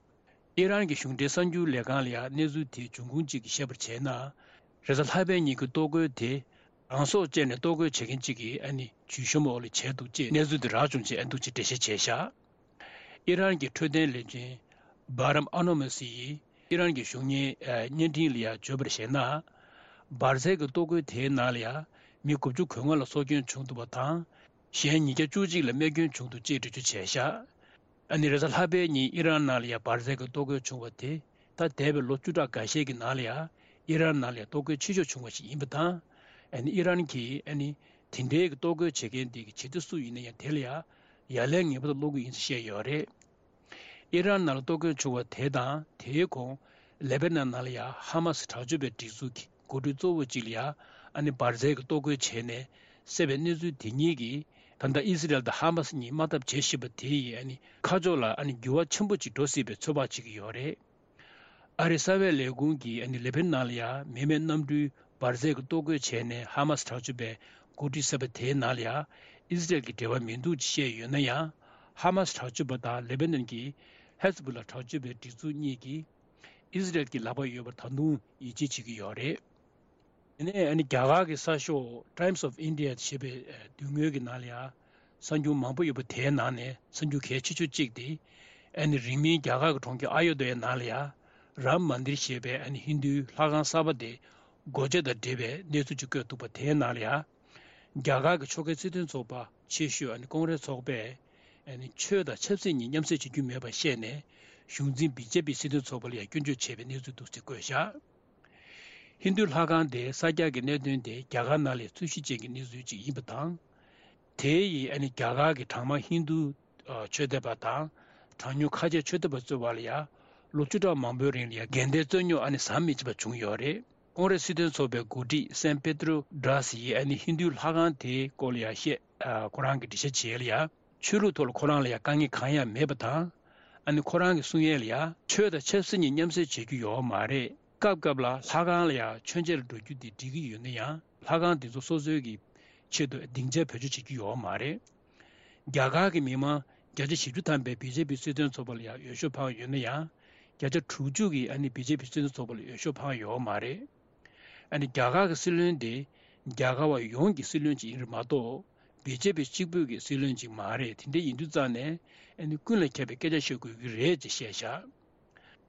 ཨི་རན་གྱི་གཞུང་འབྲེལ་གསར་འགྱུར་ལས་ཁང་ལ་ཡང་གནས་ཚུལ་དེའི་འབྱུང་ཁུངས་གཅིག་གིས་བཤད་པར་བྱས་ན། རེས་གཟའ་ལྷག་པའི་ཉིན་གྱི་གཏོར་རྒོལ་དེ་རང་སྲོག་བཅད་ནས་གཏོར་རྒོལ་བྱེད་མཁན་གཅིག་གིས་ཨ་ནི་ཇུས་གཞོན་འོག་ལ་བྱས་འདུག་ཅེས་གནས་ཚུལ་དེ་རག་བྱུང་ཅེས་ཨ་འདུག་ཅེས་འགྲེལ་བཤད་བྱས་བཞག་ཨི་རན་གྱི་འཕྲོད་བསྟེན་བློན་ཆེན་སྦ་རམ་ཨ་ནོ་མ་སི་ཡིས་ཨི་རན་གྱི་གཞུང་གཉེར་བརྙན་འཕྲིན་ལ་ཡང་བརྗོད་པར་བྱས་ན། འབར་རྫས་ཀྱི་གཏོར་རྒོལ་དེའི་ནང་ལ་ཡང་མི་དགུ་བཅུ་གོ་ལྔ་ལ་སྲོག་སྐྱོན་བྱུང་འདུག་པ་དང་། གཞན་ཉིས་བརྒྱ་བཅུ་གཅིག་ལ་རྨས་སྐྱོན་བྱུང་འདུག་ཅེས་འགྲེལ་བརྗོད་བྱས་བཞག་ཨ་ནི་རེས་གཟའ་ལྷག་པའི་ཉིན་ཨི་རན་ནང་ལ་ཡང་འབར་རྫས་ཀྱི་གཏོར་རྒོལ་བྱུང་བ་དེ་ད་འདས་པའི་ལོ་བཅུ་ཕྲག་འགའ་ཤས་ཀྱི་ནང་ལ་ཡང་ཨི་རན་ནང་ལ་ཡང་གཏོར་རྒོལ་ཆེ་ཤོས་བྱུང་བ་ཞིག་ཡིན་པ་དང་། ཨ་ནི་ཨི་རན་གྱིས་ཨ་ནི་དེ་འདྲའི་གཏོར་རྒོལ་བྱེད་མཁན་དེ་གི་བྱེད་གཏེ་སུ་ཡིན་ན་ཡང་དེ་ལ་ཡང་ཡ་ལན་ངེས་པར་དུ་སློག་གི་ཡིན་ཞེས་བཤད་ཡོད་རེད། ཨི་རན་ནང་ལ་གཏོར་རྒོལ་བྱུང་བ་དེ་དང་དེའི་གོང་ལེ་བྷ་ནན་ནང་ལ་ཡང་ཧ་མ་སི་དྲག་སྤྱོད་པའི་སྒྲིག་འཛུགས་ཀྱི་འགོ་ཁྲིད་གཙོ་བོ་གཅིག་ལ་ཡང་ཨ་ནི་འབར་རྫས་ཀྱི་གཏོར་རྒོལ་བྱས་ནས་བསད་པའི་གནས་ཚུལ་དེ་གཉིས་ཀྱིས་ ད་ལྟ་ཨི་སི་རལ་དང་ཧ་མ་སི་གཉིས་དམག་འཐབ་བྱེད་བཞིན་པ་དེ་ཡིས་ཨ་ནི་ཁ་ཕྱོགས་ལ་ཨ་ནི་འགྱུར་བ་ཆེན་པོ་ཅིག་འགྲོ་སྲིད་པའི་ཚོད་དཔག་བྱེད་ཀྱི་ཡོད་རེད། ཨ་རིའི་གསང་བའི་ལས་ཁུངས་ཀྱིས་ཨ་ནི་ལེ་པ་ནན་ནང་ལ་ཡང་མི་མེད་གནམ་གྲུའི་འབར་རྫས་ཀྱི་གཏོར་རྒོལ་བྱས་ནས་ཧ་མ་སི་དྲག་སྤྱོད་པས་འགོ་ཁྲིད་ཟེར་བ་དེའི་ནང་ལ་ཡང་ཨི་སི་རལ་གྱི་འབྲེལ་བ་མི་འདུག་ཅེས་བཤད་ཡོད་ན་ཡང་། ཧ་མ་སི་དྲག་སྤྱོད་པ་དང་ལེ་པ་ནན་གྱི་ཧེ་ཟ་བུ་ལ་དྲག་སྤྱོད་པའི་སྒྲིག་འཛུགས་གཉིས་ཀྱིས་ཨི་སི་རལ་གྱི་ལག་པ་ཡོད་པར་ད་དུང་ཡིད་ཆེས་བྱེད་ཀྱི་ཡོད་རེད། དེ་ནས་ཨ་ནི་རྒྱ་གར་གྱི་གསར་ཤོག་Times of India ཞེས་པའི་མདུན་ངོས་ཀྱི་ནང་ལ་ཡང་གསར་འགྱུར་མང་པོ་ཡོད་པ་དེའི་ནང་ནས་གསར་འགྱུར་གལ་ཆེ་ཤོས་གཅིག་དེ། ཨ་ནི་རིང་མིན་རྒྱ་གར་གྱི་གྲོང་ཁྱེར་ཨ་ཡོ་དྷ་ཡའི་ནང་ལ་ཡང་རམ་མན་དིར་ཞེས་པའི་ཨ་ནི་ཧིན་རྡུའི་ལྷ་ཁང་གསར་པ་དེ་སྒོ་འབྱེད་དང་འབྲེལ་བའི་གནས་ཚུལ་ཅིག་བཀོད་འདུག་པ་དེའི་ནང་ལ་ཡང་། རྒྱ་གར་གྱི་ཕྱོགས་འགལ་སྲིད་དོན་ཚོགས་པ་ཆེ་ཤོས་ཨ་ནི་ཀོང་རེས་ཚོགས་པས་ཨ་ནི་ཆོས་དང་ཆབ་སྲིད་གཉིས་མཉམ་བསྲེས་བྱེད་རྒྱུ་མེད་པར་བཤད་ནས་གཞུང་འཛིན་བི་ཇེ་པི་སྲིད་དོན་ཚོགས་པ་ལ་ཡང་སྐྱོན་བརྗོད་བྱས་པའི་གནས་ཚུལ་འདུག་སེ་བཀོད་བཞག་ཧིན་རྡུའི་ལྷ་ཁང་དེ་གསར་རྒྱག་གི་གནད་དོན་དེ་རྒྱ་གར་ནང་ལ་རྩོད་གཞི་ཅན་གྱི་གནས་ཚུལ་ཅིག་ཡིན་པ་དང་། དེ་ཡིས་ཨ་ནི་རྒྱ་གར་གྱི་གྲངས་མང་ཧིན་རྡུ་ཆོས་དད་པ་དང་གྲངས་ཉུང་ཁ་ཆེ་ཆོས་དད་པ་གཙོས་པ་ལ་ཡང་ལོ་བཅུ་ཕྲག་མང་པོའི་རིང་ལ་ཡང་འགལ་ཟླའི་རྩོད་རྙོག་ཨ་ནི་ཟམ་མི་ཆད་པ་བྱུང་ཡོད་རེད། ཀོང་རེས་སྲིད་དོན་ཚོགས་པའི་འགོ་ཁྲིད་སན་པེ་ཏྲོ་ཌ་སི་ཡིས་ཨ་ནི་ཧིན་རྡུའི་ལྷ་ཁང་དེའི་སྐོར་ལ་ཡང་བཤད། ཁོ་རང་གིས་འགྲེལ་བཤད་བྱས་ལ་ཡང་ཆོས་ལུགས་ཐོག་ལ་ཁོ་རང་ལ་ཡང་དཀའ་ངལ་གང་ཡང་མེད་པ་དང་། ཨ་ནི་ཁོ་རང་གིས་གསུང་ཡས་ལ་ཡང་ཆོས་དང་ཆབ་སྲིད་གཉིས་མཉམ་བསྲེས་བྱེད་རྒྱུ་ཡོད་མ་རེད། སྐབས་སྐབས་ལ་ལྷ་ཁང་ལ་ཡང་མཆོད་མཇལ་འགྲོ་རྒྱུ་དེ་འགྲིག་གི་ཡོད་ན་ཡང་ལྷ་ཁང་དེ་ཚོ་སོ་སོའི་གི་ཆེད་དུ་སྡིངས་ཆ་བེད་སྤྱོད་བྱེད་རྒྱུ་ཡོད་མ་རེད། རྒྱ་གར་གྱི་མི་མང་བརྒྱ་ཆ་བཞི་བཅུ་ཐམ་པས་བི་ཇེ་པི་སྲིད་དོན་ཚོགས་པ་ལ་ཡང་འོས་ཤོག་འཕངས་ཡོད་ན་ཡང་། བརྒྱ་ཆ་དྲུག་ཅུ་གིས་ཨ་ནི་བི་ཇེ་པི་སྲིད་དོན་ཚོགས་པ་ལ་འོས་ཤོག་འཕངས་ཡོད་མ་རེད། ཨ་ནི་རྒྱ་གར་གྱི་སྲིད་བློན་དེ་རྒྱ་གར་བ་ཡོངས་ཀྱི་སྲིད་བློན་ཅིག་ཡིན་རེད་མ་གཏོགས་བི་ཇེ་པི་གཅིག་པུས་ཀྱི་སྲིད་བློན་ཅིག་མ་རེད། དེ་འདྲ་ཡིན་དུས་ཙང་ནས་ཨ་ནི་ཀུན་ལ་ཁྱབ་པའི་སྐད་ཆ་བཤད་དགོས་ཀྱི་རེད་ཅེས་བཤད་བཞག་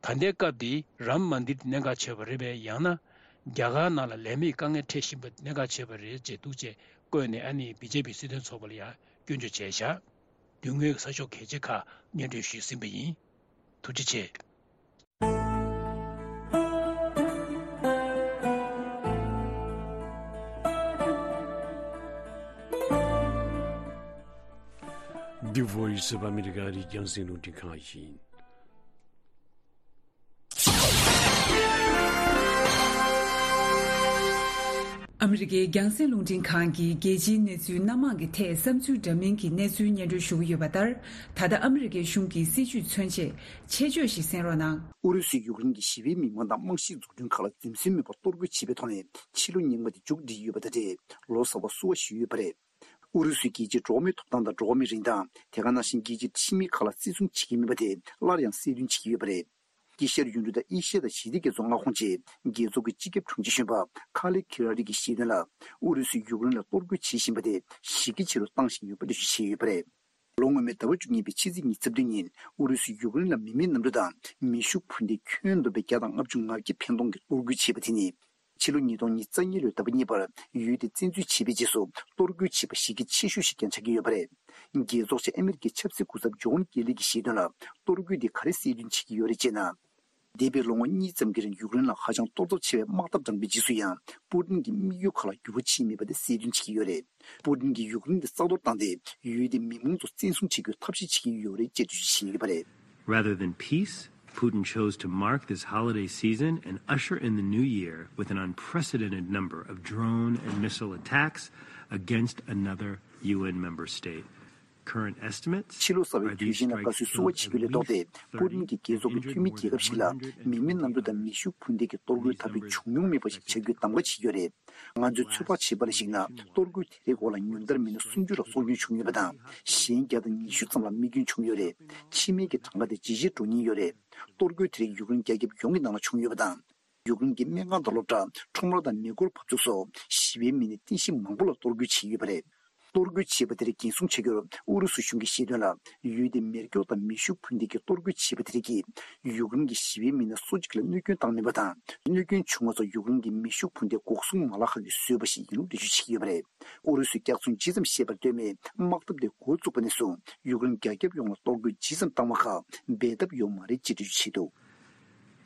ད་ལྟའི་སྐབས་འདི་རམ་མན་དིར་དེ་གནད་འགག་ཆེ་བ་རེད་པས། ཡང་ན་རྒྱ་གར་ནང་ལ་ལས་མེད་དཀའ་ངལ་འཕྲད་བཞིན་པ་གནད་འགག་ཆེ་བ་རེད་ཅེས་འདུག་ཅེས་བཀོད་ནས་ཨ་ནི་བི་ཇེ་པི་སྲིད་དོན་ཚོགས་པ་ལ་ཡང་སྐྱོན་བརྗོད་བྱས་བཞག་མདུན་ངོས་ཀྱི་གསར་ཤོག་གལ་ཆེ་ཁག་སྙན་སྒྲོན་ཞུས་ཟིན་པ་ཡིན། ཐུགས་རྗེ་ཆེ། The Voice of America རི་རྒྱང་སྲིང་རླུང་འཕྲིན་ཁང་ཡིན། ཨ་མི་རི་ཀའི་རྒྱང་སྲིང་རླུང་འཕྲིན་ཁང་གིས་རྒྱལ་སྤྱིའི་གནས་ཚུལ་སྣ་མང་གི་ཐད་བསམ་ཚུལ་འདྲ་མིན་གྱི་གནས་ཚུལ་སྙན་སྒྲོན་ཞུ་གི་ཡོད་པ་ལྟར། ད་ལྟ་ཨ་མི་རི་ཀའི་གཞུང་གི་སྲིད་བྱུས་མཚོན་ཆེད་ཆེད་བརྗོད་ཞིག་གསན་རོགས་གནང་། ཨུ་རུ་སུས་ཡུཀ་རེན་གྱི་ཞི་བའི་མི་མང་དང་རྨང་གཞིའི་འཛུགས་སྐྲུན་ཁག་ལ་འཛེམ་ཟོན་མེད་པར་གཏོར་རྒོལ་བྱས་པའི་ཐོག་ནས་ཕྱི་ལོ་ཉེས་ལྔ་དེ་མཇུག་བསྒྲིལ་ཡོད་པ་དང་འབྲེལ་ལོ་གསར་བ་བསུ་བ་ཞུས་ཡོད་པ་རེད། ཨུ་རུ་སུས་རྒྱལ་སྤྱིའི་འགྲོ་བ་མིའི་ཐོབ་ཐང་དང་འགྲོ་བ་མིའི་རིན་ཐང་། དེ་ག་ནང་བཞིན་རྒྱལ་སྤྱིའི་ཁྲིམས་མིང་ཁག་ལ་བརྩི་སྲུང་བྱེད་ཀྱི་མིན་པ་དེ་སླར་ཡང་གསལ་སྟོན་བྱེད་ཀྱི་ཡོད་པ་རེད། དཀྱིལ་ཤར་ཡུལ་གྲུ་དང་ཨེ་ཤི་ཡ་དང་ཞི་བདེ་རྒྱ་མཚོའི་མངའ་ཁོངས་བཅས་རྒྱལ་ཚོགས་ཀྱི་སྤྱི་ཁྱབ་དྲུང་ཆེ་གཞོན་པ་ཁ་ལེ་ཁི་ར་རི་གིས་བཤད་དོན་ལ། ཨུ་རུ་སུས་ཡུཀ་རེན་ལ་གཏོར་རྒོལ་བྱེད་བཞིན་པ་དེ་གཞི་རྒྱ་ཆེ་རུ་བཏང་བཞིན་ཡོད་པ་འགྲེལ་བརྗོད་བྱས་ཡོད་པ་རེད། ལོ་སྔོན་མའི་ཟླ་བ་བཅུ་གཉིས་པའི་ཕྱི་ཚེས་ཉི་ཤུ་རྩ་བདུན་ཉིན་ཨུ་རུ་སུས་ཡུཀ་རེན་ལ་མི་མེད་གནམ་གྲུ་དང་མེ་ཤུགས་འཕུར་མདེལ་ཁྱོན་བསྡོམས་པའི་བརྒྱ་དང་ལྔ་བཅུ་ང་བརྒྱད་ཕན་གཏོང་གི་གཏོར་རྒོལ་བྱས་པ་དེ་ནི། ཕྱི་ལོ་ཉིས་སྟོང་ཉི་ཤུ་རྩ་གཉིས་ལོའི་ཟླ་བ་གཉིས་པར་ཡུལ་དེ་བཙན་འཛུལ་བྱས་པའི་རྗེས་སུ་གཏོར་རྒོལ་བྱས་པ་གཞི་རྒྱ་ཆེ་ཤོས་ཤིག་ཀྱང་ཆགས་ཀྱི་ཡོད་པ་རེད། རྒྱལ་ཚོགས་ཆེན་ཨ་མི་རི་ཀའི་ཆབ་སྲིད་སྐུ་ཚབ་ཇོན་ཀེ་ལི་གིས་བཤད་དོན་ལ། གཏོར་རྒོལ་འདི་ག་རེ་གསལ་སྟོན་བྱེད་ཀྱི་ཡོད་རེད་ཅེ་ན། འདས་པའི་ལོ་ངོ་གཉིས་ཙམ་གྱི་རིང་ཡུཀ་རེན་ལ་ཧ་ཅང་གཏོར་ཚབས་ཆེ་བའི་དམག་འཐབ་དྲངས་པའི་རྗེས་སུ་ཡང་པུ་ཏིན་གྱི་དམིགས་ཡུལ་ཁག་ལ་འགྱུར་བ་ཕྱིན་མེད་པ་དེ་གསལ་སྟོན་བྱེད་ཀྱི་ཡོད་རེད། པུ་ཏིན་གྱིས་ཡུཀ་རེན་དེ་རྩ་གཏོར་བཏང་སྟེ་ཡུལ་དེའི་མི་མང་ཚོ་བཙན་བཟུང་བྱེད་རྒྱུའི་ཐབས་ཤེས་བྱེད་ཀྱི་ཡོད་རེད་ཅེས་འགྲེལ་བརྗོད་བྱས་ཡོད་པ་རེད། Rather than peace, Putin chose to mark this holiday season and usher in the new year with an unprecedented number of drone and missile attacks against another U N member state. Current estimates ཕྱི་ལོ་གསར་བའི་དུས་ཆེན་ལ་དགའ་བསུའི་བསུ་བ་བྱེད་རྒྱུ་ལས་ལྡོག་སྟེ། པུ་ཏིན་གྱིས་རྒྱལ་ཚོགས་ཀྱི་འཐུས་མི་རྒྱལ་ཁབ་ཞིག་ལ་མི་མེད་གནམ་གྲུ་དང་མེ་ཤུགས་འཕུར་མདེལ་གྱི་གཏོར་རྒོལ་ད་དུང་བྱུང་མྱོང་མེད་པ་ཞིག་བྱ་རྒྱུའི་གདམ་ག་བྱེད་ཀྱི་ཡོད་རེད། ང་ཚོས་ཚོད་དཔག་བྱས་པ་ལ་གཞིགས་ན། གཏོར་རྒོལ་དེ་རེས་འགོར་ལ་ཉུང་མཐར་མིན་ན་སུམ་ཅུ་ལ་སྲོག་སྐྱོན་བྱུང་ཡོད་པ་དང་། གཞན་བརྒྱ་དང་ཉི་ཤུ་ཙམ་ལ་རྨས་སྐྱོན་བྱུང་ཡོད་རེད། ཕྱི་མིའི་གི་གྲངས་ཀ་དེ་ཇེ་ཆེར་འགྲོ་ཉེན་ཡོད་རེད། གཏོར་རྒོལ་དེ་རིགས་ཡུཀ་རེན་རྒྱ་ཁྱབ་ཡོངས་ཀྱི་ནང་ལ་བྱུང་ཡོད་པ་དང་། ཡུཀ་རེན་གྱི་སྨན་ཁང་དང་སློབ་གྲྭ། ཁྲོམ་ར་དང་མེ་འཁོར་བབས་ཚུགས་སོགས་ཞི་བའི་མི་སྣའི་རྟེན་གཞི་མང་པོ་ལ་གཏོར་རྒོལ་བྱས་ཡོད་པ་རེད། གཏོར་རྒོལ་བྱས་པ་དེར་འགན་སྲུང་བྱ་རྒྱུར་ཨུ་རུ་སུ་གཞུང་གིས་བཤད་དོན་ལ། ཡུལ་དེའི་མེ་སྒྱོགས་དང་མེ་ཤུགས་འཕུར་མདེལ་གྱི་གཏོར་རྒོལ་བྱས་པ་དེ་རིགས་ཀྱིས་ཡུཀ་རེན་གྱི་ཞི་བའི་མི་སྣ་སུ་གཅིག་ལ་གནོད་སྐྱོན་བཏང་མེད་པ་དང་། གནོད་སྐྱོན་བྱུང་བ་ཚོ་ཡུཀ་རེན་གྱི་མེ་ཤུགས་འཕུར་མདེལ་འགོག་སྲུང་མ་ལག་ཁག་གིས་བཟོས་པ་ཞིག་ཡིན་ལུགས་འགྲེལ་བརྗོད་བྱེད་ཀྱི་ཡོད་པ་རེད། ཨུ་རུ་སུས་སྐྱག་རྫུན་ཇི་ཙམ་བཤད་པར་ལྟོས་མེད་དམག་འཐབ་དེ་འགོ་བཙུགས་པ་ནས་བཟུང་ཡུཀ་རེན་རྒྱ་ཁྱབ་ཡོངས་ལ་གཏོར་རྒོལ་ཇི་ཙམ་བཏང་བ་ཁག་འབད་ཐབས་ཡོད་མ་རེད་ཅེས་འགྲེལ་བརྗོད་བྱས་འདུག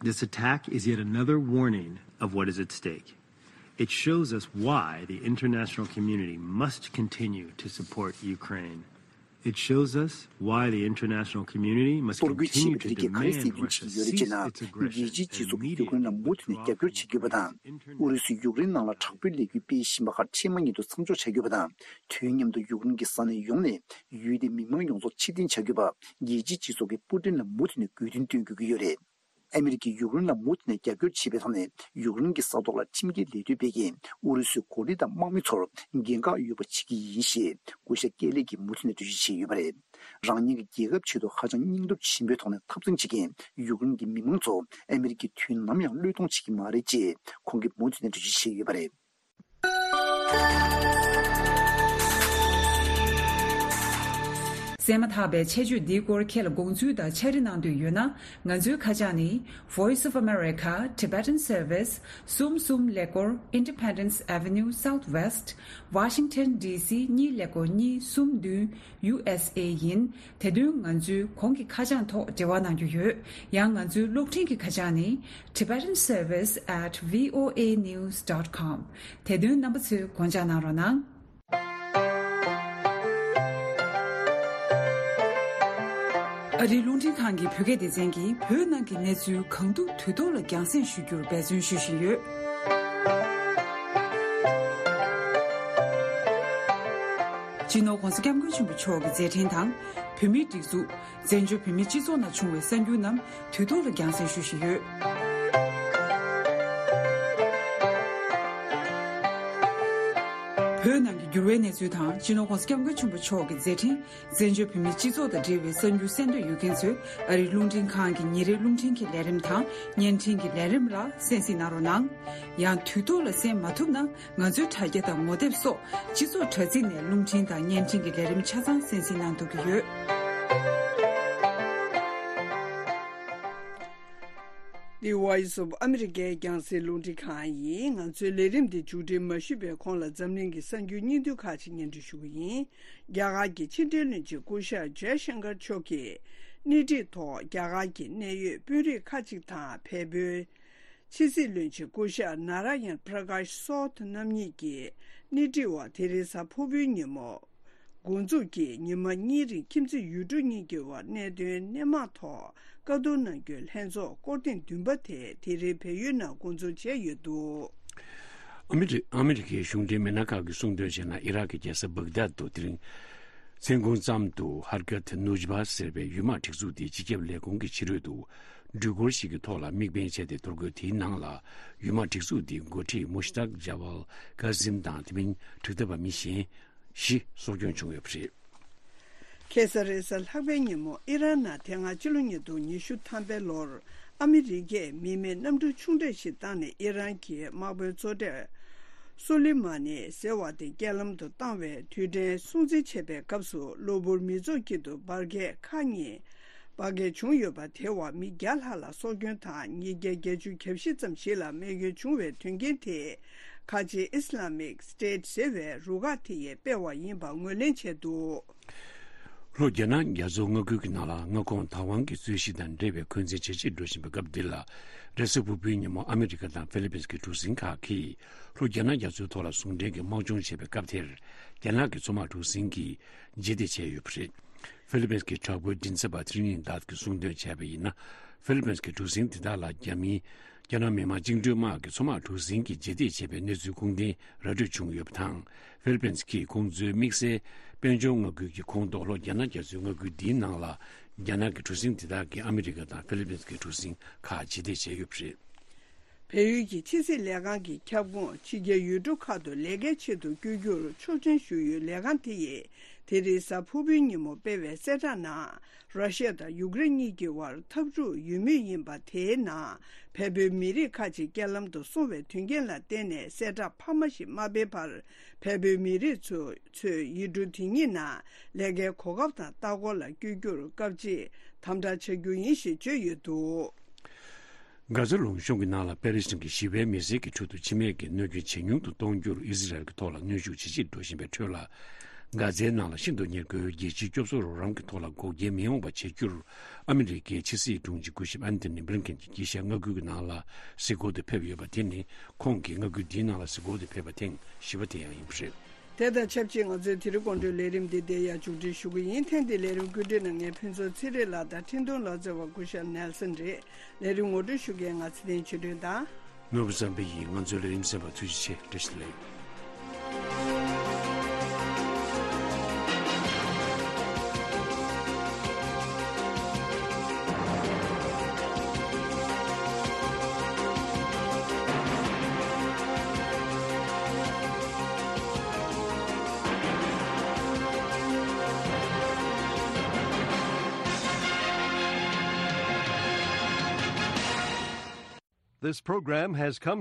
This attack is yet another warning of what is at stake. It shows us why the international community must continue to support Ukraine. It shows us why the international community must གཏོར་རྒོལ་བྱས་པའི་འདི་གས་ག་རེ་གསལ་སྟོན་བྱེད་ཀྱི་ཡོད་རེད་ཅེ་ན། རྒྱལ་སྤྱིའི་སྤྱི་ཚོགས་ཀྱིས་ཡུཀ་རེན་ལ་མུ་མཐུད་ནས་རྒྱབ་སྐྱོར་བྱེད་དགོས་པ་དང་། ཨུ་རུ་སུས་ཡུཀ་རེན་ནང་ལ་དྲག་པོའི་ལས་འགུལ་སྤེལ་བཞིན་པ་ཁག་འཕྲལ་མ་ཉིད་དུ་མཚམས་འཇོག་བྱ་དགོས་པ་དང་། དུས་མཉམ་དུ་ཡུཀ་རེན་གྱི་ས་གནས་ཡོངས་ནས་ཡུལ་དེའི་མི་མང་ཡོངས་རྫོགས་ཕྱིར་འཐེན་བྱ་དགོས་པ། རྒྱལ་སྤྱིའི་སྤྱི་ཚོགས་ཀྱིས་པུ་ཏིན་ལ་མུ་མཐུད་ནས་དགོས་འདུན་བཏོན་དགོས་ཀྱི་ཡོད་རེད། ཨ་མི་རི་ཀས་ཡུཀ་རེན་ལ་མུ་མཐུད་ནས་རྒྱབ་སྐྱོར་བྱེད་པའི་ཐོག་ནས་ཡུཀ་རེན་གྱི་ས་ཐོག་ལ་ཁྲིམས་འགལ་ལས་དོན་སྤེལ་མཁན་ཨུ་རུ་སུའི་འགོ་ཁྲིད་དང་དམག་མི་ཚོར་འགན་ཁག་ཡོད་པ་བྱེད་ཀྱི་ཡིན་ཞེས་སྐུ་ཞབས་ཀེ་ལི་གིས་མུ་མཐུད་ནས་འགྲེལ་བརྗོད་བྱས་ཡོད་པ་རེད། རང་ཉིད་ཀྱི་རྒྱལ་ཁབ་ཆེད་དུ་ཧ་ཅང་སྙིང་སྟོབས་ཆེན་པོའི་ཐོག་ནས་འཐབ་འཛིང་བྱེད་མཁན་ཡུཀ་རེན་གྱི་མི་མང་ཚོ་ཨ་མི་རི་ཀས་དུས་ནམ་ཡང་བློས་གཏོང་བྱེད་ཀྱི་མ་རེད་ཅེས་ཁོང་གིས་མུ་མཐུད་ནས་འགྲེལ་བརྗོད་བྱས་ཡོད་པ་རེད། གསན་མ་ཐག་པའི་ཆེད་བརྗོད་འདིའི་སྐོར་ཁྱེད་ལ་དགོངས་ཚུལ་དང་ཕྱག་བྲིས་གནང་འདོད་ཡོད་ན། ང་ཚོའི་ཁ་བྱང་ནི། Voice of America Tibetan Service གསུམ་གསུམ་ཀླད་ཀོར་Independence Avenue Southwest Washington D C གཉིས་ཀླད་ཀོར་གཉིས་གསུམ་བདུན། U S A ཡིན། དེ་དོན་ང་ཚོའི་གོང་གི་ཁ་བྱང་ཐོག་འབྲེལ་བ་གནང་རྒྱུ་ཡོད། ཡང་ང་ཚོའི་གློག་འཕྲིན་གྱི་ཁ་བྱང་ནི། Tibetan Service at V O A news dot com དེ་དོན་རྣམ་པ་ཚོས་དགོངས་འཇགས་གནང་རོགས་གནང་། ཨ་རིའི་རླུང་འཕྲིན་ཁང་གི་བོད་སྐད་སྡེ་ཚན་གྱིས་བོད་ནང་གི་གནས་ཚུལ་གང་ཐུབ་དུས་ཐོག་ལ་རྒྱང་སྲིང་ཞུ་རྒྱུར་འབད་བརྩོན་ཞུ་བཞིན་ཡོད། སྤྱི་ནོར་༧གོང་ས་༧སྐྱབས་མགོན་ཆེན་པོ་མཆོག་གི་མཛད་འཕྲིན་དང་། བོད་མིའི་སྒྲིག་འཛུགས། བཙན་བྱོལ་བོད་མིའི་སྤྱི་ཚོགས་ནང་བྱུང་བའི་གསར་འགྱུར་རྣམས་དུས་ཐོག་ལ་རྒྱང་སྲིང་ཞུ་བཞིན་ཡོད། བོད་ནང་གི་འགྱུར་བའི་གནས་ཚུལ་དང་། སྤྱི་ནོར་༧གོང་ས་༧སྐྱབས་མགོན་ཆེན་པོ་མཆོག་གི་མཛད་འཕྲིན། བཙན་བྱོལ་བོད་མིའི་སྤྱི་ཚོགས་དང་འབྲེལ་བའི་གསར་འགྱུར་གསན་འདོད་ཡོད་མཁན་ཚོས་ཨ་རིའི་རླུང་འཕྲིན་ཁང་གི་ཉིན་རེའི་རླུང་འཕྲིན་གྱི་ལས་རིམ་དང་བརྙན་འཕྲིན་གྱི་ལས་རིམ་ལ་གསན་གཟིགས་གནང་རོགས་གནང་། ཡང་དུས་ཐོག་ལ་གསན་མ་ཐུབ་ན། ང་ཚོའི་དྲ་རྒྱ་དང་ངོ་དེབ་སོགས་སྤྱི་ཚོགས་དྲ་ཚིགས་ནས་རླུང་འཕྲིན་དང་བརྙན་འཕྲིན་གྱི་ལས་རིམ་ཆ་ཚང་གསན་གཟིགས་གནང་ཐུབ་ཀྱི་ཡོད། འདི་Voice of America རྒྱང་སྲིང་རླུང་འཕྲིན་ཁང་ཡིན། ང་ཚོའི་ལས་རིམ་འདི་མཇུག་སྒྲིལ་མ་ཞུས་པའི་གོང་ལ་འཛམ་གླིང་གི་གསར་འགྱུར་སྙིང་བསྡུས་ཁག་ཅིག་སྙན་སྒྲོན་ཞུ་གི་ཡིན། རྒྱ་གར་གྱི་ཕྱི་འབྲེལ་བློན་ཆེན་སྐུ་ཞབས་ཇའི་ཤང་ཀར་མཆོག་གིས་སྣེ་ཁྲིད་ཐོག་རྒྱ་གར་གྱི་གནད་ཡོད་དཔོན་རིགས་ཁག་ཅིག་དང་བལ་པོའི་ཕྱི་སྲིད་བློན་ཆེན་སྐུ་ཞབས་ནཱ་ར་ཡན་པྲ་ཀཱཤ་སོ་ཐ་རྣམ་གཉིས་ཀྱི་སྣེ་ཁྲིད་འོག་དེ་རིང་གཟའ་ཕུར་བུའི་ཉིན་མོ། འགོ་འཛུགས་ཀྱིས་ཉི་མ་གཉིས་རིང་ཁྱིམ་མཚེས་ཡུལ་གྲུ་གཉིས་ཀྱི་བར་གནད་དོན་སྣེ་མང་ཐོག་བཀའ་བསྡུར་གནང་རྒྱུའི་ལྷན་ཚོགས་སྐོར་ཐེངས་བདུན་པ་དེ་དེ་རིང་བལ་ཡུལ་ནང་འགོ་འཛུགས་བྱས་ཡོད་འདུག་ཨ་མི་རི་ཨ་མི་རི་ཀའི་གཞུང་འབྲེལ་མི་སྣ་ཁག་གིས་གསུངས་དོན་བྱས་ན། ཨི་རག་གི་རྒྱལ་ས་བྷག་དཱད་དུ་དེ་རིང་མཚན་གུང་ཙམ་དུ་ཧར་ཀད་ནུཇ་བྷ་ཟེར་བའི་ཡུལ་དམག་སྒྲིག་འཛུགས་དེའི་སྤྱི་ཁྱབ་ལས་ཁུངས་ཀྱི་ཕྱི་རོལ་དུ་འགྲུལ་འཁོར་ཞིག་གི་ཐོག་ལ་དམིགས་འབེན་བྱས་ཏེ། གཏོར་རྒོལ་དེའི་ནང་ལ་ཡུལ་དམག་སྒྲིག་འཛུགས་དེའི་འགོ་ཁྲིད་མུ་ཤི་ཏག་ཇ་ཝལ་ཀ་ཟིམ་དང་དེ་མིན་དྲག་འཐབ་པ་མི་གཞན་བཞི་སྲོག་སྐྱོན་བྱུང་ཡོད་པ་རེད། ཁ་སང་རེས་གཟའ་ལྷག་པའི་ཉིན་མོ་ཨི་རན་ནང་དེ་སྔ་ཕྱི་ལོ་ཉིས་སྟོང་ཉི་ཤུ་ཐམ་པའི་ལོར་ཨ་མི་རི་ཀས་མི་མེད་གནམ་གྲུ་ཆུང་གྲས་ཤིག་བཏང་ནས་ཨི་རན་གྱི་དམག་དཔོན་གཙོ་གྲས་སུ་ལི་མ་ནི་ཟེར་བ་དེ་རྐྱེན་ལམ་དུ་བཏང་བའི་དུས་དྲན་སྲུང་བརྩི་བྱེད་པའི་སྐབས་སུ་གློ་བུར་མི་ཚོགས་དཀྱིལ་དུ་འབར་གས་ཁག་གཉིས་འབར་གས་བྱུང་ཡོད་པ་དེའི་འོག་མི་བརྒྱ་ལྷག་ལ་སྲོག་སྐྱོན་དང་ཉིས་བརྒྱ་བརྒྱད་ཅུ་གྱ་བཞི་ཙམ་ཞིག་ལ་རྨས་སྐྱོན་བྱུང་བའི་དོན་རྐྱེན་དེ་ཁ་ཆེ་ཨི་སི་ལ་མིག་སི་ཊེ་ཊི་ཟེར་བའི་རུ་ཁག་དེ་ཡིས་སྤེལ་བ་ཡིན་པ་ངོས་ལེན་བྱས་འདུག་ལྷོ་རྒྱ་ནག་རྒྱ་མཚོ་མངའ་ཁུལ་གྱི་ནང་ལ་མངའ་ཁོངས་བདག་དབང་གི་རྩོད་གཞི་དང་འབྲེལ་བའི་འཁོན་འཛིན་ཇེ་ཆེར་འགྲོ་བཞིན་པའི་སྐབས་འདི་ལ། རེས་གཟའ་ཕུར་བུའི་ཉིན་མོ་ཨ་མི་རི་ཀ་དང་ཧྥི་ལི་པིན་གྱི་གྲུ་གཟིངས་ཁག་གིས་ལྷོ་རྒྱ་ནག་རྒྱ་མཚོའི་ཐོག་ལ་ཟུང་འབྲེལ་གྱི་དམག་སྦྱོང་བྱས་པའི་སྐབས་དེར། རྒྱ་ནག་གི་མཚོ་དམག་གྲུ་གཟིངས་ཀྱིས་རྗེས་འདེད་བྱས་ཡོད་པ་རེད། ཧྥི་ལི་པིན་གྱི་དྲག་པོའི་མགྲིན་ཚབ་པ་ཐི་རི་ནི་དཱད་ཀྱིས་གསུངས་དོན་བྱས་པ་ཡིན་ན། ཧྥི་ལི་པིན་གྱི་གྲུ་གཟིངས་དེ་དག་ལ་རྒྱ་མིའི་རྒྱ་ནག་མི་དམངས་བཅིངས་འགྲོལ་དམག་གི་མཚོ་དམག་གྲུ་གཟིངས་ཀྱིས་རྗེས་འདེད་བྱས་པའི་གནས་ཚུལ་ཁུངས་ལྡན་ར་སྤྲོད་བྱུང་ཡོད་པ་དང་། ཧྥི་ལི་པིན་གྱིས་ཁོང་ཚོའི་དམིགས་བསལ་དཔལ་འབྱོར་མངའ་ཁུལ་གྱི་ཁོངས་གཏོགས་ལྷོ་རྒྱ་ནག་རྒྱ་མཚོའི་མངའ་ཁུལ་འདིའི་ནང་ལ། རྒྱ་ནག་གི་གྲུ་གཟིངས་དེ་དག་གིས་ཨ་མི་རི་ཀ་དང་ཧྥི་ལི་པིན་གྱི་གྲུ་གཟིངས་ཁག་རྗེས་འདེད་བྱས་ཡོད་པ་རེད། བལ་ཡུལ་གྱི་ཕྱི་སྲིད་ལས་ཁང་གི་ཁྱབ་ཁོངས་ཕྱི་རྒྱལ་ཡུལ་གྲུ་ཁག་ཏུ་ལས་ཀའི་ཆེད་དུ་བསྐྱོད་རྒྱུར་ཆོག་མཆན་ཞུ་ཡུལ་ལས་ཁང་དེ་ཡིས་དེ་རིང་གཟའ་ཕུར་བུའི་ཉིན་མོ་སྤེལ་བའི་གསལ་བསྒྲགས་ནང་། ར་ཤི་ཡ་དང་ཡུཀ་རེན་གཉིས་ཀྱི་དབར་འཐབ་འཁྲུག་ཡོད་མུས་ཡིན་པ་དེའི་ནང་བལ་པོའི་མི་རིགས་ཁག་ཅིག་རྐྱེན་ལམ་དུ་སོང་བའི་དོན་རྐྱེན་ལ་བརྟེན་ནས་གསལ་བསྒྲགས་འཕར་མ་ཞིག་མ་སྤེལ་བར། བལ་པོའི་མི་རིགས་ཚོས་ཚོས་ཡུལ་གྲུ་དེ་གཉིས་ནང་ལས་ཀའི་གོ་སྐབས་དང་ལྟ་སྐོར་ལ་བསྐྱོད་རྒྱུར་སྐབས་གཅིག་དམ་དྲག་བྱ་རྒྱུ་ཡིན་ཞེས་བརྗོད་ཡོད་འདུག་གྷ་ཛ་ལུང་གཤོང་གི་ནང་ལ་པེ་ལི་སི་ཐན་གྱི་ཞི་བའི་མི་སེར་གྱི་ཁྲོད་དུ་འཆི་རྨས་ཀྱི་གནོད་སྐྱོན་ཇེ་ཉུང་དུ་གཏོང་རྒྱུར་ཨི་ཟི་རལ་གྱི་ཐོག་ལ་གནོན་ཤུགས་ཇེ་ཆེར་འགྲོ་བཞིན་པའི་ཁྲོད་ལ། གྷ་ཛའི་ནང་ལ་ཤིན་ཏུ་ཉེར་མཁོའི་རྒྱལ་སྤྱིའི་སྐྱོབ་གསོ་རོགས་རམ་གྱི་ཐོག་ལ་འགོག་རྐྱེན་མི་ཡོང་བ་བྱེད་རྒྱུར་ཨ་མི་རི་ཀའི་ཕྱི་སྲིད་དྲུང་ཆེ་སྐུ་ཞབས་ཨན་ཐོ་ནི་བྷི་ལིན་ཀེན་གྱིས་དཀྱིལ་ཤར་མངའ་ཁུལ་གྱི་ནང་ལ་གཟིགས་སྐོར་དུ་ཕེབས་ཡོད་པ་དེ་ནི་ཁོང་གིས་མངའ་ཁུལ་འདིའི་ནང་ལ་གཟིགས་སྐོར་དུ་ཕེབས་པ་ཐེངས་བཞི་པ་དེ་ཡང་ཡིན་པ་རེད། དེ་དང་ཆབས་ཅིག་ང་ཚོའི་དེ་རིང་དགོང་དྲོའི་ལས་རིམ་འདི་འདིར་ཡང་མཇུག་སྒྲིལ་ཞུ་གི་ཡིན། ཐེངས་འདིའི་ལས་རིམ་བཀོད་སྒྲིག་གནང་མཁན་ཕུན་ཚོགས་ཚེ་རིང་ལགས་དང་འཕྲིན་གཏོང་ལག་རྩལ་བ་སྐུ་ཞབས་ནེལ་སན་རེད། ལས་རིམ་ངོ་སྤྲོད་ཞུ་མཁན་ང་ཚེ་བརྟན་ཆོས་སྒྲོན་དང་། ནོར་བུ་བསམ་འཕེལ་ཡིན། ང་ཚོའི་ལས་རིམ་གསན་པར་ཐུགས་རྗེ་ཆེ། བཀྲ་ཤིས་བདེ་ལེགས། This program has come